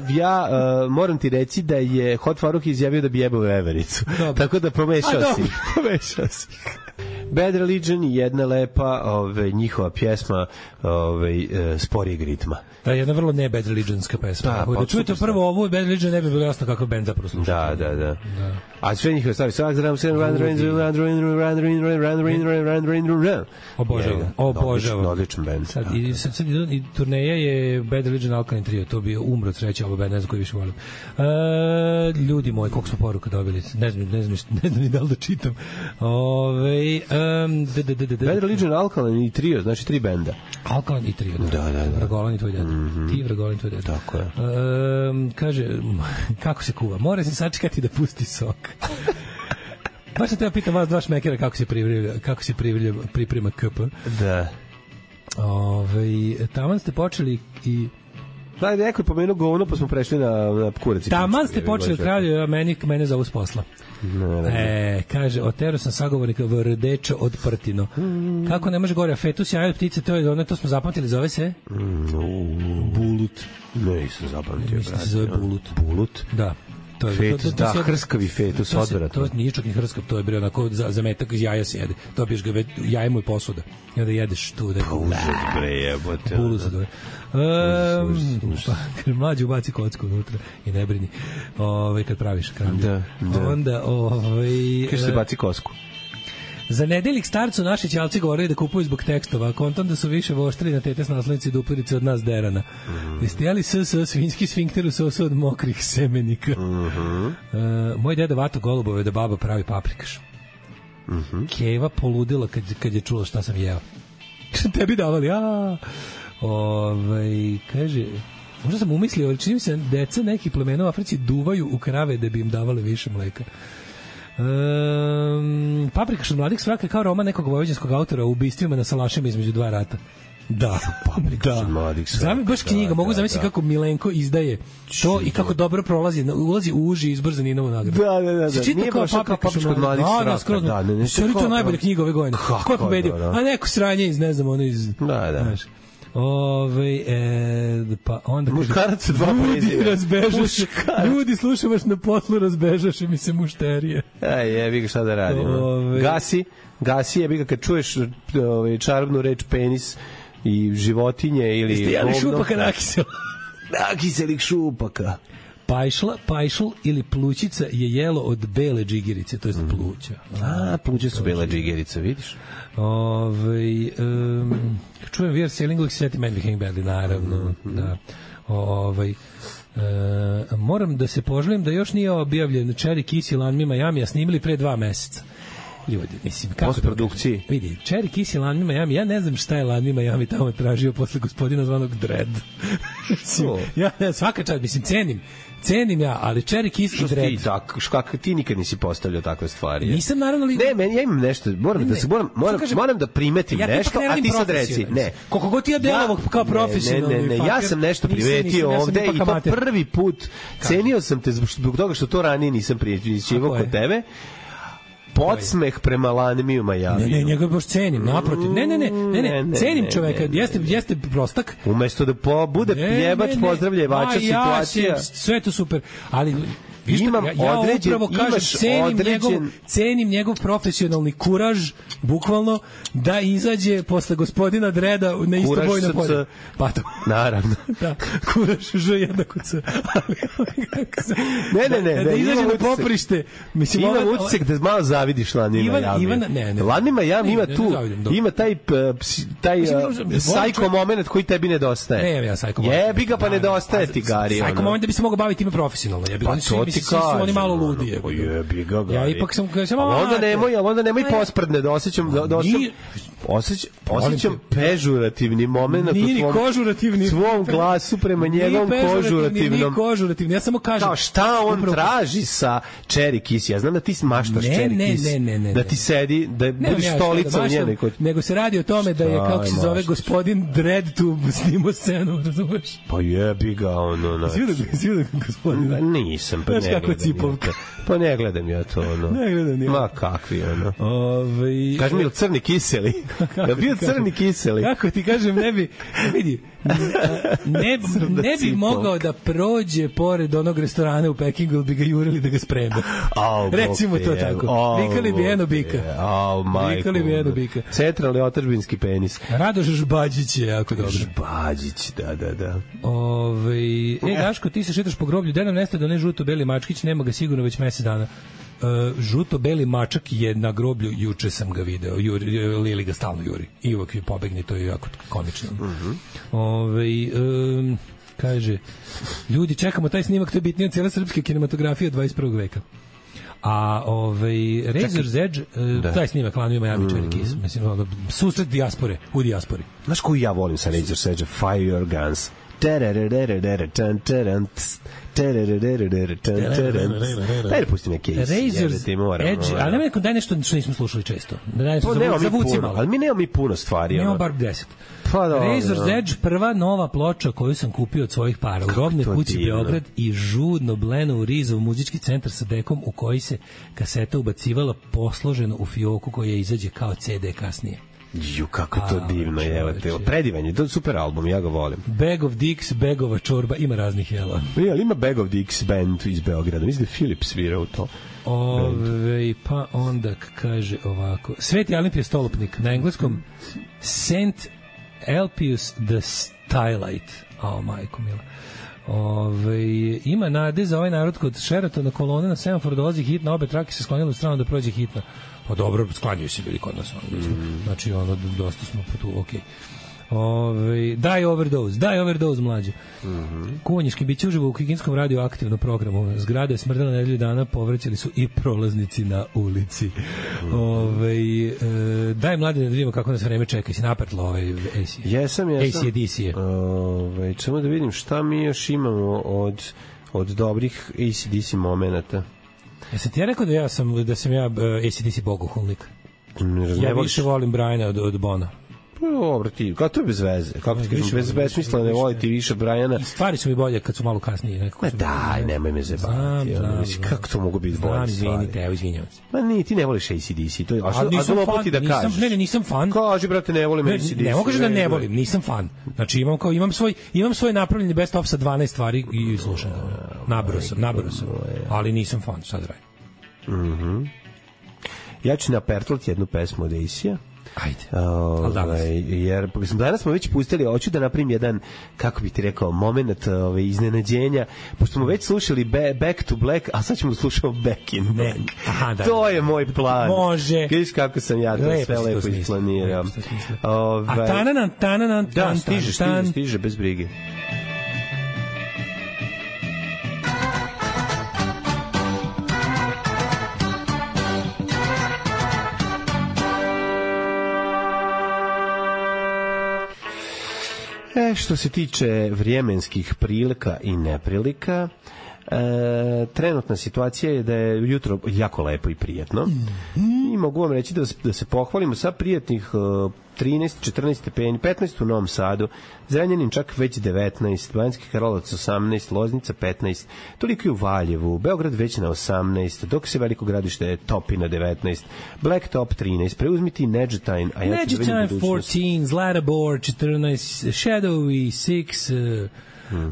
Ja moram ti reći da je Hot Faruk izjavio da bi jebao vevericu. Tako da promešao si. Bad Religion je jedna lepa njihova pjesma sporijeg ritma. Da, jedna vrlo ne Bad Religionska pesma. Da čujete prvo ovu Bad Religion, ne bi bilo jasno kakav band zapravo sluša. Da. A sve njihove stvari, obožavam. Odličan band. Sad i turneja je Bad Religion Alkaline Trio, to bi umro od sreće, ovo band, ne znam koji više volim. Ljudi moji, koliko smo poruka dobili, ne znam ni da li da čitam. Bad Religion, Alkaline i Trio, znači 3 benda. Alkaline i Trio, da. Vragolan i tvoj deda. Ti Vragolan i tvoj deda. Tako je. Kaže, kako se kuva? Mora se sačekati da pusti sok. Baš sam teba pitam vas dva šmekera kako se priprema KP. Da. Taman ste počeli i... Da, neko je pomenuo govno, pa smo prešli na kurac. Taman ste počeli kralju, a mene zovu s posla. Kaže, otero sam sagovornika Vrdečo od Prtino. Kako ne može gore, a fetus jaje od ptice, to smo zapamtili, zove se? Bulut. Ne, nisam zapamtio. Mislim se zove bulut. Bulut? Da. Fetus, hrskavi fetus, odvratno. To nije čak ni hrskav, to je bre onako za metak iz jaja se jede. Dobiješ ga, jaje mu je posuda. I onda jedeš tu. Pa uzet bre, jebote. Bulut se dove. Mlađi ubaci kocku unutra i ne brini kad praviš kramlje. Da. Onda kaže se baci kosku. Za nedeljik starcu naši ćalci govorili da kupuju zbog tekstova, a kontam da su više voštri na tete s naslovnici i dupirice od nas derana. Jeste jeli svinjski sfinkter u sosu od mokrih semenika? Moj deda vato golubove da baba pravi paprikaš. Keva poludila kad je čula šta sam jeo. Tebi davali, kaže, možda sam umislio, ali čini mi se deca nekih plemena u Africi duvaju u krave da bi im davali više mleka. Paprikaš od mladih svraka kao roman nekog vojvođanskog autora o ubistvima na salašima između dva rata. Da, Paprikaš od mladih svraka. Zamisli baš knjiga, mogu zamisliti kako Milenko izdaje to i kako dobro ulazi u uži izbor za Ninovu nagradu. Da. Nije baš kao Paprikaš od mladih svraka. Da, to je najbolja knjiga ove godine. Ko je pobedio? A neko sranje iz, ne znam, ono iz... Da. Pa onda muškarac sa dva prezime. Ljudi, slušaj vas na poslu, razbežaše mi se mušterije. Jebi ga, šta da radimo. Gasi jebi ga kad čuješ čarobnu reč penis i životinje ili... Jeste jeli šupaka nakisela? Nakiselih šupaka. Pajšl ili plućica je jelo od bele džigerice, to je pluća. Pluće su bela džigerica, vidiš? Čujem We're Sailing Like Seti Man Became Badly, naravno. Da. Moram da se poželim da još nije objavljen Cherry Kiss i Land Me Miami, a snimili pre 2 meseca. Ljudi, mislim, kako postprodukciji. Vidi, Cherry Kiss i Land Me Miami, ja ne znam šta je Land Me Miami tamo tražio posle gospodina zvanog Dredd. Ja svaka čast, mislim, cenim ja, ali Cherry Kiss i Dredd. Ti nikad nisi postavljao takve stvari. Nisam, naravno li... Ne, ja imam nešto, moram da primetim nešto, a ti sad reci. Ne. Koliko god ti ja delovao kao profesionalni. Ne, ja sam nešto primetio ovde i to prvi put. Cenio sam te zbog toga što to ranije nisam prijećivao kod tebe. Podsmeh prema Lanmiju Miami. Ne, njega baš cenim, naprotiv. Ne, cenim čoveka, jeste prostak. Umesto da bude pljebač, pozdravljevača situacija. Sve to super, ali ja upravo kažem, cenim njegov profesionalni kuraž, bukvalno, da izađe posle gospodina Dreda na isto bojno polje. Pa to. Naravno. Da, kuraž Ž jednako C. Ne. Da izađe na poprište. Imam utisak da malo zavidiš Lanima Miami. Lanima Miami ima tu, ima taj sajko moment koji tebi nedostaje. Ne, ja sajko moment. Jebi ga, pa nedostaje ti, Gari. Sajko moment da bi se mogao baviti time profesionalno. Svi su oni malo ludi. Jebi ga, ja ipak sam onda nemoj posprdne, da osjećam pežurativni moment u svom glasu prema njegovom kožurativnom. Ja samo kažem, kao šta on traži sa Cherry Kiss. Ja znam da ti maštaš Cherry Kiss, da ti sedi, da budeš stolica u njenoj. Nego se radi o tome da je, kako se zove, gospodin Dredd tu snimao scenu, razumeš? Pa jebi ga, ono. Sviđa gospodin. Nisam, pa ne gledam ja to, ono. Ne gledam ja. Ma kakvi, ono. Kaži mi, ili crni kiseli? Da bio crni kiseli? Kako ti kažem, ne bi, vidi, ne bi mogao da prođe pored onog restorana u Pekingu, ili bi ga jurili da ga spreme. Recimo to tako. Vikali bi eno bika. Centralni otadžbinski penis. Radoš Žbađić je jako dobro. Žbađić, da. Daško, ti se šetaš po groblju, da nam nestaje da ne žuto-beli mačkić, nema ga sigurno već mesec dana. Žuto-beli mačak je na groblju, juče sam ga video, Lili ga stalno juri i uvek je pobegni, to je jako komično. Kaže, ljudi, čekamo taj snimak, to je bitnije od cijela srpske kinematografije od 21. veka. A Razor's Edge, taj snimak Land Me Miami, Cherry Kiss, mislim, susret dijaspore, u dijaspori. Znaš koju ja volim sa Razor's Edge? Fire Your Guns. Daj da pusti neke Razor's Edge, ali nema neko, daj nešto što nismo slušali često. Ali mi nemamo mi puno stvari. Nemamo bar 10. Razor's Edge, prva nova ploča koju sam kupio od svojih para u Robnoj kući Beograd i žudno bleno u Rizov muzički centar sa dekom u koji se kaseta ubacivala posloženo u fioku koja izađe kao CD kasnije. Kako to divno je, evo te. Predivan je, to je super album, ja ga volim. Bag of Dicks, Bagova čorba, ima raznih jela. Ali ima Bag of Dicks band iz Beograda, mislim da je Filip svirao to. Pa onda kaže ovako, Sveti Alimpije stolupnik, na engleskom Saint Elpius the Stylite. Majko mila. Ima nade za ovaj narod kod Sheratona kolone na semaforu dolazi hitna, obe trake se sklonile u stranu da prođe hitna. Pa dobro, sklanjaju se bili kod nas. Znači, dosta smo tu, okej. Die overdose mlađe. Kuvanjiški biće uživo u Kikinskom radioaktivnom programu. Zgrade smrdela nedelju dana, povraćali su i prolaznici na ulici. Daj mlade da vidimo kako nas vreme čeka. Si naprtlo AC? Jesam. AC/DC je. Čemo da vidim šta mi još imamo od dobrih AC/DC momenata. Jesam ti ja rekao da sam ja AC/DC bogohulnik? Ja više volim Briana od Bona. Dobro, ti, kako to je bez veze? Kako ti kažeš, bez besmisla ne voliti više Briana? I stvari su mi bolje kad su malo kasnije. Ma daj, nemoj me zebati. Kako to mogu biti bolje stvari? Izvinjavam se. Ma ni, ti ne voliš AC/DC. A nisam fan, da kažeš. Ne, nisam fan. Kaži, brate, ne volim AC/DC. Ne mogu kažem da ne volim, nisam fan. Znači, imam svoj napravljeni best of sa 12 stvari i slušam ga. Nabrao sam. Ali nisam fan, sad radim. Ja ću napertlati jednu pesmu od AC-a. Ajde. Jer danas smo već pustili, hoću da napravim jedan, kako bi ti rekao, moment iznenađenja, pošto smo već slušali Back to Black, a sad ćemo slušati Back in Black. To je moj plan. Može. Vidiš kako sam ja to sve lepo isplanirao. A tananan. Da, stiže, bez brige. Što se tiče vremenskih prilika i neprilika, trenutna situacija je da je jutro jako lepo i prijatno i mogu vam reći da se pohvalimo sa prijatnih 13, 14 stepeni, 15 u Novom Sadu, Zrenjanin čak već 19, Banjski Karlovac 18, Loznica 15, toliko i u Valjevu, Beograd već na 18, dok se Veliko Gradište topi na 19, Blacktop 13, preuzmiti Neđetajn, a ja ću da vidim budućnost. 14, Zlatibor 14, Shadowy 6,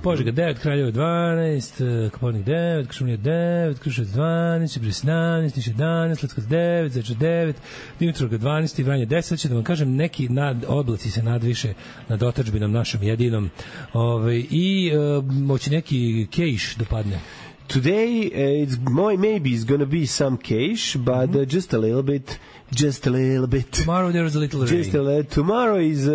Požega 9, Kraljevo 12, Koponik 9, Košumlija 9, Kruševac 12, Ćuprije 17, Niš 11, Leskovac 9, Zečar 9, Dimitrovgrad 12 i Vranje 10. Će da vam kažem, neki oblaci se nadviše nad otadžbinom našom jedinom i moći neki kejš dopadne. Today maybe it's gonna be some cash, but just a little bit. Tomorrow there was a little rain. Tomorrow is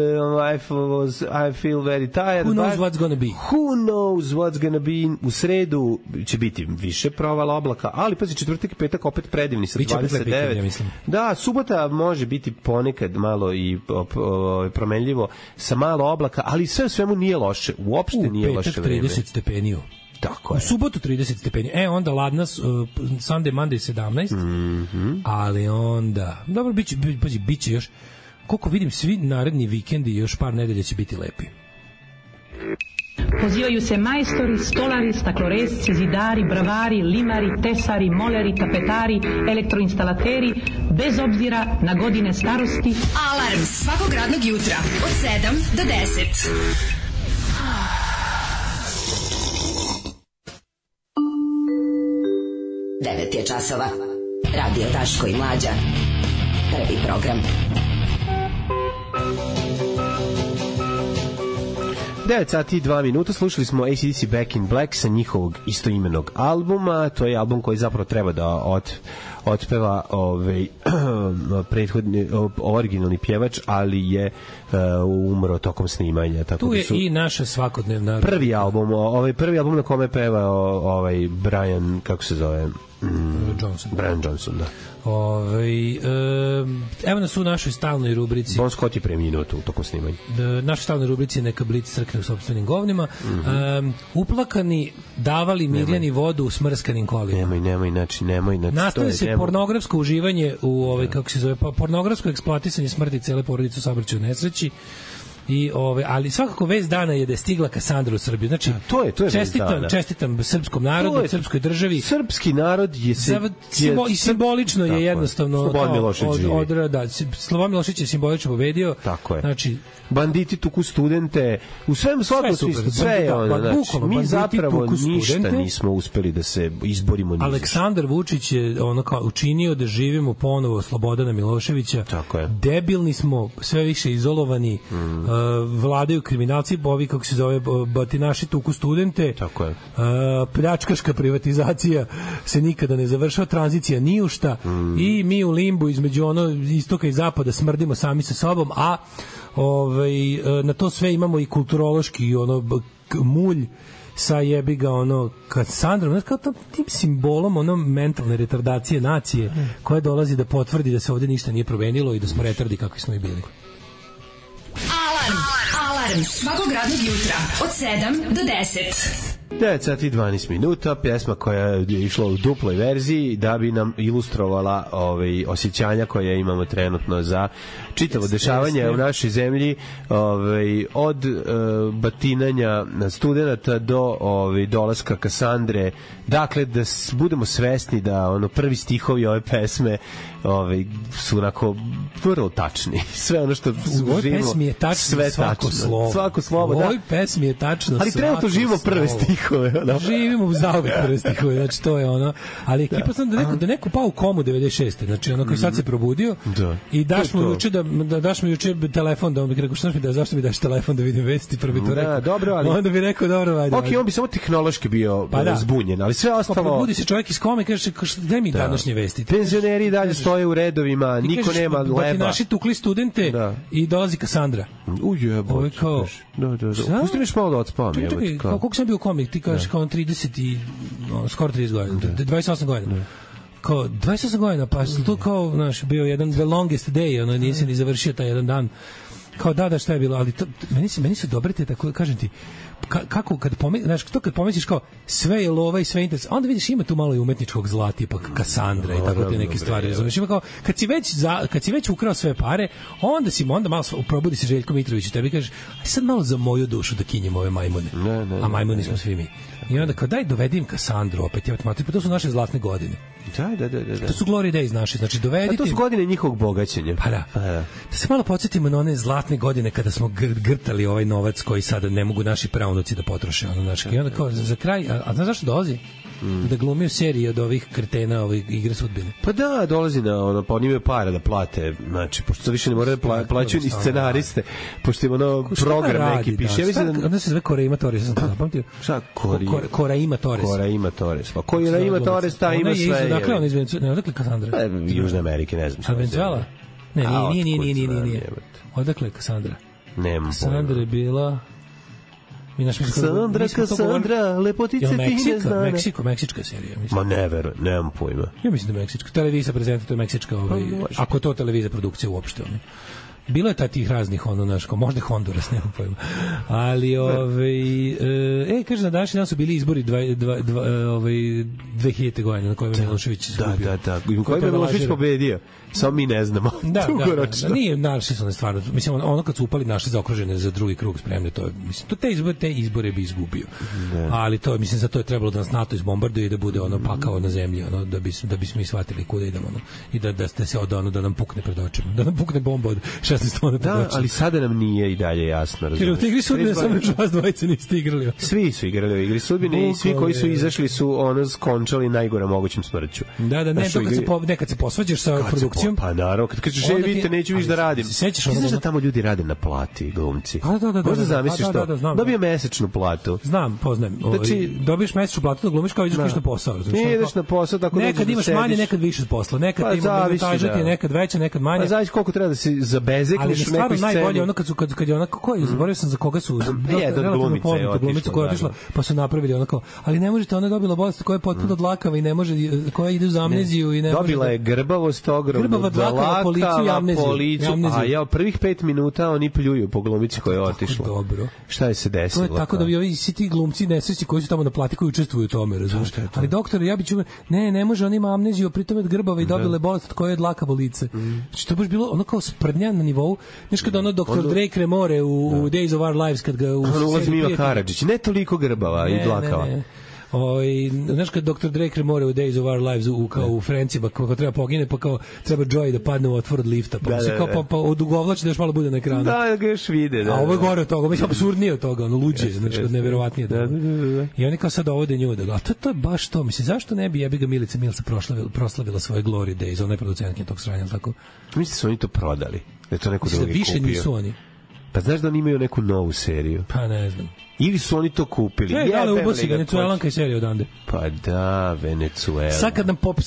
I feel very tired. Who knows what's gonna be? Who knows what's gonna be? U sredu će biti više provala oblaka, ali pazi, četvrtak i petak opet predivni sa 29. Ja mislim. Da, subota može biti ponekad malo i promenljivo sa malo oblaka, ali sve u svemu nije loše. Uopšte nije loše vreme. U petak 30 stepeni. Tako je. U subotu 30 stepeni. Onda ladna, Sunday, Monday 17, ali onda, dobro, biće još, koliko vidim, svi naredni vikendi, još par nedelja će biti lepi. Pozivaju se majstori, stolari, stakloresci, zidari, bravari, limari, tesari, moleri, tapetari, elektroinstalateri, bez obzira na godine starosti. Alarm svakog radnog jutra od 7 do 10. 9 je časova. Radio Daško i Mlađa. Prvi program. 9 sati i 2 minuta. Slušali smo AC/DC Back in Black sa njihovog istoimenog albuma. To je album koji zapravo treba da otpeva prethodni originalni pjevač, ali je umro tokom snimanja. Tako tu je da i naša svakodnevna prvi album na kome peva Brian, kako se zove, Brian Johnson, da. Evo nas u našoj stalnoj rubrici. Bon Scott je preminuo tu tokom snimanja. Našoj stalnoj rubrici Neka Blic crkne u sopstvenim govnima. Uplakani davali Mirjani vodu u smrskanim kolima. Nemoj. Nastaje se pornografsko uživanje u kako se zove, pornografsko eksploatisanje smrti cele porodice u saobraćaju nesreći. Ali svakako vest dana je da je stigla Kasandra u Srbiju. Znači, to je čestitam srpskom narodu, srpskoj državi. Srpski narod je i simbolično je jednostavno Slobodan Milošević živi. Slobodan Milošević je simbolično pobedio. Tako je. Znači, banditi tuku studente, u svemu svakom smislu, sve je ono. Znači, mi zapravo ništa nismo uspeli da se izborimo. Aleksandar Vučić je učinio da živimo ponovo Slobodana Miloševića. Tako je. Debilni smo, sve više izolovani, vladaju kriminalci, ovi kako se zove batinaši tuku studente. Tako je. Pljačkaška privatizacija se nikada ne završava, tranzicija ni u šta i mi u limbu između istoka i zapada smrdimo sami sa sobom, a na to sve imamo i kulturološki mulj sa jebiga Kassandrom, kao tim simbolom mentalne retardacije nacije koja dolazi da potvrdi da se ovde ništa nije promenilo i da smo retardi kakvi smo i bili. Alarm svakog radnog jutra od 7 do 10. 9 sati 12 minuta, pjesma koja je išla u duploj verziji da bi nam ilustrovala osjećanja koje imamo trenutno za čitavo dešavanje u našoj zemlji, od batinanja studenata do dolaska Kassandre. Dakle, da budemo svesni da prvi stihovi ove pesme su onako vrlo tačni. Sve ono što u ovoj pesmi je tačno sve svako slovo. Svako slovo, u ovoj pesmi je tačno ali trenutno živimo prve stihove. Živimo u zauvek prve stihove, znači to je ali ekipa sam da neko pao u komu 96. Znači koji sad se probudio i daš mu juče telefon da on bi rekao zašto mi daš telefon da vidim vesti, prvi to rekao. Dobro, ali onda bi rekao dobro, ajde. Okej, on bi samo tehnološki bio zbunjen, ali sve ostalo. Probudi se čovjek iz kome i kaže daj mi današnje vesti. Penzioneri dalje stoje u redovima, niko nema leba. Naši tukli studente i dolazi Kassandra. Ujebo. Pusti mi malo da odspavam. Koliko sam bio u komi? Ti kažeš kao 30 i skoro 30 godina. 28 godina. Kao 28 godina, pa to kao, bio jedan the longest day, nisi ni završio taj jedan dan. Kao šta je bilo, ali meni su dobre te, tako kažem ti, kako kad pomisliš kao sve je lova i sve interes, onda vidiš ima tu malo i umetničkog zla, tipa Kassandra i tako te neke stvari, razumiješ, ima kao kad si već ukrao sve pare, onda malo probudi se Željko Mitrović i tebi kažeš, aj sad malo za moju dušu da kinjem ove majmune, a majmuni smo svi mi. I onda kao daj dovedim Kassandru opet, pa to su naše zlatne godine. Da. To su glory days naše, znači dovedite. A to su godine njihovog bogaćenja. Pa da. Da se malo podsjetimo na one zlatne godine kada smo grtali ovaj novac koji sada ne mogu naši praunuci da potroše. I onda kao za kraj, a znaš zašto dolazi? Da glumi u seriji od ovih kretena igre sudbine. Pa da, dolazi pa oni imaju pare da plate, znači, pošto više ne moraju da plaćaju ni scenariste, pošto ima program neki piše. Onda se zove Koraima Torres, sam to zapamtio. Šta? Koraima Torres. Koraima Torres. Pa Koraima Torres, ta ima sve. Dakle, ona iz Venezuela, odakle Kassandra? Južne Amerike, ne znam. A Venezuela? Ne, nije. Odakle Kassandra? Nemam Kassandra je bila... Kassandra, lepotice ti ne znane. Meksička serija. Ma ne verujem, nemam pojma. Ja mislim da je meksička. Televizija prezentuje, to je meksička, ako to televizija produkcija uopšte. Bilo je tih raznih, možda Honduras, nemam pojma. Ali, kaže, na današnji dan su bili izbori 2000. godine na kojem je Milošević izgubio. Da. U kojem je Milošević pobedio. Samo mi ne znamo. Da. Nije, našli su stvarno. Mislim, kad su upali našli zaokružene za drugi krug spremne, to je, mislim, te izbore bi izgubio. Ali to, mislim, za to je trebalo da nas NATO izbombarduje i da bude pakao na zemlji, da bismo i shvatili kuda idemo, i da se da nam pukne pred očima. Da nam pukne bomba od 16 tona pred očima. Ali sada nam nije i dalje jasno. Jer u igri sudbine samo vas dvojice niste igrali. Svi su igrali u igri sudbine i svi koji su izašli su skončali najgore mogućim smrću. Da, nekad se posvađaš sa produkcijom. Pa naravno, kad kažeš, vidite, neću više da radim. Znaš da tamo ljudi rade na plati, glumci? Možda zamisliš to? Dobio mesečnu platu. Znam, poznajem. Dobiješ mesečnu platu da glumiš kao ideš na posao. Ideš na posao, tako da nekad imaš manje, nekad više posla. Nekad ima montaža, nekad veća, nekad manje. Pa zavisi koliko treba da se zabezekneš u nekoj sceni. Najbolje kad je zaboravio sam za koga su glumica koja je otišla, pa su napravili ali ne možete, ona je dobila bolest koja je potpuno dlakava i ne može, koja ide uz amneziju i ne može. Dobila je grbavost ogromnu, dlakava policiju, a ja prvih 5 minuta oni pljuju po glumici koja je otišla. Dobro. Šta je se desilo? To je tako da bi ovi svi ti glumci nesrećni koji su tamo na plati, koji učestvuju u tome, razumiješ? Ali doktor, ja bi ne može, on ima amneziju, pritom je grbava i dobila je bolest koja je dlakavo lice. Znači to baš bilo kao sprnja na nivou, znaš kada doktor Drake Remore u Days of Our Lives, kad ga ulazi Mila Karadžić, ne toliko grbava i dlakava. Znaš kad dr. Drake Remore u Days of Our Lives u Frencima, kako treba pogine, pa kao treba Joy da padne u otvor od lifta, pa se kao pa odugovlači da još malo bude na ekranu. Da ga još vide. A ovo je gore od toga, mislim, absurdnije od toga, luđe, znači neverovatnije. I oni kao sad ovode nju, a to je baš to, mislim, zašto ne bi jebiga Milica Milsa proslavila svoje Glory Days, ona je producentkinja tog sranja, tako? Mislim su oni to prodali, da je to neko drugi kupio. Više nisu oni. Pa znaš da oni imaju neku novu seriju? Pa ne znam. Ili su oni to kupili? Da li ubosi Venecuelanka i serija odande? Pa da, Venecuela. Sad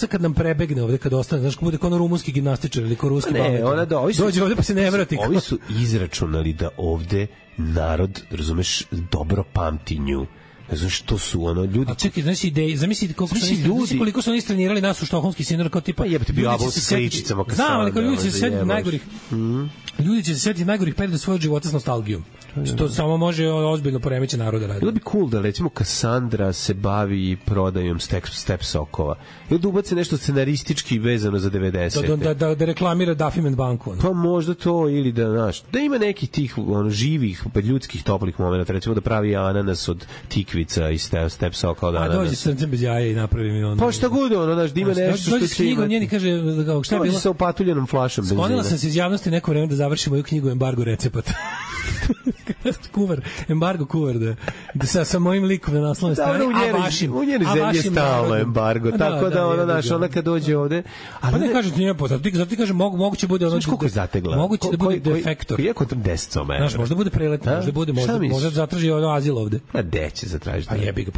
kad nam prebegne ovde, kad ostane, znaš, bude kao ono rumunski gimnastičar ili kao ruski balet. Ne, ona dođe ovde pa se ne vrati. Ovi su izračunali da ovde narod, razumeš, dobro pamti nju. Ne znam što su ono ljudi. A čekaj, znači ideje, zamisli koliko su oni istrenirali nas u štokholmski sindrom kao tipa. Pa jebote bio abo s sličicama kad znam, ali kao ljudi će se setiti najgorih. Ljudi će se setiti najgorih perioda svojeg života s nostalgijom. Što samo može ozbiljno poremeći naroda radi. Bilo bi cool da recimo Kassandra se bavi prodajom step sokova. Ili da ubace nešto scenaristički vezano za 90. Da reklamira Duffy banku. Pa možda to ili da ima nekih tih živih, ljudskih toplih momenata, recimo da pravi ananas od tikvica i step soka od ananasa. A dođe srcem bez jaja i napravi mi ono. Pa šta god da ima nešto što dođe s knjigom njeni kaže šta je bilo sa opatuljenom flašom benzina. Sklonila sam se iz javnosti neko vreme da završim moju knjigu Embargo recepata. kuvar, embargo kuvar da sa mojim likom na naslovnoj strani, a vašim u njeni zemlji je stalno embargo, tako da ona kad dođe ovde, ali pa ne kaže ti nije poznato, zato ti kaže moguće bude ono koliko je zategla, moguće da bude defektor, iako tam 10 metara, znaš, možda bude preletno, možda zatraži ono azil ovde, a gde će zatražiti, pa jebi ga,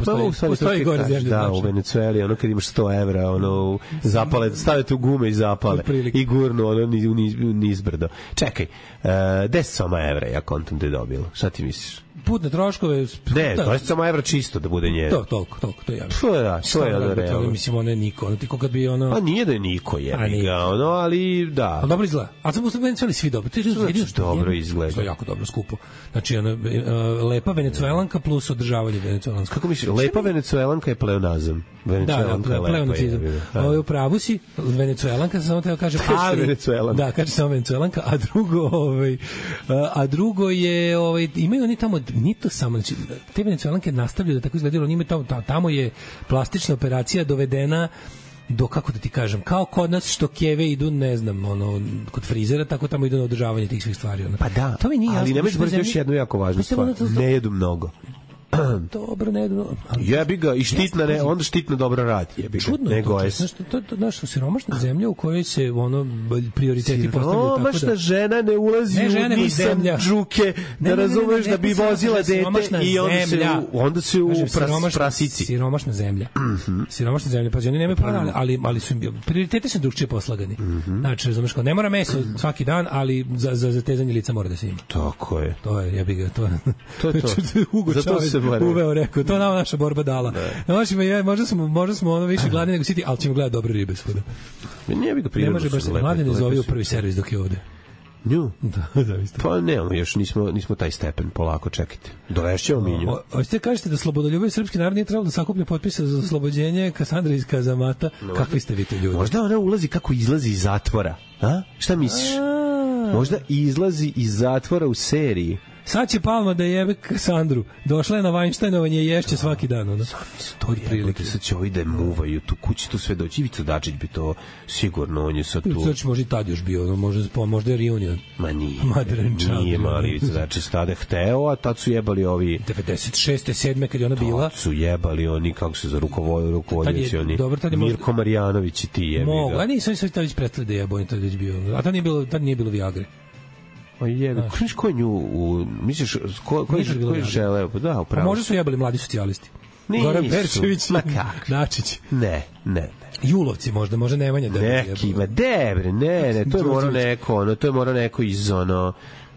postoji gore zemlja, da, u Venecueli, ono kad imaš 100 evra, ono zapale, stavite u gume i zapale i gurnu ono nizbrdo. Čekaj, 10 evra ja kontam da je dobilo. Šta ti misliš? Putne troškove... Ne, to je samo evra čisto da bude njeno. Toliko, to je javno. To je ono realno. Mislim, ono je Niko, ono ti kad bi ono... Pa nije da je Niko, jebi ga, ono, ali da. Ali dobro izgleda. A sam u Venecueli svi dobro. Dobro izgleda. To je jako dobro skupo. Znači, lepa Venecuelanka plus održavanje Venecuelanska. Kako misliš, lepa Venecuelanka je pleonazam. Da, pleonacizam. Ovo je u pravu si, Venecuelanka, samo teo kaže, ali... Da, kaže samo Venecuelanka, a drugo je, imaju oni tamo, nije to samo, znači, te Venecuelanke nastavljaju da tako izgledaju, oni imaju tamo je plastična operacija dovedena do, kako da ti kažem, kao kod nas što keve idu, ne znam, kod frizera, tako tamo idu na održavanje tih svih stvari. Pa da, to mi nije ali ne možeš brati još jednu jako važnu stvar, ne jedu mnogo. Dobro, ne jedu. Jebi ga, i štitna, onda štitna dobro radi, jebi ga. Čudno je to, to je naša siromašna zemlja u kojoj se prioriteti postavljaju tako da... Siromašna žena ne ulazi u Nissan džuke, da razumeš da bi vozila dete i onda se u prasici. Siromašna zemlja. Siromašna zemlja, pa oni nemaju prava, ali su prioriteti su drugčije poslagani. Znači, razumeš, ne mora meso svaki dan, ali za zatezanje lica mora da se ima. Tako je. To je, jebi ga, to je zato se uveo, rekao, to nam naša borba dala. Možda smo ono više gladni nego siti, ali ćemo gledati dobre ribe svuda. Ne može baš se mladi ne zove u prvi servis dok je ovde. Nju? Da, zavisno. Pa nemamo, još nismo taj stepen, polako čekajte. Dovešćemo mi nju. Hoćete kažete da slobodoljubivi srpski narod nije trebalo da sakuplja potpise za oslobođenje Kassandre iz kazamata? Kakvi ste vi to ljudi? Možda ona ulazi kako izlazi iz zatvora. A? Šta misliš? Možda izlazi iz zatvora u seriji. Sad će Palma da jebe Kassandru. Došla je na Weinsteinovanje i ješće svaki dan. To je prilike. Sad će ovi da je muvaju tu kući, tu sve doći. Ivica Dačić bi to sigurno, on je sad tu. Sad će možda i tad još bio, možda je reunion. Ma nije mali Ivica Dačić tada hteo, a tad su jebali ovi... 96. 7. kad je ona bila. Tad su jebali oni, kako se za rukovodnici oni. Mirko Marjanović i ti jebi ga. Mogu, a nisam se tad već prestali da jebo, on je tad već bio. A tad nije bilo Viagre. O jebe, ko je nju, misliš, ko je želeo? Da, upravo. A možda su jebali mladi socijalisti. Goran Perčević, Dačić. Ne. Julovci možda Nemanja da neki, ma debre, ne, to je morao neko iz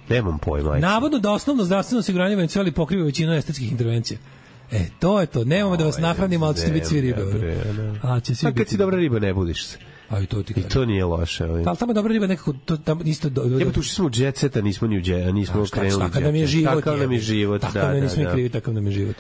nemam pojma. Navodno da osnovno zdravstveno osiguranje Venecueli pokriva većinu estetskih intervencija. To je to. Nemamo da vas nahranimo, ali ćete biti svi ribe. A kad si dobra riba, ne budiš se. I to nije loše. Ali tamo dobra riba nekako tamo isto tu smo u jet seta, nismo ni u jet, nismo krenuli. Takav nam je život. Takav nam je život. Takav nam je život.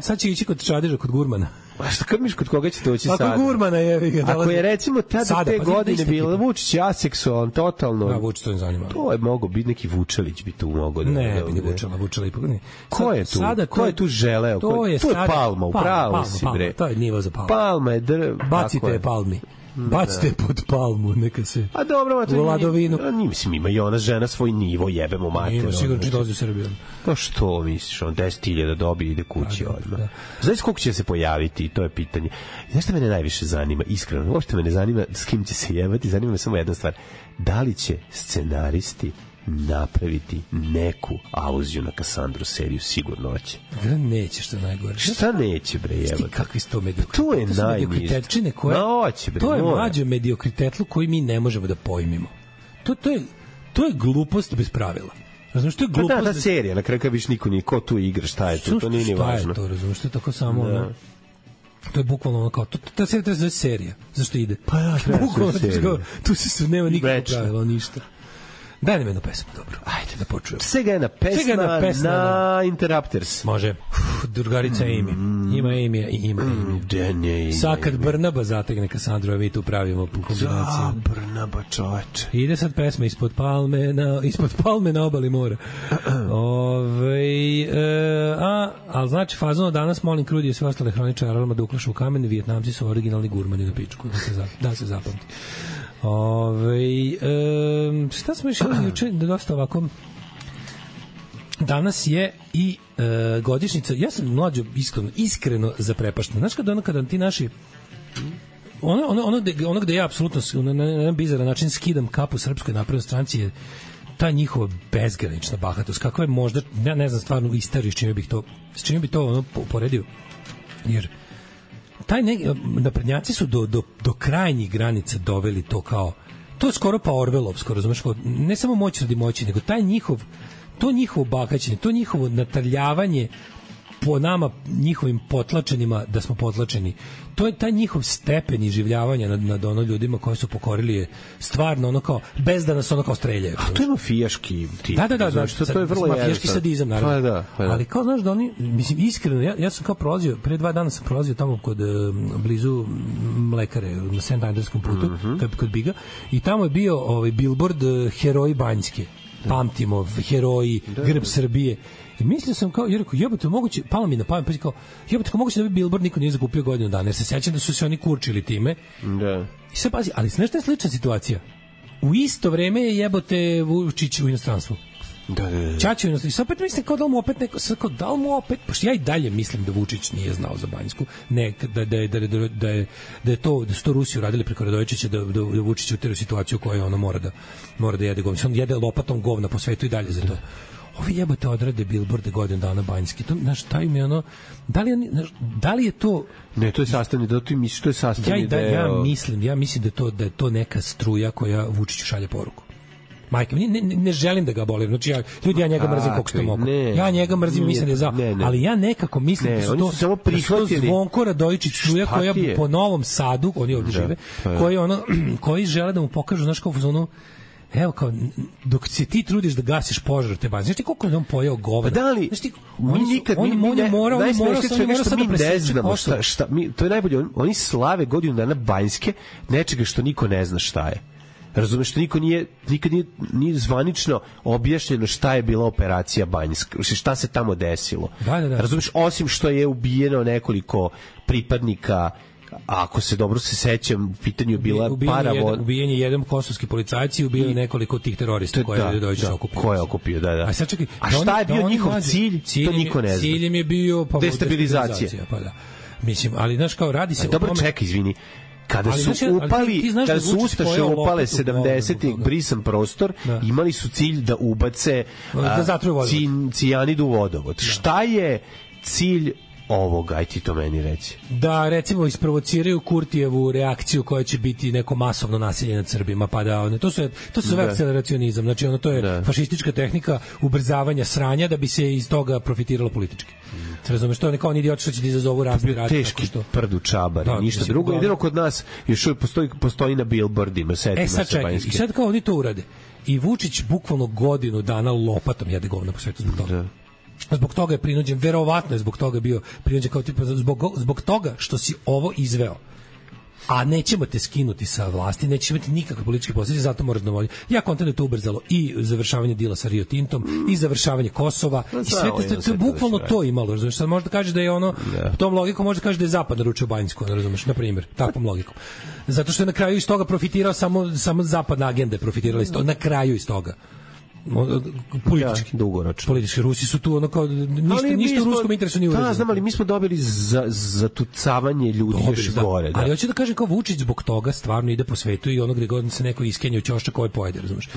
Sad će ići kod Čadeža, kod Gurmana. A šta krmiš kod koga ćete doći sada? Kod Gurmana je. Ako je recimo tada te godine bilo Vučić aseksualan, totalno. Da, Vučić to ne zanima. To je mogao biti neki Vučelić bi tu mogao. Ne, bi Vučela ipak ne. Ko je tu? Ko je tu želeo? To je Palma, upravo si bre. To je nivo za Palmu. Palma je bacite Palmi. Bacite pod palmu, neka se. A dobro, u Ladovinu. Mislim, ima i ona žena svoj nivo, jebemo mater. Ima, sigurno će dođe u Srbiju. Pa što misliš, 10.000 dobi ide kući odmah. Znaš koliko će se pojaviti, to je pitanje. Znaš šta mene najviše zanima, iskreno, uopšte me ne zanima s kim će se jebati, zanima me samo jedna stvar. Da li će scenaristi napraviti neku aluziju na Kassandru seriju, sigurno hoće. Neće, što je najgore. Šta neće, bre, jebote? Kakvi su to mediokriteti? To je najniže. To je mlađe mediokritetlu koji mi ne možemo da pojmimo. To je glupost bez pravila. Razumiješ, to je glupost. Ta serija, na kraju kad viš niko tu igra, šta je to, to nije ni važno. Šta je to, razumiješ, to je tako samo ono. To je bukvalno ono kao, ta serija treba se zove serija. Zašto ide? Pa ja, treba se serija. Tu se nema nikakvo pravilo, ništa. Daj nam jednu pesmu, dobro. Ajde da počujemo. Svega jedna pesma na Interrupters. Može. Drugarica Amy. Ima Amy i ima Amy. Sad kad Brnaba zategne Kassandru, a mi tu pravimo kombinaciju. Brnaba, čoveče. Ide sad pesma ispod palme na obali mora. Ali znači fazono danas molim Krudi i sve ostale hroničare aroma da uklašu u kamen, Vijetnamci su originalni gurmani na pičku. Da se zapamti. Šta smo još juče da dosta ovako danas je i godišnjica, ja sam mlađo iskreno zaprepašten. Znaš kada ti naši ono gde ja apsolutno na jedan bizaran način skidam kapu Srpskoj naprednoj stranci je ta njihova bezgranična bahatost, kakva je možda, ja ne znam stvarno istoriju s čime bi to ono poredio, jer naprednjaci su do krajnjih granica doveli to kao, to je skoro pa Orvelovsko, razumeš, ne samo moć radi moći, nego to njihovo bakaćenje, to njihovo natrljavanje po nama, njihovim potlačenima da smo potlačeni, to je taj njihov stepen iživljavanja nad ono ljudima koji su pokorili je stvarno ono kao, bez da nas ono kao streljaju. A to je mafijaški tip. Da, to je vrlo mafijaški sadizam, naravno. Pa da. Ali kao znaš da oni, mislim, iskreno, ja sam kao prolazio, pre 2 dana sam prolazio tamo kod blizu mlekare, na St. Andrewskom putu, kod Biga, i tamo je bio billboard Heroji Banjske. Pamtimo, heroji, grb Srbije. I mislio sam kao, jer jebote, moguće, palo mi na pamet, pa kao, jebote, moguće da bi billboard niko nije zakupio godinu dana, jer se sećam da su se oni kurčili time. Da. I sad pazi, ali znaš šta je slična situacija? U isto vreme je jebote Vučić u inostranstvu. Da. Čačo u inostranstvu. I sad opet mislim kao da li mu opet, pošto ja i dalje mislim da Vučić nije znao za Banjsku, ne, da su to Rusi uradili preko Radojičića, da Vučić utera situaciju u kojoj ono mora da jede govna. On jede lopatom govna po svetu i dalje za to. Ovi jebote odrade billboarde godinu dana Banjski. To, znaš, taj mi ono, da li je to... Ne, to je sastavni, da ti misliš, to je sastavni deo... Ja mislim da je to neka struja koja Vučiću šalje poruku. Majka, ne želim da ga bolim. Znači, ja njega mrzim koliko što mogu. Ja njega mrzim i mislim da je za... Ali ja nekako mislim da su to Zvonko Radojičić struja koja po Novom Sadu, oni ovdje žive, koji žele da mu pokažu, znaš, kao u zonu, evo kao, dok se ti trudiš da gasiš požar te Banjske, znaš ti koliko je on pojeo govna? Pa da li, mi nikad, najsmešnije što mi ne znamo šta, to je najbolje, oni slave godinu dana Banjske, nečega što niko ne zna šta je. Razumeš, što nikad nije zvanično objašnjeno šta je bila operacija Banjska, šta se tamo desilo. Da. Razumeš, osim što je ubijeno nekoliko pripadnika, ako se dobro se sećam, u pitanju bila ubijen je jedan kosovski policajac i ubio nekoliko tih terorista koje je Radojičić okupio. Ko je okupio, da. A sad čekaj, šta je bio njihov cilj? To niko ne zna. Ciljem je bio destabilizacija. Pa da. Mislim, ali znaš kao radi se... Dobro, čekaj, izvini. Kada su Ustaše upale 70-ih brisan prostor, imali su cilj da ubace cijanidu u vodovod. Šta je cilj ovoga, aj ti to meni reći? Da, recimo, isprovociraju Kurtijevu reakciju koja će biti neko masovno nasilje nad Srbima, pa da, to se zove akceleracionizam, znači to je fašistička tehnika ubrzavanja sranja da bi se iz toga profitiralo politički. Razumeš, to je neko idiot što će da izazovu razni rad. Teški prdu čabar, ništa drugo. Jedino kod nas još postoji na billboardima. Sad čekaj, i sad kao oni to urade. I Vučić bukvalno godinu dana lopatom jede govna po svetu zbog toga. Zbog toga je prinuđen, verovatno je zbog toga bio prinuđen kao tipa, zbog toga što si ovo izveo, a nećemo te skinuti sa vlasti, neće imati nikakve političke posljedice, zato moraš da vodi. Ja kontam da je to ubrzalo i završavanje dila sa Rio Tintom, i završavanje Kosova, i sve to je bukvalno to imalo, razumiješ? Sad možda kaže da je ono, tom logikom možda kaže da je Zapad naručio Banjsku, razumiješ, na primjer, takvom logikom. Zato što je na kraju iz toga profitirao samo zapadna agenda je profitirala iz toga, na kraju iz toga. politički. Dugoročno. Politički. Rusi su tu ono kao ništa u ruskom interesu nije urađeno. Da, znam, ali mi smo dobili za tucavanje ljudi još gore. Ali hoću da kažem kao Vučić zbog toga stvarno ide po svetu i ono gde god se neko iskenja u ćošak ovaj pojede, razumeš.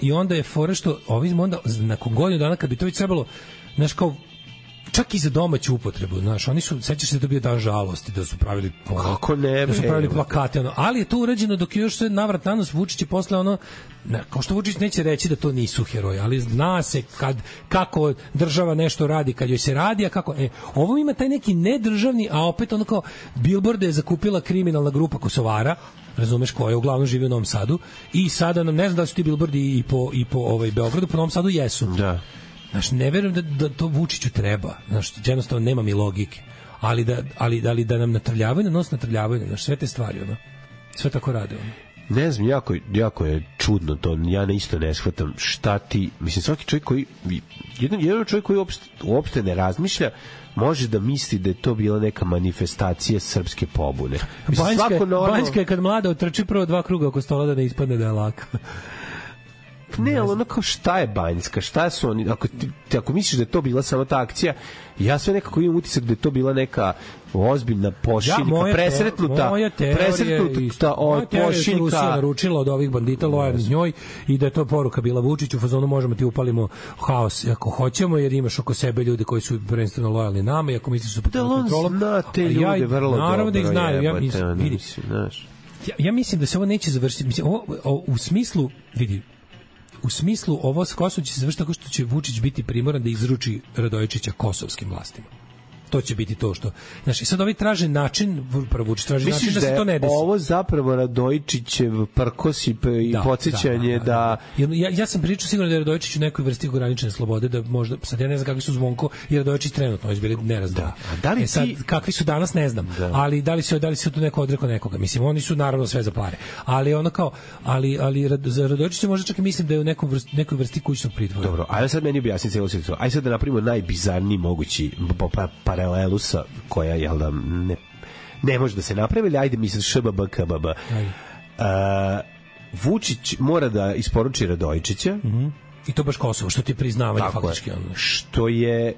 I onda je fora što ovim onda nakon godinu dana kad bi to već trebalo, znaš, kao čak i za domaću upotrebu, znaš, oni su, sećaš se da bio dan žalosti, da su pravili kako ne, da su pravili plakate, ono, ali je to urađeno dok je još sve navrat na nos. Vučić je posle ono, kao što Vučić neće reći da to nisu heroji, ali zna se kako država nešto radi, kad joj se radi, a kako, ovo ima taj neki nedržavni, a opet ono kao bilborde je zakupila kriminalna grupa Kosovara, razumeš, koja uglavnom živi u Novom Sadu, i sada nam, ne znam da li su ti bilbordi i po Beogradu, po Novom Sadu jesu. Da. Znaš, ne verujem da to Vučiću treba. Znaš, jednostavno nema mi logike. Ali da nam natrljavaju na nos, znaš, sve te stvari, ono. Sve tako rade, ono. Ne znam, jako je čudno to. Ja isto ne shvatam šta ti... Mislim, svaki čovjek koji... Jedan čovjek koji uopšte ne razmišlja može da misli da je to bila neka manifestacija srpske pobune. Banjska je kad mlada otrči prvo 2 kruga oko stola da ne ispadne da je laka. Ne, ali ono kao šta je Banjska, šta su oni, ako misliš da je to bila samo ta akcija, ja sve nekako imam utisak da je to bila neka ozbiljna pošiljka, presretnuta pošiljka. Rusija naručila od ovih bandita lojalnih njoj i da je to poruka bila Vučiću u fazonu možemo ti upalimo haos ako hoćemo, jer imaš oko sebe ljude koji su prvenstveno lojalni nama i ako misliš su pod kontrolom. Zna te ljude vrlo dobro. Naravno da ih znaju. Ja mislim da se ovo neće završiti. Mislim, u smislu, vidi, u smislu ovo s Kosovom će se završiti tako što će Vučić biti primoran da izruči Radojičića kosovskim vlastima. To će biti to što... Znaš, i sad ovi traže način, prvo Vučić traži način da se to ne desi. Ovo zapravo Radojičićev prkos i podsjećanje da... Ja sam pričao sigurno da je Radojičić u nekoj vrsti ograničene slobode, da možda... Sad ja ne znam kakvi su Zvonko i Radojičić trenutno, oni su bili nerazdani. Sad, kakvi su danas, ne znam. Ali da li se tu neko odrekao nekoga? Mislim, oni su naravno sve za pare. Ali ono kao... Ali za Radojičića možda čak i mislim da je u nekoj vrsti kućnog pritvora. Dobro, ajde sad meni objasni celu situaciju. Ajde sad da napravimo najbizarniji mogući paralelu sa koja je da ne može da se napravi, ajde mislim ŠBB. Vučić mora da isporuči Radojičića i to baš Kosovo, što ti priznavanje faktički ono. Što je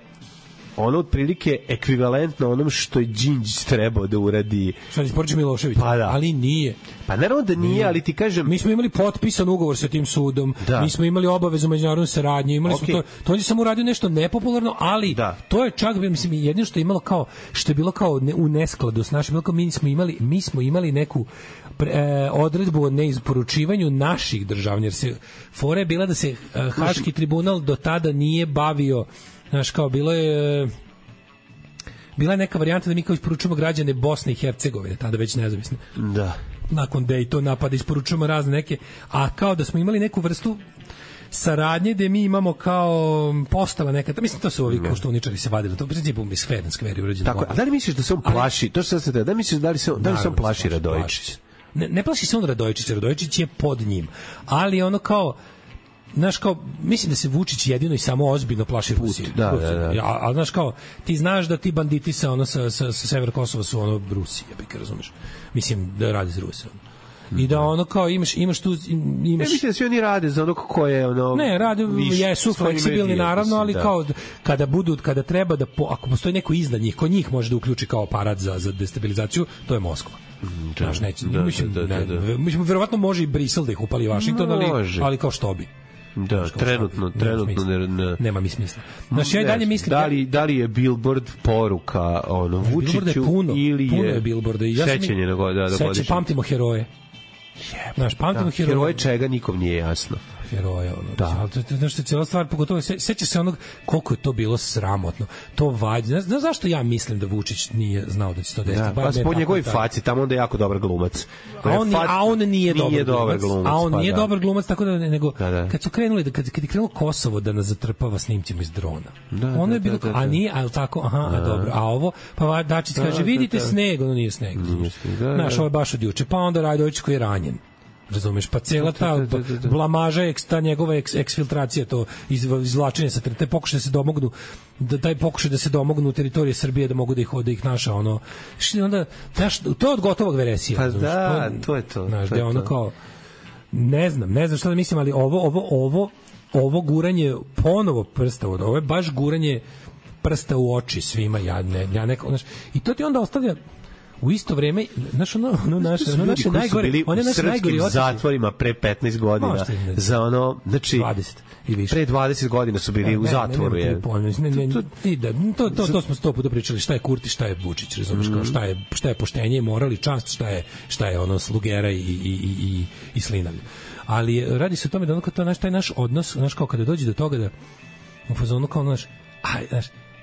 ono otprilike ekvivalentno onom što je Đinđić trebao da uradi. Što isporuči Milošević, ali nije. Pa naravno da nije, ali ti kažem... Mi smo imali potpisan ugovor sa tim sudom, mi smo imali obavezu međunarodne saradnje, imali smo to. To on je samo uradio nešto nepopularno, ali to je čak, mislim, jedino što je imalo kao, što je bilo kao u neskladu s našim, mi smo imali neku odredbu o neisporučivanju naših državlja, jer se fora je bila da se Haški tribunal do tada nije bavio. Znaš, kao bila je neka varijanta da mi kao isporučujemo građane Bosne i Hercegovine, tada već nezavisne. Da. Nakon Daytona napada isporučujemo razne neke, a kao da smo imali neku vrstu saradnje gde mi imamo kao postava neka, mislim to su ovi koštuničari se vadili, to u principu mi skveri urađeno. Tako, a da li misliš da se on plaši, to što se da misliš da li se on plaši Radojičić? Ne plaši se on Radojičića, Radojičić je pod njim, ali ono kao znaš kao, mislim da se Vučić jedino i samo ozbiljno plaši Rusije. A znaš kao, ti znaš da ti banditi sa severa Kosova su ono Rusije, ja razumeš. Mislim da radi za Rusiju. I da ono kao imaš tu ne mislim da svi oni rade za ono ko je ono ne rade jesu fleksibilni naravno, ali kao kada treba da ako postoji neko iznad njih ko njih može da uključi kao aparat za destabilizaciju, to je Moskva. Znaš, mislim verovatno može i Brisel da ih upali Vašington, ali kao što bi. Da, trenutno nema mi smisla. Znači ja dalje mislim da li je billboard poruka ono Vučiću ili je billboarda i sećanje na godišnjicu. Pamtimo heroje. Naš pamtimo heroje čega nikom nije jasno. Heroja, ono. Da. Znaš, cijela stvar, pogotovo, seća se onog koliko je to bilo sramotno. To vađe. Znaš zašto ja mislim da Vučić nije znao da će to desiti? Pa po njegovoj faci, tamo onda je jako dobar glumac. A on nije dobar glumac. A on nije da. Dobar glumac, tako da nego kad su krenuli, kad je krenulo Kosovo da nas zatrpava snimcima iz drona. Ono je bilo, a nije, a tako, dobro. A ovo, pa Dačić kaže, vidite sneg, ono nije sneg. Znaš, ovo je baš od juče. Pa onda Radojičić koji je ranjen. Razumeš, pa cela ta blamaža, ta njegova eksfiltracija, to izvlačenje sa te pokušaj da se domognu, taj pokušaj da se domognu teritorije Srbije, da mogu da ih naša, ono, onda, znaš, to je od gotovog veresija. Pa da, to je to. Znaš, da je ono kao, ne znam šta da mislim, ali ovo ovo guranje ponovo prsta, ovo je baš guranje prsta u oči svima, ja neko, znaš, i to ti onda ostavlja u isto vreme, znaš, naše najgore, one naše najgore u zatvorima pre 15 godina za ono, znači 20 i više. Pre 20 godina su bili u zatvoru. To smo 100 puta pričali, šta je Kurti, šta je Vučić, razumeš, kao šta je poštenje i moral i čast, šta je ono slugera i slinavlje. Ali radi se o tome da ono kao taj naš odnos, znaš, kao kada dođe do toga da u fazonu kao znaš,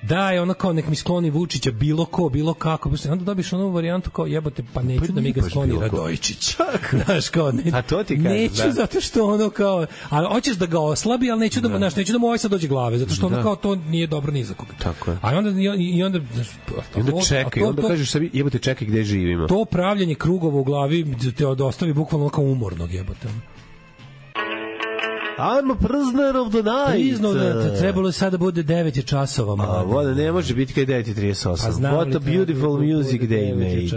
da je ono kao nek mi skloni Vučića bilo ko, bilo kako, onda dobiš onu varijantu kao jebote, pa neću da mi ga skloni Radojičić. Znaš, kao a to ti kažem, neću zato što ono kao, ali hoćeš da ga oslabi, ali neću neću da mu ovaj sad dođe glave, zato što ono kao to nije dobro ni za koga. Tako je. A onda čekaj, onda kažeš sebi jebote čekaj gde živimo. To pravljenje krugova u glavi te ostavi bukvalno kao umornog jebote. I'm a prisoner of the night. Trebalo je sada bude 9 časova. Voda ne može biti kad je 9:38. What a beautiful music they made.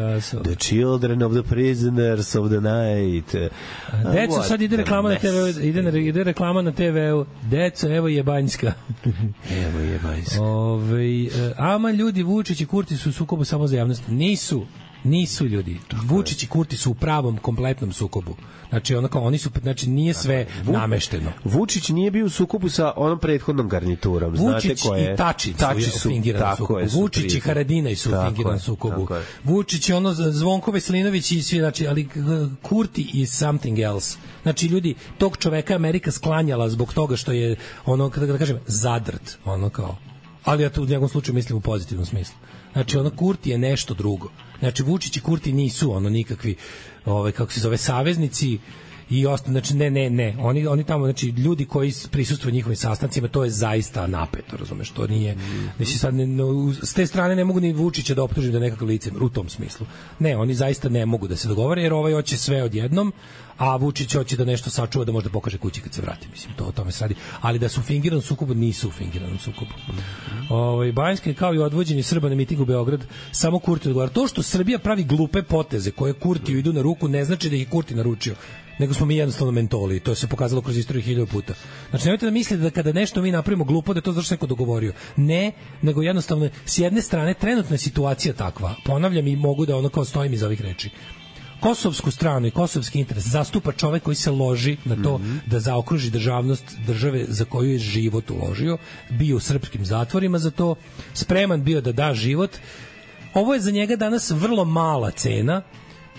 The children of the prisoners of the night. Deco, sad ide reklama na TV, ide reklama na TV-u. Deco, evo je Banjska. Evo je Banjska. Ama ljudi, Vučić i Kurti su u sukobu samo za javnost. Nisu ljudi. Vučić i Kurti su u pravom, kompletnom sukobu. Znači, oni su, znači, nije sve namešteno. Vučić nije bio u sukobu sa onom prethodnom garniturom. Vučić znate koje? I Tači su u fingiranom sukobu. Vučić i Haradinaj su u fingiranom sukobu. Vučić je Zvonko Veselinović i svi, znači, ali Kurti is something else. Znači, ljudi, tog čoveka Amerika sklanjala zbog toga što je, da kažem, zadrt, kao. Ali ja to u njegovom slučaju mislim u pozitivnom smislu. Znači, Kurti je nešto drugo. Znači, Vučić i Kurti nisu nikakvi, kako se zove, saveznici i znači, ne. Oni tamo, znači, ljudi koji prisustvuju njihovim sastancima, to je zaista napeto, razumeš, to nije, znači, sad, s te strane ne mogu ni Vučića da optužim da je nekakav lice u tom smislu. Ne, oni zaista ne mogu da se dogovore, jer hoće sve odjednom, a Vučić hoće da nešto sačuva, da možda pokaže kući kad se vrati, mislim, to o tome se radi. Ali da su u fingiranom sukobu, nisu u fingiranom sukobu. Banjska kao i odvođenje Srba na miting u Beograd, samo Kurti odgovara. To što Srbija pravi glupe poteze koje Kurtiju idu na ruku, ne znači da ih Kurti naručio, nego smo mi jednostavno mentoli. To se pokazalo kroz istoriju 1000 puta. Znači, nemojte da mislite da kada nešto mi napravimo glupo, da je to zašto neko dogovorio. Ne, nego jednostavno, s jedne strane, trenutna situacija takva. Ponavljam i mogu da kao stojim iza ovih reči. Kosovsku stranu i kosovski interes zastupa čovek koji se loži na to da zaokruži državnost države za koju je život uložio, bio u srpskim zatvorima za to, spreman bio da da život. Ovo je za njega danas vrlo mala cena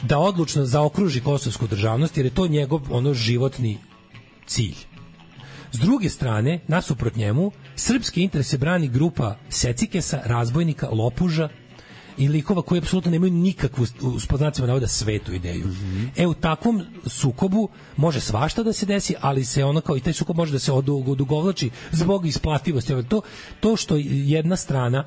da odlučno zaokruži kosovsku državnost, jer je to njegov životni cilj. S druge strane, nasuprot njemu, srpski interese brani grupa secikesa, razbojnika, lopuža i likova koji apsolutno nemaju nikakvu, s znacima navoda, svetu ideju. U takvom sukobu može svašta da se desi, ali se kao i taj sukob može da se odugovlači zbog isplativosti. To što jedna strana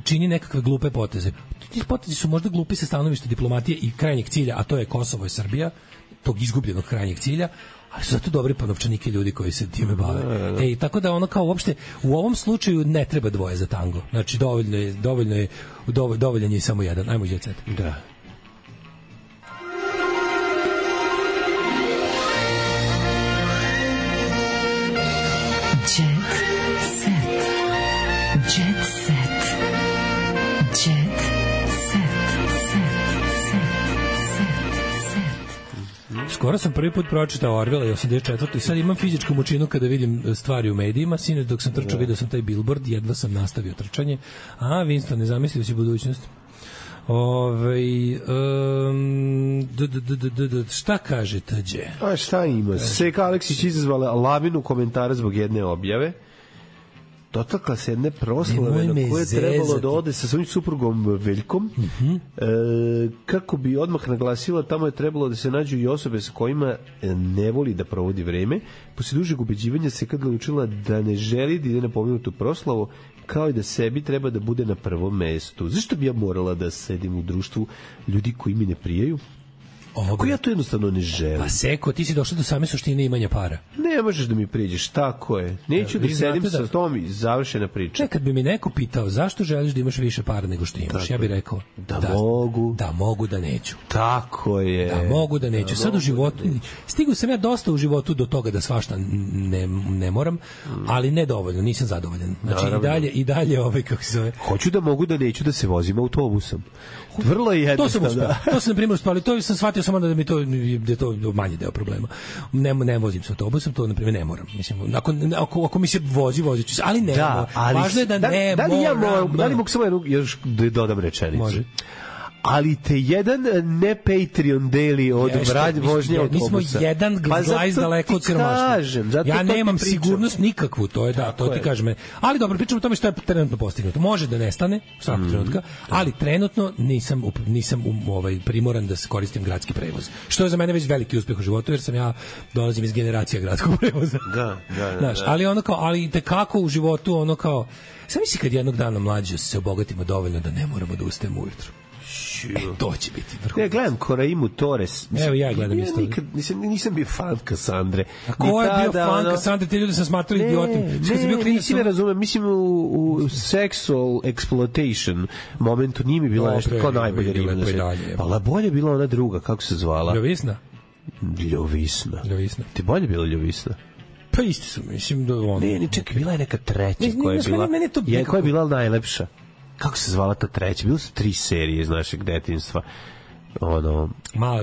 čini nekakve glupe poteze. Ti potezi su možda glupi sa stanovišta diplomatije i krajnjeg cilja, a to je Kosovo i Srbija, tog izgubljenog krajnjeg cilja, ali su zato dobri novčanike ljudi koji se time bave. Tako da kao uopšte u ovom slučaju ne treba dvoje za tango. Znači dovoljan je samo jedan. Ajmo Jet Set. Da. Skoro sam prvi put pročitao Orwella i 84. i sad imam fizičku mučinu kada vidim stvari u medijima. Sinoć dok sam trčao vidio sam taj billboard, jedva sam nastavio trčanje. Winston, ne zamislio si budućnost. Šta kaže tađe? Šta ima? Seka Aleksić izazvala lavinu komentara zbog jedne objave. Dotakla se jedne proslave na koje je trebalo da ode sa svojim suprugom Veljkom, kako bi odmah naglasila, tamo je trebalo da se nađu i osobe sa kojima ne voli da provodi vreme. Poslije dužeg ubeđivanja se kad odlučila da ne želi da ide na pomenutu proslavu, kao i da sebi treba da bude na prvom mestu. Zašto bi ja morala da sedim u društvu ljudi koji mi ne prijaju? Ako ja to jednostavno ne želim. Pa Seko, ti si došao do same suštine imanja para. Ne možeš da mi priđeš, tako je. Neću da sedim sa tom i završena priča. Kad bi mi neko pitao zašto želiš da imaš više para nego što imaš, tako ja bih rekao da mogu da neću. Tako je. Da mogu da neću. Sad u životu, stigao sam ja dosta u životu do toga da svašta ne moram, ali ne dovoljno, nisam zadovoljan. Znači i dalje kako se zove. Hoću da mogu da neću da se vozim autobusom. Vrlo je jednostavno. To sam na primjer uspeli, to sam shvatio samo da je to manji deo problema. Ne vozim se autobusom, to na primjer ne moram. Mislim, ako mi se vozit ću se, ali ne moram. Važno je da ne moram. Da li mogu samo još da dodam rečenicu? Može. Ali te jedan ne Patreon deli od vožnje autobusa. Mi smo jedan glajz daleko od siromaštva. Ja nemam sigurnost nikakvu, to je to ti kažem. Ali dobro, pričamo o tome što je trenutno postignuto. Može da nestane svakog trenutka, ali trenutno nisam primoran da se koristim gradski prevoz. Što je za mene već veliki uspeh u životu, jer ja dolazim iz generacija gradskog prevoza. Da. Ali tekako u životu sam misli kad jednog dana mlađe se obogatimo dovoljno da ne moramo da ustajemo ujutru. To će biti vrhunsko. Ja gledam Koraimu Torres. Evo ja gledam isto. Nisam bio fan Kasandre. A ko je bio fan Kasandre? Te ljudi sam smatrao idiotima. Nisi me razumem. Mislim u sexual exploitation momentu nije mi bila nešto kao najbolje riba. Ali bolje je bila ona druga, kako se zvala? Ljovisna. Ti bolje bila Ljovisna? Pa isti su, mislim da ono. Ne, čekaj, bila je neka treća koja je bila najlepša. Kako se zvala ta treća? Bilo su 3 serije iz našeg detinjstva. Mala,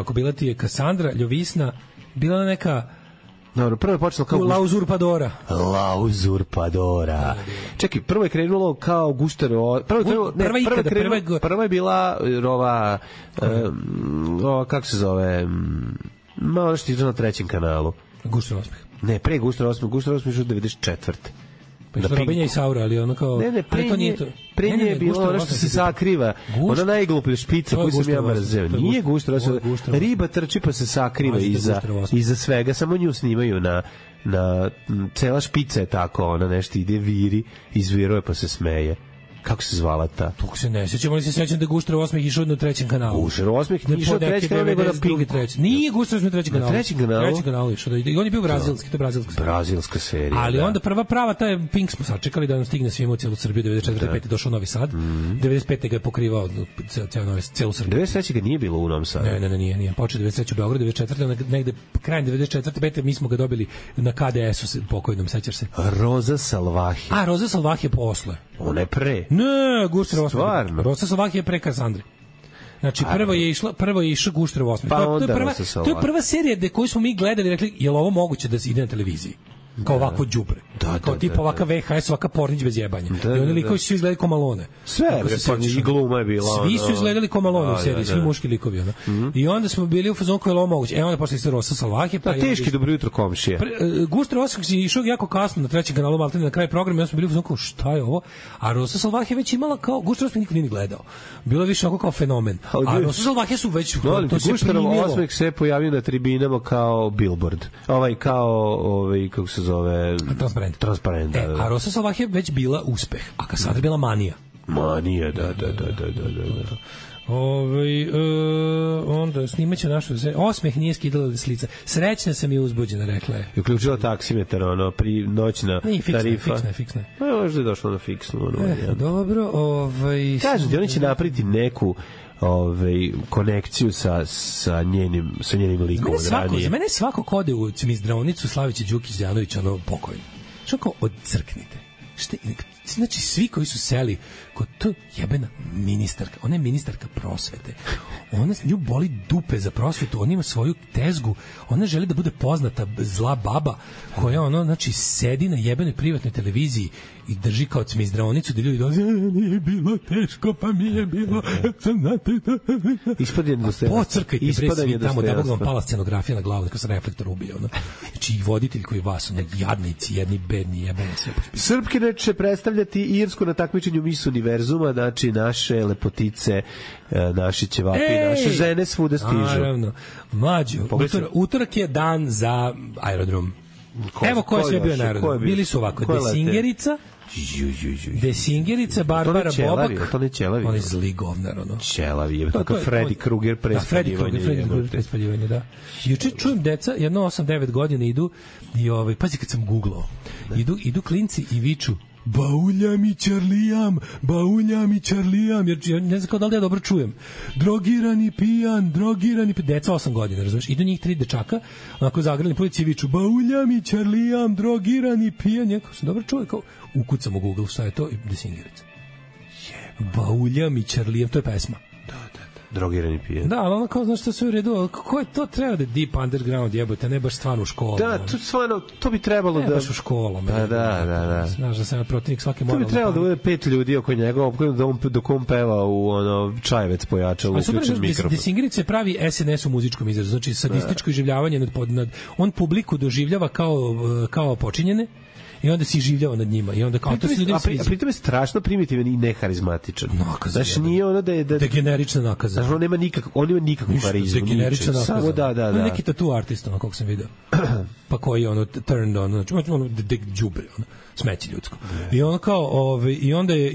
bila ti je Kasandra, Ljovisna, bila neka... Dobro, prvo je počelo kao... La Uzurpadora. Čekaj, prvo je krenulo kao Guštero... Prva je bila kako se zove... Ono što je na 3. kanalu. Guštero osmeh. Ne, pre Guštero osmeh. Guštero osmeh je 94. Robinja i Saura, ali ono kao... Pre nje je bilo ono što se sakriva. Ona najgluplja špica koju sam ja mrzeo. Nije Guštero. Riba trči pa se sakriva iza svega. Samo nju snimaju na cela špica je tako. Ona nešto ide viri, izviruje pa se smeje. Kako se zvala ta? Tog se ne sjećam, ali se sjećam da je Guštero osmeh išao na 3. kanalu. Guštero osmeh nije išao na 3. kanalu, nego na Pink. Nije Guštero osmeh na 3. kanalu. Na 3. kanalu? Na 3. kanalu išao. I on je bio brazilski, to je brazilska serija. Ali onda prva prava, taj Pink smo sačekali da nam stigne svima u cijelu Srbiju, 94. došao u Novi Sad, 95. ga je pokrivao cijelu Srbiju. 93. ga nije bilo u Novom Sadu. Ne, nije. Počeo 93. u Beogradu, 94. negde krajem 94. 5. mi smo ga dobili na KDS-u pokojnom, sećaš se? Roza Salvahi. Roza Salvahi je posle. Ona je pre. Ne, Guštero osmeh. Rosa Salvahi je pre Kasandre. Znači, prvo je išao Guštero osmeh. To je prva serija koju smo mi gledali i rekli, je li ovo moguće da se ide na televiziji? Kao ovako đubre. Kao tipa ovaka VHS, ovaka Pornić bez jebanja. I oni likovi su izgledali ko Malone. Sve, i gluma je bila. Svi su izgledali ko Malone u seriji, svi muški likovi. I onda smo bili u fazonu kao je ovo moguće. Onda posle se Rosa Salvahi. Teški dobro jutro komšije. Guštero osmeh je išao jako kasno na 3. kanalu, maltene na kraju programa, i onda smo bili u fazonu kao šta je ovo? A Rosa Salvahi već imala kao, Guštero osmeh niko nije gledao. Bilo je više kao fenomen. A Rosa Salvahi su već Guštero osmeh se pojavio na tribinama kao billboard. Kako se zove transparent. A Rosa Salvahi je već bila uspeh, a Kasandra je bila manija. Da. Onda snimaće našu osmeh nije skidala s lica. Srećna sam i uzbuđena, rekla je. I uključila taksimetar, pri noćna tarifa. Fiksna. Možda je došlo na fiksnu. Dobro, kažem ti, oni će napraviti neku konekciju sa njenim likom od ranije. Za mene svako kode u Cmizdravnicu Slavića Đukić Đanović pokojno. Što kao odcrknite. Znači, svi koji su seli kod to jebena ministarka, ona je ministarka prosvete. Ona nju boli dupe za prosvetu, ona ima svoju tezgu, ona želi da bude poznata zla baba koja znači sedi na jebenoj privatnoj televiziji i drži kao Cmizdravnicu da ljudi dolaze, nije bilo teško, pa mi je bilo. Pocrkajte bre svi tamo, da Bog vam pala scenografija na glavu, da se reflektor ubije. Znači i voditelj koji vas, jadnici, jedni bedni, jebeni sve. Srpkinje će predstavljati Irsku na takmičenju Miss Univerzuma, znači naše lepotice, naši ćevapi, naše žene svuda stižu. Naravno. Mlađo, utorak je dan za aerodrom. Evo ko je sve bio narod. Bili su ovako, Desingerica, Desingerica, Barbara Bobak. To ne Ćelavi. On je zli govnar, ono. Ćelavi, je tako Freddy Krueger prespaljivanje. Da. Juče čujem deca, jedno 8-9 godina idu i pazi kad sam googlao, idu klinci i viču bauljam i Charlijam, jer ja ne znam kao da li ja dobro čujem. Drogirani pijan, deca 8 godina, razumiješ? Idu njih 3 dečaka, onako zagrani polici i viču bauljam i Charlijam, drogirani pijan, ja kao sam dobro čuo, kao ukucam u Google šta je to i Desingerica. Bauljam i Charlijam, to je pesma. Drogirani pijan. Da, ali ono kao, znaš što sve u redu, kako je to treba da deep underground jebote, ne baš stvarno u školu. Da, to bi trebalo ne baš u školu. Da. Znaš da sam protivnik svake moralne. To bi trebalo da bude 5 ljudi oko njega, dok on peva u čajevec pojačalo, uključen mikrofon. Desingerica pravi SNS u muzičkom izrazu, znači sadističko iživljavanje nad on publiku doživljava kao počinjene, i onda se življava nad njima i onda kao to se ljudima sviđa. A pritom je strašno primitivan i neharizmatičan. Znači nije ono da je degenerična nakaza. Znači on nema nikakvu harizmu. Degenerična nakaza. Samo da. Neki tattoo artist, ono, kako sam video. Pa koji je ono turned on, znači ono đubre, ono, smeće ljudsko. I ono kao, i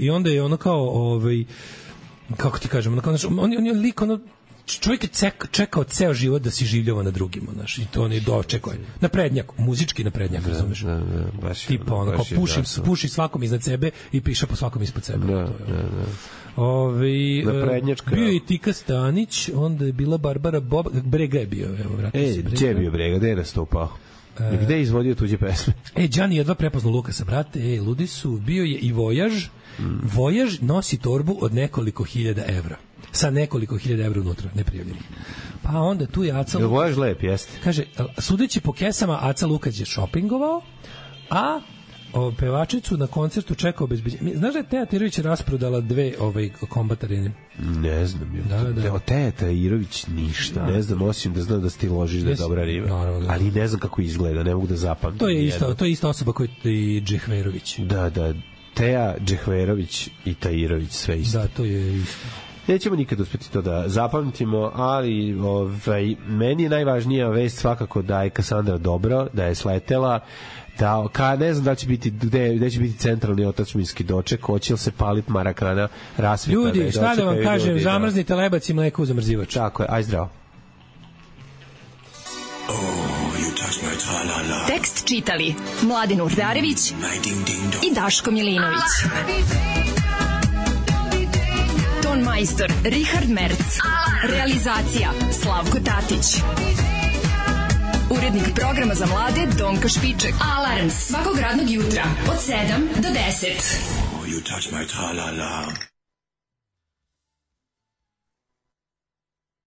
onda je ono kao, kako ti kažem, on je lik, ono, čovjek je čekao ceo život da si življava na drugima, znaš, i to on je dočekao. Naprednjak, muzički naprednjak, razumeš? Baš. Tipa, ono, kao puši svakom iznad sebe i piše po svakom ispod sebe. Naprednjačka. Bio je i Tika Stanić, onda je bila Barbara Bobak, Brega je bio, evo, vratio se Brega. Gdje je bio Brega, gde je nastupao? Gde je izvodio tuđe pesme? Đani jedva prepoznao Lukasa, brate, ludi su, bio je i Vojaž. Vojaž nosi torbu od nekoliko hiljada evra. Sa nekoliko hiljada evra unutra, neprijavljeni. Pa onda tu je Aca Lukađ. Vojaž lep, jeste. Kaže, sudeći po kesama, Aca Lukađ je šopingovao, a pevačicu na koncertu čekao obezbeđenje. Znaš da je Teja Tirović rasprodala 2 kombat arene? Ne znam. Da. Teja Tirović ništa. Ne znam, osim da znam da ti ložiš da je dobra riba. Ali ne znam kako izgleda, ne mogu da zapamtim. To je ista osoba koja je i Džehverović. Da. Teja, Džehverović i Tajirović, sve isto. Da, to je isto. Nećemo nikad uspeti to da zapamtimo, ali meni je najvažnija vest svakako da je Kasandra dobro, da je sletela, da ne znam da će biti gde će biti centralni otadžbinski doček, hoće li se paliti Marakana, rasvita. Ljudi, šta da vam kažem, zamrznite lebac i mleko u zamrzivač. Tako je, aj zdravo. Tekst čitali Mladin Urdarević i Daško Milinović. Ton majstor Richard Merc. Realizacija Slavko Tatić. Urednik programa za mlade Donka Špiček. Alarms svakog radnog jutra od 7 do 10.